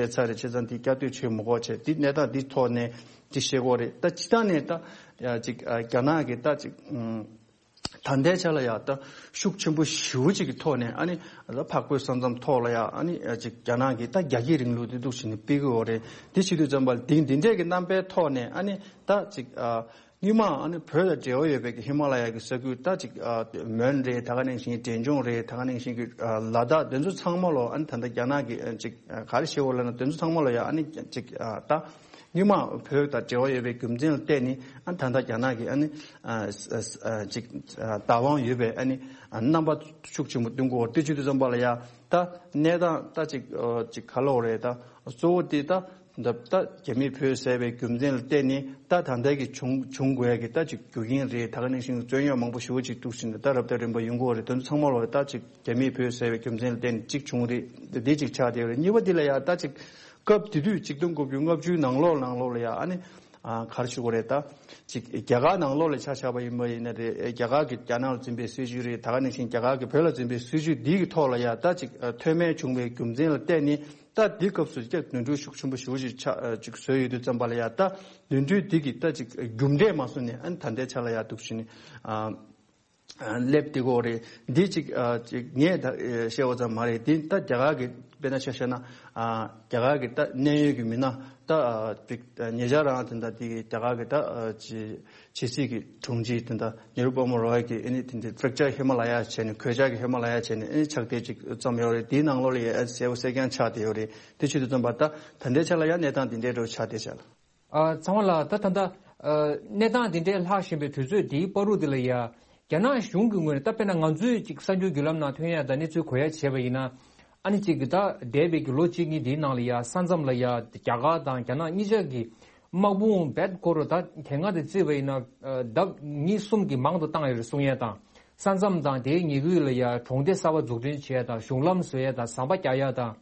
ཚར་རེད། བྱས་ཙང་དེ་བསྐྱར་ཟློས་བྱེད་མི་དགོས་བྱས། དེ་གནས་སྟངས་དེ་ཐོག་ནས་དེ་བཤད་ཀྱི་ཡོད་རེད། ད་སྤྱིར་བཏང་ནས་ད་ཡ་ཅིག་ཨ་རྒྱ་ནག་གི་ད་ཅིག་ཨུམ། ད་ལྟའི་ཆ་ལ་ཡ་ད་ཤུགས་ཆེན་པོ་ཞེ་པོ་ཅིག་གི་ཐོག་ནས་ཨ་ནི་ད་འཕགས་བོད་ས་མཚམས་ཐོག་ལ་ཡ་ཨ་ནི་ཅིག་རྒྱ་ནག་གིས་ད་རྒྱ་སྐྱེད་རིང་ལུགས་དེ་འདུག་སེ་ནས་སྤེལ་གྱི་ཡོད་རེད། དེ་བྱེད་དུས་ཙམ་པ་ལ་དེ་འདི་འདྲས་ཀྱི་རྣམ་པའི་ཐོག་ནས་ཨ་ནི་ད་ཅིག་ཨ་སྔོན་མ་ཨ་ནི་བོད་དང་འབྲེལ་བ་ཡོད་པའི་གི་ཧི་མ་ལ་ཡ་གི་ས་ཁུལ་ད་ཅིག་ཨ་མོན་རེད། ད་ག་ནང་བཞིན་འབྲས་ལྗོངས་རེད། ད་ག་ནང་བཞིན་གི་ཨ་ལ་དྭགས་དེ་ཚོ་ཚང་མ་ལོ་ཨ་ནི་ད་ལྟ་རྒྱ་ནག་གིས་ཨ་ཅིག་ཨ་ག་རེ་བྱེད་དགོས་ལབ་ན་དེ་ཚོ་ཚང་མ་ལོ་ཡ་ཨ་ནི་ཅིག་ཨ་ད། སྔོན་མ་བོད་དང་འབྲེལ་བ་ཡོད་པའི་རྒྱུ་མཚན་ལ་བརྟེན་ནས་ཨ་ད་ལྟ་རྒྱ་ནག་གིས་ཨ་ནི་ཨ་ཨ་ཅིག་ཨ་བདག་དབང་ཡོད་པའི་ཨ་ནི་ཨ་རྣམ་པ་ཤུགས་ཆེན་པོ་སྟོན་གྱི་ཡོད་རེད། དེ་བྱེད་དུས་ཙམ་པ་ལ་ཡ་ད་གནས་སྟངས་ད་ཅིག་ཨ་ཅིག་ག་ལབ་དགོས་རེད། ད་གཙོ་བོ་དེ་ད་ད་ད་རྒྱ་མིས་བོད་བསད་པའི་རྒྱུ་མཚན་ལ་བརྟེན་ནས་ད་ད་ལྟ་གི་བྱུང་བྱུང་དགོས་ཡ་གི་ད་ཅིག་རྒྱུ་རྐྱེན་རེད། ད་ག་ནང་བཞིན་རྩོད་རྙོག་མང་པོ་ཞེ་པོ་ཅིག་འདུག་སེ་ད་རབ་དང་རིམ་པ་ཡོང་གི་ཡོད་རེད། དེ་ཚོ་ཚང་མ་ལོ་ད་ཅིག་རྒྱ་མིས་བོད་བསད་པའི་རྒྱུ་མཚན་ལ་བརྟེན་ནས་གཅིག་བྱུང་རེད། འདི་གཅིག་ཆགས་བསྡད་ཡོད་རེད། གཉིས་པ་འདི་ལ་ཡང་ད་ཅིག་སྐབས་དེ་དུས་གཅིག་སྟོང་དགུ་བརྒྱ་ལྔ་བཅུའི་ནང་ལོགས་ནང་ལོགས་ལ་ཡང་ཨ་ནི་ཨ་ག་རེ་ཞུ་དགོས་རེད། ད་ཅིག་རྒྱ་གར་ནང་ལོགས་ལ་ཆ་བཞག་པ་ཡིན་པ་ཡིན་ན་རེད། རྒྱ་གར་གྱི་རྒྱ་ནག་ལ་འཛིན་པའི་སྲིད་བྱུས་རེད། ད་ག་ནང་བཞིན་རྒྱ་གར་གྱིས་བོད་ལ་འཛིན་པའི་སྲིད་བྱུས་འདི་གི་ཐོག་ལ་ཡང་ད་ཅིག་ཨ་མཐོ་དམན་བྱུང་བའི་རྒྱུ་མཚན་ལ་བརྟེན་ནས་ད་འདི་སྐབས་སུ་ཀྱང་ནོར་འཁྲུལ་ཤུགས་ཆེན་པོ་ཞེ་པོ་ཅིག་ཆགས་ཅིག་བཟོས་ཡོད་དུས་ཙམ་པ་ལ་ཡང་ད་ནོར་འཁྲུལ་འདི་གི་ད་ཅིག་རྒྱུ་འབྲས་མ་བཟུང་ནས་ཨ་ནི་ད་ལྟའི་ཆ་ལ་ཡང་འདུག་བྱས་ནས་ཨ། སླེབས་བསྡད་ཀྱི་ཡོད་རེད། འདི་གཅིག་ཨ་གཅིག་ངས་ད་ཨེ་བཤད་པ་ཙམ་མ་རེད། འདི་ད་རྒྱ་གར་གྱི་དཔེར་ན་ཆ་བཞག་ན་ཨ་རྒྱ་གར་གྱི་ད་གནད་ཡོད་ཀྱི་མི་སྣ་ད་ཨ་གཅིག་ཨ་ཉེ་ཆར་རང་དེ་འདྲ་དེ་གི་རྒྱ་གར་གྱི་ད་ཨ་ཅི་ཕྱི་སྲིད་ཀྱི་དྲུང་ཆེ་དེ་འདྲ་ནེ་རུ་པདྨ་རོ་ཡ་གིས་ཨ་ནི་དེ་འདྲའི་ཕྲེག་ཅར་ཧི་མ་ལ་ཡ་བྱས་ནས་གོད་ཆག་གི་ཧི་མ་ལ་ཡ་བྱས་ནས་ཨ་ནི་ཕྱག་དེབ་ཅིག་བརྩམས་ཡོད་རེད། དེའི་ནང་ལོགས་ལ་ཡ་གསལ་པོ་གསལ་རྐྱང་ཆགས་བསྡད་ཡོད་རེད། དེ་བྱེད་དུས་ཙམ་པ་ད་ད་ལྟའི་ཆ་ལ་ཡ་གནས་སྟངས་དེ་འདྲའི་འདྲ་བོ་ཆགས་བསྡད་ཤག་ལ། ཨ་ཚང་མ་ལ་ད་ད་ལྟ་ཨ་གནས་སྟངས་དེ་འདྲའི་ལྷག་བཞིན་པའི་དུས་ཚོད་འདིའི་བར་དུ་དེ་ལ་ཡ་རྒྱ་ནག་གཞུང་གི་ངོས་ནས་ད་དཔེར་ན་ང་ཚོས་ཅིག་གསར་འགྱུར་བརྒྱུད་ལམ་ནང་ཐོན་ཡ་དང་གནས་ཚུལ་གོ་ཡ་བྱས་པ་ཡིན་ན། ཨ་ནི་ཅིག་ད་འདས་པའི་གི་ལོ་གཅིག་གཉིས་འདིའི་ནང་ལ་ཡ་ས་མཚམས་ལ་ཡ་རྒྱ་གར་དང་རྒྱ་ནག་གཉིས་ཆ་གི་དམག་དཔུང་རྦད་ཁོ་ར་ད་དེ་སྔ་དེ་བརྩིས་པ་ཡིན་ན་ཨ་ལྡབ་གཉིས་གསུམ་གྱིས་མང་དུ་བཏང་ཡོད་རེད་གསུང་ཡ་དང་། ས་མཚམས་དང་དེའི་ཉེ་ཁུལ་ལ་ཡ་གྲོང་སྡེ་གསར་པ་འཛུགས་སྐྲུན་བྱེད་ཡ་དང་གཞུང་ལམ་བཟོ་ཡ་དང་ཟམ་པ་རྒྱག་ཡ་དང་།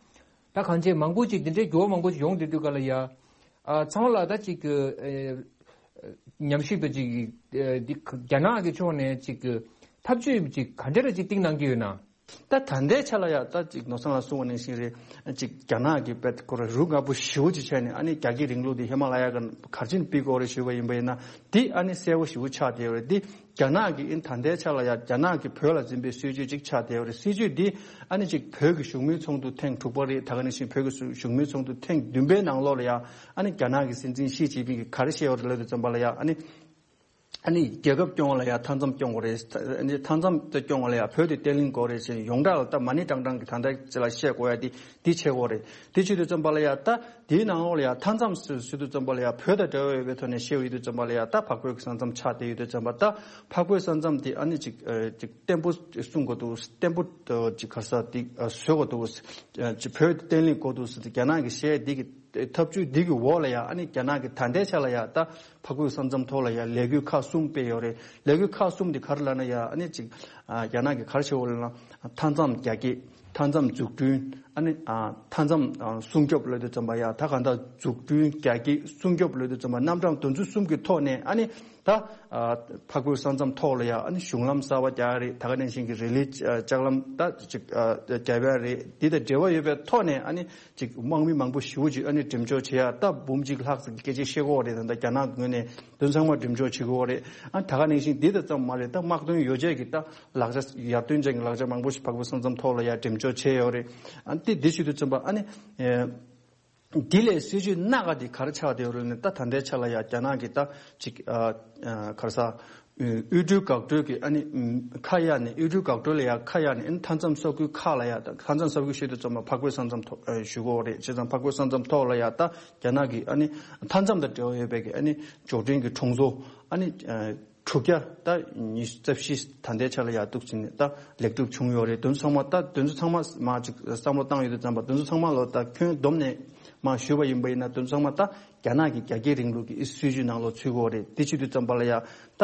ད་གང་ཅི་མང་པོ་ཅིག་དེ་འདྲའི་འགྱུར་བ་མང་པོ་ཅིག་ཡོང་བསྡད་དུས་ག་ལ་ཡ། ཨ་ཚང་མ་ལ་ད་ཅིག་གི་ཨེ་ཉམས་ཞིབ་དང་ཅིག་ཨེ་འདི་རྒྱ་ནག་གི་ཕྱོགས་ནས་ཅིག་གི་ཐབས་ཇུས་ཅིག་ག་འདྲ་ར་ཅིག་བཏིང་གནང་གི་ཡོད་ན། ད་ད་ལྟའི་ཆ་ལ་ཡ་ད་ཅིག་ནོར་བཟང་ལགས་གསུངས་པ་ནང་བཞིན་རེད། ཅིག་རྒྱ་ནག་གི་རྦད་ཁོ་ར་རུ་ང་པོ་ཞེ་པོ་ཅིག་བྱས་ནས་ཨ་ནི་རྒྱ་སྐྱེད་རིང་ལུགས་དེ་ཧི་མ་ལ་ཡ་ག་གར་ཕྱིན་ཕུད་དགོས་རེད་ཞུས་པ་ཡིན་པ་ཡིན་ན། འདི་ཨ་ནི་གསལ་པོ་ཞེ་པོ་ཆགས་བསྡད་ཡོད་རེད། འདི་རྒྱ་ནག་གི་ཨིན་ད་ལྟའི་ཆ་ལ་ཡ་རྒྱ་ནག་གི་བོད་ལ་འཛིན་པའི་སྲིད་ཇུས་ཅིག་ཆགས་བསྡད་ཡོད་རེད། སྲིད་ཇུས་འདི་ཨ་ནི་ཅིག་བོད་ཀྱི་བཞུགས་མོལ་ཚོགས་འདུ་ཐེངས་དྲུག་པ་རེད། ད་ག་ནང་བཞིན་བོད་ཀྱི་བཞུགས་མོལ་ཚོགས་འདུ་ཐེངས་བདུན་པའི་ནང་ལོགས་ལ་ཡ་ཨ་ནི་རྒྱ་ནག་གི་སྲིད་འཛིན་ཞི་ཅིན་ཕིང་གིས་ག་རེ་བཤད་ཡོད་རེད་ལབ་དུས་ཙམ་པ་ལ་ཡ་ཨ་ནི་ཨ་ནི་རྒྱལ་ཁབ་སྐྱོང་བ་ལ་ཡ་མཐའ་མཚམས་སྐྱོང་དགོས་རེད། ཨ་ནི་མཐའ་མཚམས་དེ་སྐྱོང་བ་ལ་ཡ་བོད་དེ་བརྟན་ལྷིང་དགོས་རེད་ཅེས་ཡོངས་གྲགས་ལ་ད་མ་ཎི་བགྲང་བགྲང་གི་ད་ལྟ་ཅི་ལ་བཤད་དགོས་ཡ་དེ་འདི་བྱེད་དགོས་རེད། དེ་བྱེད་དུས་ཙམ་པ་ལ་ཡ་ད་དེའི་ནང་ལོགས་ལ་ཡ་མཐའ་མཚམས་ཟེར་ཟེར་དུས་ཙམ་པ་ལ་ཡ་བོད་དང་འབྲེལ་བ་ཡོད་པའི་ཐོག་ནས་བཤད་ཡོད་དུས་ཙམ་པ་ལ་ཡ་ད་འཕགས་བོད་ཀྱི་ས་མཚམས་ཆགས་བསྡད་ཡོད་དུས་ཙམ་པ་ད་འཕགས་བོད་ས་མཚམས་དེ་ཨ་ནི་ཅིག་ཨ་ཅིག་བརྟན་པོ་སྲུང་དགོས་འདུག་བརྟན་པོ་ཅིག་ག་རེ་ཟེར་དེ་བཟོ་དགོས་འདུག་ཅིག་བོད་བརྟན་ལྷིང་དགོས་འདུག་ཟེར་ཏེ་རྒྱ་ནག་གི་བཤད་འདི་གི་ཐབས་ཇུས་འདི་གི་འོག་ལ་ཡ་ཨ་ནི་རྒྱ་ནག་གི་ད་ལྟའི་ཆ་ལ་ཡ་ད་འཕགས་བོད་ས་མཚམས་ཐོག་ལ་ཡ་ལས་འགུལ་ཁག་གསུམ་སྤེལ་ཡོད་རེད། ལས་འགུལ་ཁག་གསུམ་འདི་ག་རེ་ལབ་ན་ཡ་ཨ་ནི་ཅིག་ཨ་རྒྱ་ནག་གི་ག་རེ་བྱེད་འོ་ལབ་ན་མཐའ་མཚམས་རྒྱ་སྐྱེད། མཐའ་མཚམས་འཛུགས་སྐྲུན། ཨ་ནི་ཨ་མཐའ་མཚམས་ཨ་སྲུང་སྐྱོབ་ལབ་དུས་ཙམ་པ་ཡ་ད་གང་ལྟར་འཛུགས་སྐྲུན་རྒྱ་སྐྱེད་སྲུང་སྐྱོབ་ལབ་དུས་ཙམ་པ་རྣམ་གྲངས་དེ་ཚོ་གསུམ་གྱི་ཐོག་ནས་ཨ་ནི་ད་ཨ་འཕགས་བོད་ས་མཚམས་ཐོག་ལ་ཡ་ཨ་ནི་གཞུང་ལམ་གསར་པ་རྒྱག་ཡ་རེད། ད་ག་ནང་བཞིན་གྱི་རི་ལི་ཨ་ལྕགས་ལམ་ད་ཅིག་ཨ་རྒྱབ་ཡ་རེད། འདི་དང་འབྲེལ་བ་ཡོད་པའི་ཐོག་ནས་ཨ་ནི་ཅིག་དམག་མི་མང་པོ་ཞེ་པོ་ཅིག་ཨ་ནི་འགྲེམས་འཇོག་བྱེད་ཡ་ད་འབུམ་གཅིག་ལྷག་ཙམ་སྐད་ཆ་བཤད་ཀྱི་ཡོད་རེད། ད་ལྟ་རྒྱ་ནག་གི་ངོས་ནས་དོན་ཚང་མ་འགྲེམས་འཇོག་བྱེད་ཀྱི་ཡོད་རེད། ཨ་ད་ག་ནང་བཞིན་འདི་དང་ཙམ་མ་རེད། ད་དམག་དོན་ཡོ་བྱད་ཀྱི་ད་ལག་ཆ་ཡར་ཐོན་ཅན་གྱི་ལག་ཆ་མང་པོ་ཞིག་འཕགས་བོད་ས་མཚམས་ཐོག་ལ་ཡར་འགྲེམས་འཇོག་བྱས་ཡོད་རེད། ཨ་འདི་འདི་བྱེད་དུས་ཙམ་པ་ཨ་ནི་ཨེ་འདི་ལས་སྲིད་ཇུས་སྣ་ཁ་འདི་ག་རེ་ཆགས་བསྡད་ཡོད་རེད་ན། ད་ད་ལྟའི་ཆ་ལ་ཡ་རྒྱ་ནག་གི་ད་ཅིག་ཨ་ཨ་ག་རེ་ཟ་དབུལ་སྒྲོལ་འགག་སྒྲོལ་གྱི་ཨ་ནི་ཨམ་ཁ་གཡར་ནས་དབུལ་སྒྲོལ་འགག་སྒྲོལ་ལ་ཡ་ཁ་གཡར་ནས་ཨ་ནི་མཐའ་མཚམས་ས་ཁུལ་ཁག་ལ་ཡ་ད་མཐའ་མཚམས་ས་ཁུལ་བཤད་དུས་ཙམ་པ་འཕགས་བོད་ས་མཚམས་ཐོག་ཨ་ཞུ་དགོས་རེད། བྱས་ཙང་འཕགས་བོད་ས་མཚམས་ཐོག་ལ་ཡ་ད་རྒྱ་ནག་གི་ཨ་ནི་མཐའ་མཚམས་དང་འབྲེལ་བ་ཡོད་པའི་གི་ཨ་ནི་འབྱོར་འབྲིང་གི་གྲོང་ཚོ་ཨ་ནི་ཨ་དྲུག་བརྒྱ་ད་ཉི་ཤུ་རྩ་བཞི་ད་ལྟའི་ཆ་ལ་ཡ་གཏུག་ཕྱིན་ནས་ད་ལེགས་གྲུབ་བྱུང་ཡོད་རེད། དེ་ཚོ་ཚང་མ་ད་དེ་ཚོ་ཚང་མ་མ་ཅིག་བསམ་བློ་བཏང་ཡོད་དུས་ཙམ་པ་དེ་ཚོ་ཚང་མ་ལོ་ད་ཁྱོན་བསྡོམས་ནས་མ་ཞུས་པ་ཡིན་པ་ཡིན་ན་དེ་ཚོ་ཚང་མ་ད་རྒྱ་ནག་གི་རྒྱ་སྐྱེད་རིང་ལུགས་ཀྱི་སྲིད་ཇུས་ནང་ལོགས་ཚུད་ཀྱི་ཡོད་རེད། དེ་བྱེད་དུས་ཙམ་པ་ལ་ཡ་ད་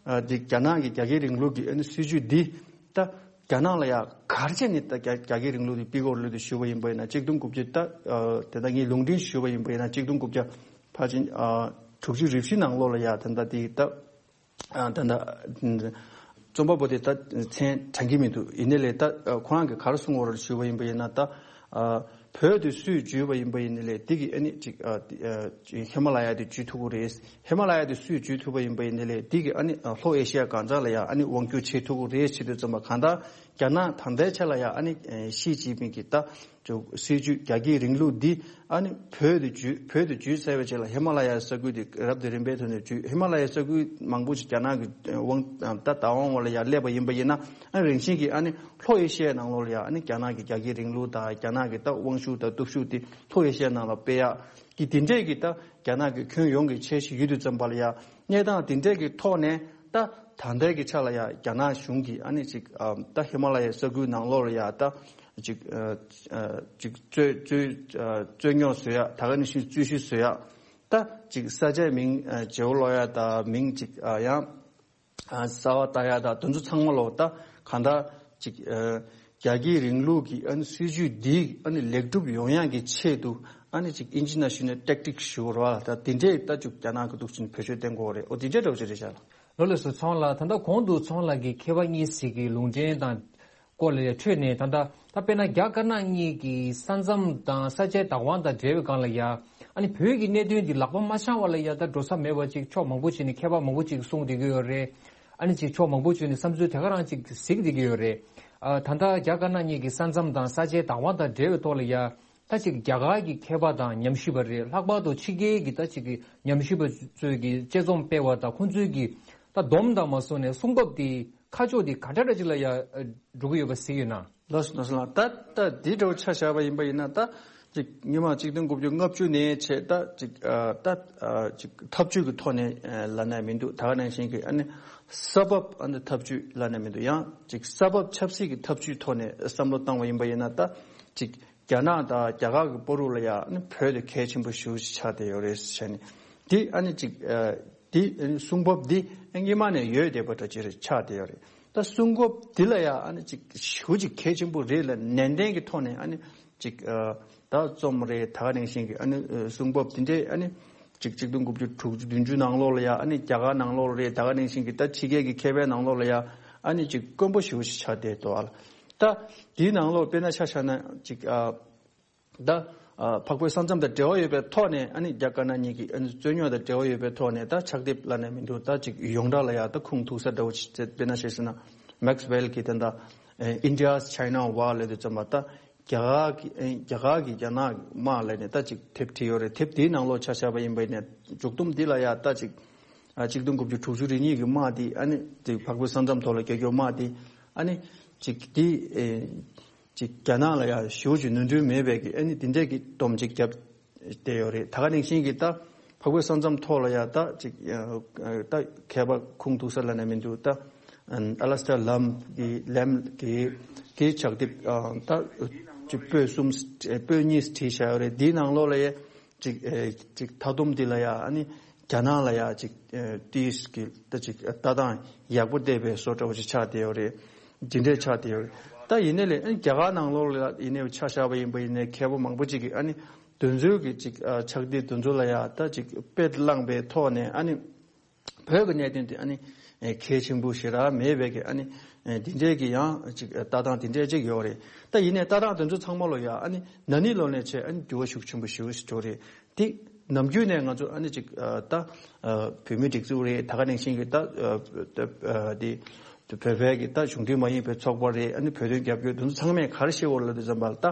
ཨ་འདི་རྒྱ་ནག་གི་རྒྱ་སྐྱེད་རིང་ལུགས་ཀྱི་ཨ་ནི་སྲིད་ཇུས་འདི་ད་རྒྱ་ནག་ལ་ཡ་ག་རེ་བྱས་ནས་ད་རྒྱ་རྒྱ་སྐྱེད་རིང་ལུགས་དེ་ཕུད་ཀྱི་ཡོད་རེད་ལབ་དུས་ཞུས་པ་ཡིན་པ་ཡིན་ན་གཅིག་སྟོང་དགུ་བརྒྱ་ད་ཨ་དེ་ད་ངས་ལུང་འདྲེན་ཞུས་པ་ཡིན་པ་ཡིན་ན་གཅིག་སྟོང་དགུ་བརྒྱ་ཕལ་ཆེར་ཨ་དྲུག་ཅུ་རེ་བཞི་ནང་ལོགས་ལ་ཡ་ད་ད་དེ་ད་ཨ་ད་ད་རྩོམ་པ་པོ་དེ་ད་མཚན་དྲན་གྱི་མི་འདུག་ཡིན་ནའི་ལས་ད་ཁོ་རང་གིས་ག་རེ་གསུངས་ཡོད་རེད་ཞུས་པ་ཡིན་པ་ཡིན་ན་ད་ཨ་བོད་དེ་སུས་བརྒྱུད་པ་ཡིན་པ་ཡིན་ནའི་ལས་དེ་གི་ཨ་ནི་ཅིག་ཨ་ཨ་ཅིག་ཧི་མ་ལ་ཡ་དེ་བརྒྱུད་ཐུབ་ཀྱི་རེད། ཧི་མ་ལ་ཡ་དེ་སུས་བརྒྱུད་ཐུབ་པ་ཡིན་པ་ཡིན་ནའི་ལས་དེ་གི་ཨ་ནི་ཨ་ལྷོ་ཨེ་ཤི་ཡ་གང་ཟག་ལ་ཡ་ཨ་ནི་དབང་བསྒྱུར་བྱེད་ཐུབ་ཀྱི་རེད་བྱེད་དུས་ཙམ་པ་གང་ལྟར་རྒྱ་ནག་ད་ལྟའི་ཆ་ལ་ཡ་ཨ་ནི་ཨ་ཞི་ཅིན་ཕིང་གིས་ད་ཅིག་སྲིད་ཇུས་རྒྱ་སྐྱེད་རིང་ལུགས་འདི་ཨ་ནི་བོད་དུ་བརྒྱུད་བོད་དུ་བརྒྱུད་ཚར་བའི་རྗེས་ལ་ཧི་མ་ལ་ཡའི་ས་ཁུལ་དེ་རབ་དང་རིམ་པའི་ཐོག་ནས་བརྒྱུད། ཧི་མ་ལ་ཡའི་ས་ཁུལ་མང་པོ་ཞིག་རྒྱ་ནག་གི་དབང་ད་བདག་དབང་འོག་ལ་ཡར་སླེབས་པ་ཡིན་པ་ཡིན་ན་ཨ་ནི་རིང་བཞིན་གྱི་ཨ་ནི་ལྷོ་ཨེ་ཤི་ཡའི་ནང་ལོགས་ལ་ཡ་ཨ་ནི་རྒྱ་ནག་གི་རྒྱ་སྐྱེད་རིང་ལུགས་དང་རྒྱ་ནག་གི་ད་དབང་ཤུགས་དང་སྟོབས་ཤུགས་དེ་ལྷོ་ཨེ་ཤི་ཡའི་ནང་ལ་སྤེལ་ཡག་གི་དེ་འདྲས་ཀྱི་ད་རྒྱ་ནག་གི་ཁྱོན་ཡོངས་ཀྱི་འཆར་གཞི་ཡོད་དུས་ཙམ་པ་ལ་ཡ་གནས་སྟངས་དེ་འདྲས་ཀྱི་ཐོག་ནས་ད་ད་ལྟའི་གི་ཆ་ལ་ཡ་རྒྱ་ནག་གཞུང་གིས་ཨ་ནི་ཅིག་ཨ་ད་ཧི་མ་ལ་ཡའི་ས་ཁུལ་ནང་ལོགས་ལ་ཡ་ད་ཅིག་ཨ་ཨ་ཅིག་རྩོད་རྩོད་ཨ་རྩོད་རྙོག་བཟོ་ཡ་ད་ག་ནང་བཞིན་རྩོད་གཞི་བཟོ་ཡ་ད་ཅིག་ས་ཆའི་མིང་ཨ་བརྗེ་པོ་སློག་ཡ་ད་མིང་ཅིག་ཨ་ཡང་ཨ་གསར་པ་བཏགས་ཡ་ད་དེ་ཚོ་ཚང་མ་ལོ་ད་གང་ལྟར་ཅིག་ཨ་རྒྱ་སྐྱེད་རིང་ལུགས་ཀྱི་ཨ་ནི་སྲིད་ཇུས་འདི་ཨ་ནི་ལེགས་གྲུབ་ཡོང་ཡག་གི་ཆེད་དུ་ཨ་ནི་ཅིག་ཨིན་ཇི་ནང་ཞུས་ན་ཊེག་ཊིག་ཞུ་བ་རེད་བ། ད་དེ་འདྲས་ད་ཅིག་རྒྱ་ནག་གི་འདུག་ཅིང་བེད་སྤྱོད་བཏང་གི་ཡོད་རེད། འོ་དེ་འདྲས་འདྲ་བོ་ཅིག་རེད་ཤག་ལ། ལགས་སོ་ཚོང་ལགས། ད་ལྟ་གོང་དུ་ཚོང་ལགས་ཀྱིས་མཁས་པ་གཉིས་ཤིག་གི་ལུང་འདྲེན་དང་སྐོར་ལ་འཕྲོས་ནས་ད་ལྟ་ད་དཔེར་ན་རྒྱ་དཀར་ནག་གཉིས་ཀྱི་ས་མཚམས་དང་ས་ཆའི་བདག་དབང་དང་འབྲེལ་བའི་སྒང་ལ་ཡ་ཨ་ནི་བོད་ཀྱི་གནད་དོན་འདི་ལག་པ་མ་འཆང་བ་ལ་ཡ་ད་འགྲོ་ས་མེད་པ་ཅིག་ཕྱོགས་མང་པོ་ཅིག་ནས་མཁས་པ་མང་པོ་ཅིག་གསུངས་བསྡད་ཀྱི་ཡོད་རེད། ཨ་ནི་ཅིག་ཕྱོགས་མང་པོ་བྱས་ནས་བསམ་ཚུལ་དེ་ག་རང་ཅིག་གཟིགས་བསྡད་ཀྱི་ཡོད་རེད། ཨ་ད་ལྟ་རྒྱ་དཀར་ནག་གཉིས་ཀྱི་ས་མཚམས་དང་ས་ཆའི་བདག་དབང་དང་འབྲེལ་བའི་ཐོག་ལ་ཡ། ད་ཅིག་རྒྱ་གར་གྱི་མཁས་པ་དང་ཉམས་ཞིབ་པ་རེད། ལྷག་པར་དུ་ཕྱི་རྒྱལ་གྱི་ད་ཅིག་གི་ཉམས་ཞིབ་པ་ཚོས་ཀྱི་དཔྱད་རྩོམ་སྤེལ་བ་དང་ཁོང་ཚོས་ཀྱི་ད་སྡོམ་དང་མ་སོང་ནས་གསུང་བབ་དེ་ཁ་ཕྱོགས་དེ་ག་འདྲ་འདྲ་ཅིག་ལ་ཡ་འགྲོ་གི་ཡོད་པ་གཟིགས་ཡོད་ན། ལགས་སོ་ལགས་སོ་ལགས། ད་ད་འདི་འདྲ་བོ་ཆ་བཞག་པ་ཡིན་པ་ཡིན་ན། ད་ཅིག་སྔོན་མ་ཆིག་སྟོང་དགུ་བརྒྱ་ལྔ་བཅུ་ནས་བྱས་ད་ཅིག་ཨ་ད་ཨ་ཅིག་ཐབས་ཇུས་ཀྱི་ཐོག་ནས་ཨ་ལབ་ན་མི་འདུག་ད་ག་ནང་བཞིན་གྱི་ཨ་ནི་ས་བབ་ཨ་ནི་ཐབས་ཇུས་ལབ་ན་མི་འདུག་ཡང་ཅིག་ས་བབ་ཆབ་སྲིད་ཀྱི་ཐབས་ཇུས་ཐོག་ནས་བསམ་བློ་བཏང་བ་ཡིན་པ་ཡིན་ན། ད་ཅིག་རྒྱ་ནག་དང་རྒྱ་གར་གྱི་བར་དུ་ལ་ཡ་ཨ་ནི་བོད་དེ་གལ་ཆེན་པོ་ཞེ་པོ་ཅིག་ཆགས་བསྡད་ཡོད་རེད་ཟེར་ནས། འདི་ཨ་ནི་ཅིག་ཨ་འདི་ཨ་ནི་གསུང་བབ་འདི་སྔོན་མ་ནས་ཡོད་བསྡད་པ་འདྲ་ཅིག་རེད་ཆགས་བསྡད་ཡོད་རེད། ད་གསུང་བབ་འདི་ལ་ཡ་ཨ་ནི་ཅིག་ཞེ་པོ་ཅིག་གལ་ཆེན་པོ་རེད་ལ་ནན་ཏན་གྱི་ཐོག་ནས་ཨ་ནི་ཅིག་ཨ་ད་རྩོམ་རེད། ད་ག་ནང་བཞིན་གྱི་ཨ་ནི་ཨ་གསུང་བབ་འདི་འདྲའི་ཨ་ནི་ཅིག་ཆིག་སྟོང་དགུ་བརྒྱ་དྲུག་ཅུ་བདུན་ཅུ་ནང་ལོགས་ལ་ཡ་ཨ་ནི་རྒྱ་གར་ནང་ལོགས་ལ་རེད། ད་ག་ནང་བཞིན་གྱི་ད་ཕྱི་རྒྱལ་གྱི་མཁས་པའི་ནང་ལོགས་ལ་ཡ་ཨ་ནི་ཅིག་དཀོན་པོ་ཞེ་པོ་ཞིག་ཆགས་བསྡད་འདུག་ཨ་ལ། ད་དེའི་ནང་ལོགས་དཔེར་ན་ཆ་བཞག་ན་ཅིག་ཨ་ད་ཨ་འཕགས་བོད་ས་མཚམས་དང་འབྲེལ་བ་ཡོད་པའི་ཐོག་ནས་ཨ་ནི་རྒྱ་དཀར་ནག་གཉིས་ཀྱི་ཨ་ནི་རྩོད་རྙོག་དང་འབྲེལ་བ་ཡོད་པའི་ཐོག་ནས་ད་ཕྱག་དེབ་ལབ་ན་མི་འདུག་ད་ཅིག་ཡོངས་གྲགས་ལ་ཡ་ད་ཁུངས་ཐུག་ས་འདྲ་བོ་ཅིག་དཔེར་ན་ཆ་བཞག་ན་མེག་སི་ཝེལ་གྱི་ད་ལྟ་ཨ་India's China War ལབ་དུས་ཙམ་པ། ད་རྒྱ་གར་གྱི་ཨ་རྒྱ་གར་གྱི་རྒྱ་ནག་དམག་ལབ་ནས་ད་ཅིག་དེབ་བྲིས་ཡོད་རེད། དེབ་དེའི་ནང་ལོགས་ཆ་བཞག་པ་ཡིན་པ་ཡིན་ན་མཇུག་སྡོམ་འདི་ལ་ཡ་ད་ཅིག་ཨ་ཆིག་སྟོང་དགུ་བརྒྱ་དྲུག་ཅུ་རེ་གཉིས་ཀྱི་དམག་འདི་ཨ་ནི་ཅིག་འཕགས་བོད་ས་མཚམས་ཐོག་ལ་རྒྱག་རྒྱུ་དམག་འདི་ཨ་ནི་ཅིག་འདི་ཨེ་ཅིག་རྒྱ་ནག་ལ་ཡ་ཞེ་པོ་ཅིག་ནོར་འཁྲུལ་མེད་པའི་གི་ཨ་ནི་འདི་འདྲའི་གི་སྡོམ་ཅིག་བརྒྱབ་བསྡད་ཡོད་རེད། ད་ག་ནང་བཞིན་གྱི་ད་འཕགས་བོད་ས་མཚམས་ཐོག་ལ་ཡ་ད་ཅིག་ཨ་ད་མཁས་པ་ཁུངས་ཐུག་ས་ལབ་ན་མི་འདུག་ད་ཨ་ཨ་ལ་སི་ཊར་ལམ་གྱི་ལེམ་གྱི་གི་ཕྱག་དེབ་ཨ་ད་ཅིག་པོད་གསུམ་པོད་གཉིས་བྲིས་བཞག་ཡོད་རེད། འདིའི་ནང་ལོགས་ལ་ཡ་ཅིག་ཨེ་ཅིག་མཐའ་སྡོམ་འདི་ལ་ཡ་ཨ་ནི་རྒྱ་ནག་ལ་ཡ་ཅིག་ཨེ་ཏིས་ཀྱི་ད་ཅིག་ལྟ་སྟངས་ཡག་པོ་བལྟས་པའི་བཟོ་འདྲ་བོ་ཅིག་ཆགས་བསྡད་ཡོད་རེད། འདི་འདྲས་ཆགས་བསྡད་ཡོད་རེད། ད་ཡིན་ནའི་ལས་ཨ་ནི་རྒྱ་གར་ནང་ལོགས་ལ་ཡིན་ནའི་ཆ་བཞག་པ་ཡིན་པ་ཡིན་ནའི་མཁས་པ་མང་པོ་ཅིག་གིས་ཨ་ནི་དེ་ཚོའི་གི་ཅིག་ཨ་ཕྱག་དེབ་དེ་ཚོ་ལ་ཡ་ད་ཅིག་དཔེ་བླངས་པའི་ཐོག་ནས་ཨ་ནི་བོད་ཀྱི་གནད་དོན་དེ་ཨ་ནི་ཨེ་གལ་ཆེན་པོ་ཞེ་དྲག་མེད་པའི་གི་ཨ་ནི་ཨེ་འདི་འདྲའི་གི་ཡང་ཅིག་ལྟ་སྟངས་དེ་འདྲའི་ཅིག་ཡོད་རེད། ད་ཡིན་ནའི་ལྟ་སྟངས་དེ་ཚོ་ཚང་མ་ལ་ཡ་ཨ་ནི་ན་ནིང་ལོ་ནས་བྱས་ཨ་ནི་འགྱུར་བ་ཤུགས་ཆེན་པོ་ཞེ་པོ་ཞིག་འགྲོ་རེད། དེ་ནམ་རྒྱུན་ནས་ང་ཚོ་ཨ་ནི་ཅིག་ཨ་ད་ཨ་བོད་མིའི་སྒྲིག་འཛུགས་རེད། ད་ག་ནང་བཞིན་གྱི་ད་ཨ་ཨ་དེ་བོད་པའི་གི་ད་གཞུང་འབྲེལ་མ་ཡིན་པའི་ཚོགས་པ་རེད། ཨ་ནི་བོད་དོན་རྒྱབ་སྐྱོར་དེ་ཚོ་ཚང་མས་ག་རེ་བཤད་ཡོད་ལབ་དུས་ཙམ་པ་ལ། ད་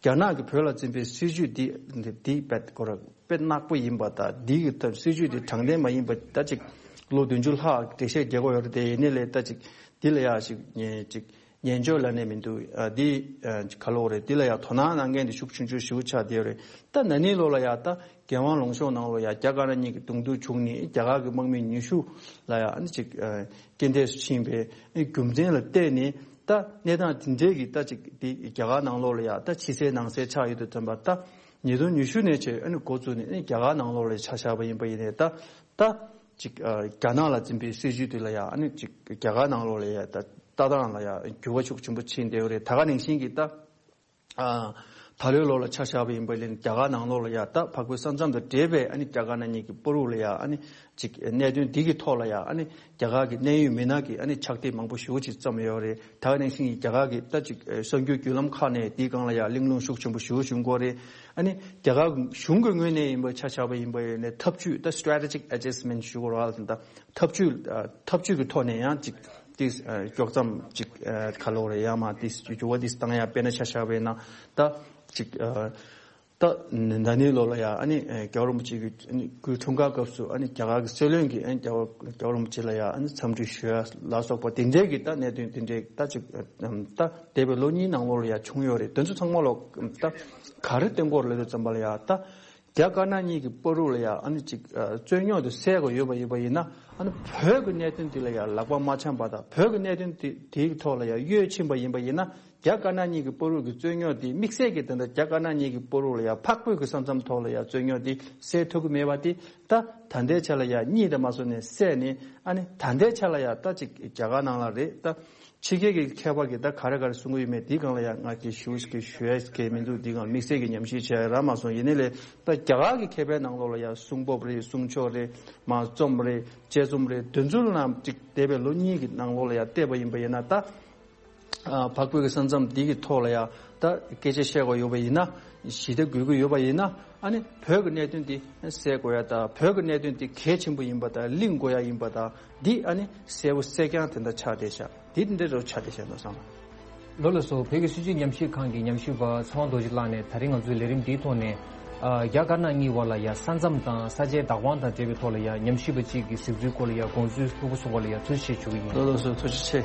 རྒྱ་ནག་གིས་བོད་ལ་འཛིན་པའི་སྲིད་བྱུས་འདི་འདི་འདི་དཔེ་ཁོ་ར་དཔེ་ནག་པོ་ཡིན་པ་དང་འདི་གི་ད་སྲིད་བྱུས་འདི་དྲང་བདེན་མ་ཡིན་པ་ད་ཅིག་ལོ་བདུན་ཅུ་ལྷག་འགྲེལ་བཤད་རྒྱག་གི་ཡོད་རེད། དེ་ཡིན་ནའི་ལས་ད་ཅིག་འདི་ལ་ཡ་ཅིག་ཅིག་ཉན་འཇོག་ལབ་ནས་མི་འདུག་ཨ་འདི་ཨ་ག་ལབ་དགོས་རེད། འདི་ལ་ཡ་དོ་སྣང་གནང་མཁན་དེ་ཤུགས་ཆུང་ཆུང་ཞེ་པོ་ཆགས་བསྡད་ཡོད་རེད། ད་ན་ནིང་ལོ་ལ་ཡ་ད་རྒྱལ་དབང་ལུང་གཤོང་ནང་ལོ་ཡ་རྒྱ་དཀར་ནག་གཉིས་ཀྱི་གདོང་ཐུག་བྱུང་ནས་རྒྱ་གར་གྱི་དམག་མི་ཉི་ཤུ་ལ་ཡ་ཨ་ནི་ཅིག་ཨ་རྐྱེན་འདས་སུ་ཕྱིན་པའི་རྒྱུ་མཚན་ལ་བལྟས་ནས། ད་གནས་སྟངས་དེ་འདྲའི་གི་ད་ཅིག་དེ་རྒྱ་གར་ནང་ལོགས་ལ་ཡ་ད་ཕྱི་གསལ་ནང་གསལ་ཆགས་ཡོད་དུས་ཙམ་པ། ད་ཉིས་སྟོང་ཉི་ཤུ་ནས་བྱས་ཨ་ནི་འགོ་བཙུགས་ནས་ཨ་ནི་རྒྱ་གར་ནང་ལོགས་ལ་ཆ་བཞག་པ་ཡིན་པ་ཡིན་ནའི་ད་ད་ཅིག་ཨ་རྒྱ་ནག་ལ་འཛིན་པའི་སྲིད་བྱུས་དེ་ལ་ཡ་ཨ་ནི་ཅིག་རྒྱ་གར་ནང་ལོགས་ལ་ཡ་ད་ལྟ་སྟངས་ལ་ཡ་འགྱུར་བ་ཤུགས་ཆེན་པོ་ཕྱིན་བསྡད་ཡོད་རེད། ད་ག་ནང་བཞིན་གྱི་ད། ཨ་ད་ལོའི་ལོ་ལ་ཆ་བཞག་པ་ཡིན་པ་ལས་རྒྱ་གར་ནང་ལོགས་ལ་ཡ་ད་འཕགས་བོད་ས་མཚམས་དང་འབྲེལ་བའི་ཨ་ནི་རྒྱ་དཀར་ནག་གཉིས་ཀྱི་བར་དུ་ལ་ཡ་ཨ་ནི་ཅིག་གནད་དོན་འདི་གི་ཐོག་ལ་ཡ་ཨ་ནི་རྒྱ་གར་གྱི་གནད་ཡོད་མི་སྣ་གི་ཨ་ནི་ཕྱག་དེབ་མང་པོ་ཞེ་པོ་ཅིག་བརྩམས་ཡོད་རེད། ད་ག་ནང་བཞིན་གྱི་རྒྱ་གར་གྱི་ད་ཅིག་གསར་འགྱུར་བརྒྱུད་ལམ་ཁག་ནས་འདིའི་སྒང་ལ་ཡ་གླེང་སློང་ཤུགས་ཆེན་པོ་ཞེ་པོ་བྱུང་གི་ཡོད་རེད། ཨ་ནི་རྒྱ་གར་གཞུང་གི་ངོས་ནས་ཡིན་པ་ཆ་བཞག་པ་ཡིན་པ་ཡིན་ནའི་ཐབས་ཇུས་ད་strategic adjustment ཞུ་དགོས་རེད་ད། ཐབས་ཇུས་ཨ་ཐབས་ཇུས་ཀྱི་ཐོག་ནས་ཡང་ཅིག་ཏིས་ཨ་དཀྱོག་མཚམས་ཅིག་ཨ་ག་ལབ་དགོས་རེད། ཡང་མ་ཏིས་འགྱུར་བ་ཏིས་བཏང་ཡ། དཔེར་ན་ཆ་བཞག་པ་ཡིན་ན་ད་ཅིག་ཨ་ད་ན་ནིང་ལོ་ལ་ཡ་ཨ་ནི་ཨ་རྒྱལ་བ་རིན་པོ་ཆེ་གི་ཨ་ནི་སྐུའི་འཁྲུངས་སྐར་སྐབས་སུ་ཨ་ནི་རྒྱ་གར་གྱི་སྲིད་བློན་གྱིས་ཨ་ནི་རྒྱལ་བ་རྒྱལ་བ་རིན་པོ་ཆེ་ལ་ཡ་ཨ་ནི་འཚམས་འདྲི་ཞུ་ཡ་ལ་སོགས་པ་དེ་འདྲའི་གི་ད་གནད་དོན་དེ་འདྲའི་ད་ཅིག་ཨ་ད་འདས་པའི་ལོ་གཉིས་ནང་ལོགས་ལ་ཡ་བྱུང་ཡོད་རེད། དེ་ཚོ་ཚང་མ་ལོ་ད་ག་རེ་བསྟན་གྱི་ཡོད་རེད་ལབ་དུས་ཙམ་པ་ལ་ཡ་ད། རྒྱ་དཀར་ནག་གཉིས་ཀྱི་བར་དུ་ལ་ཡ་ཨ་ནི་ཅིག་ཨ་རྩོད་རྙོག་དེ་སེལ་དགོས་ཡོད་པ་ཡིན་པ་ཡིན་ན། ཨ་ནི་བོད་ཀྱི་གནད་དོན་དེ་ལ་ཡ་ལག་པ་མ་འཆང་པ་དང་། བོད་ཀྱི་གནད་དོན་དེ་དེའི་ཐོག་ལ་ཡ་གཡོལ་ཕྱིན་པ་ཡིན་པ་ཡིན་ན། རྒྱ་དཀར་ནག་གཉིས་ཀྱི་བར་དུ་གི་རྩོད་རྙོག་དེ་དམིགས་བསལ་གྱིས་དེ་འདྲ་རྒྱ་དཀར་ནག་གཉིས་ཀྱི་བར་དུ་ལ་ཡ་འཕགས་བོད་ཀྱི་ས་མཚམས་ཐོག་ལ་ཡ་རྩོད་རྙོག་དེ་སེལ་ཐུབ་ཀྱི་མེད་པ་དེ། ད་ད་ལྟའི་ཆ་ལ་ཡ་གཉིད་དང་མ་སོང་ནས་སད་ནས། ཨ་ནི་ད་ལྟའི་ཆ་ལ་ཡ་ད་ཅིག་རྒྱ་གར་ནང་ལ་རེད། ད་ཕྱི་རྒྱལ་གྱི་མཁས་པ་གིས་ད་ག་རེ་ག་རེ་གསུང་གི་ཡོད་མེད་འདིའི་སྒང་ལ་ཡ་ང་གིས་ཞུ་ཞིག་ཞུ་ཡ་གི་མི་འདུག་འདིའི་སྒང་དམིགས་བསལ་གྱི་ཉམས་ཞིབ་བྱས་ཡ་རག་མ་སོང་། ཡིན་ནའི་ལས་ད་རྒྱ་གར་གྱི་མཁས་པའི་ནང་ལོགས་ལ་ཡ་གསུང་བབ་རེད། གསུང་ཆོས་རེད། མ་རྩོམ་རེད། དཔྱད་རྩོམ་རེད། དེ་ཚོ་ནང་ཅིག་འདས་པའི་ལོ་གཉིས་ཀྱི་ནང་ལོགས་ལ་ཡ་བལྟས་པ་ཡིན་པ་ཡིན་ན། ད་ཨ་འཕགས་བོད་ཀྱི་ས་མཚམས་འདི་གི་ཐོག་ལ་ཡ་ད་སྐད་ཆ་བཤད་དགོས་ཡོད་པ་ཡིན་ན། ཞི་བདེ་དགོས་ཀྱི་ཡོད་པ་ཡིན་ན། ཨ་ནི་བོད་ཀྱི་གནད་དོན་འདི་སེལ་དགོས་ཡ་དང་། བོད་ཀྱི་གནད་དོན་འདི་གལ་ཆེན་པོ་ཡིན་པ་དང་། གླེང་དགོས་ཡ་ཡིན་པ་དང་། འདི་ཨ་ནི་གསལ་པོ་གསལ་རྐྱང་དེ་འདྲ་ཆགས་བསྡད་ཤག་འདི་འདི་འདྲ་རུ་ཆགས་བསྡད་ཤག་འདུག་བསམ། ལགས་སོ། བོད་ཀྱི་སྲིད་བྱུས་ཉམས་ཞིབ་ཁང་གི་ཉམས་ཞིབ་པ་ཚེ་དབང་རྡོ་རྗེ་ལགས་ནས་ད་རིང་ང་ཚོའི་ལས་རིམ་འདིའི་ཐོག་ནས། ཨ། རྒྱ་དཀར་ནག་གཉིས་བར་ལ་ཡ་ས་མཚམས་དང་ས་ཆའི་བདག་དབང་དང་འབྲེལ་བའི་ཐོག་ལ་ཡ་ཉམས་ཞིབ་པ་གཅིག་གི་གཟིགས་ཚུལ་སྐོར་ལ་ཡ་དགོངས་ཚུལ་ལྷུག་པོ་གསུངས་པ་ལ་ཡ་ཐུགས་རྗེ་ཆེ་ཞུ་གི་ཡིན། ལགས་སོ། ཐུགས་རྗེ་ཆེ།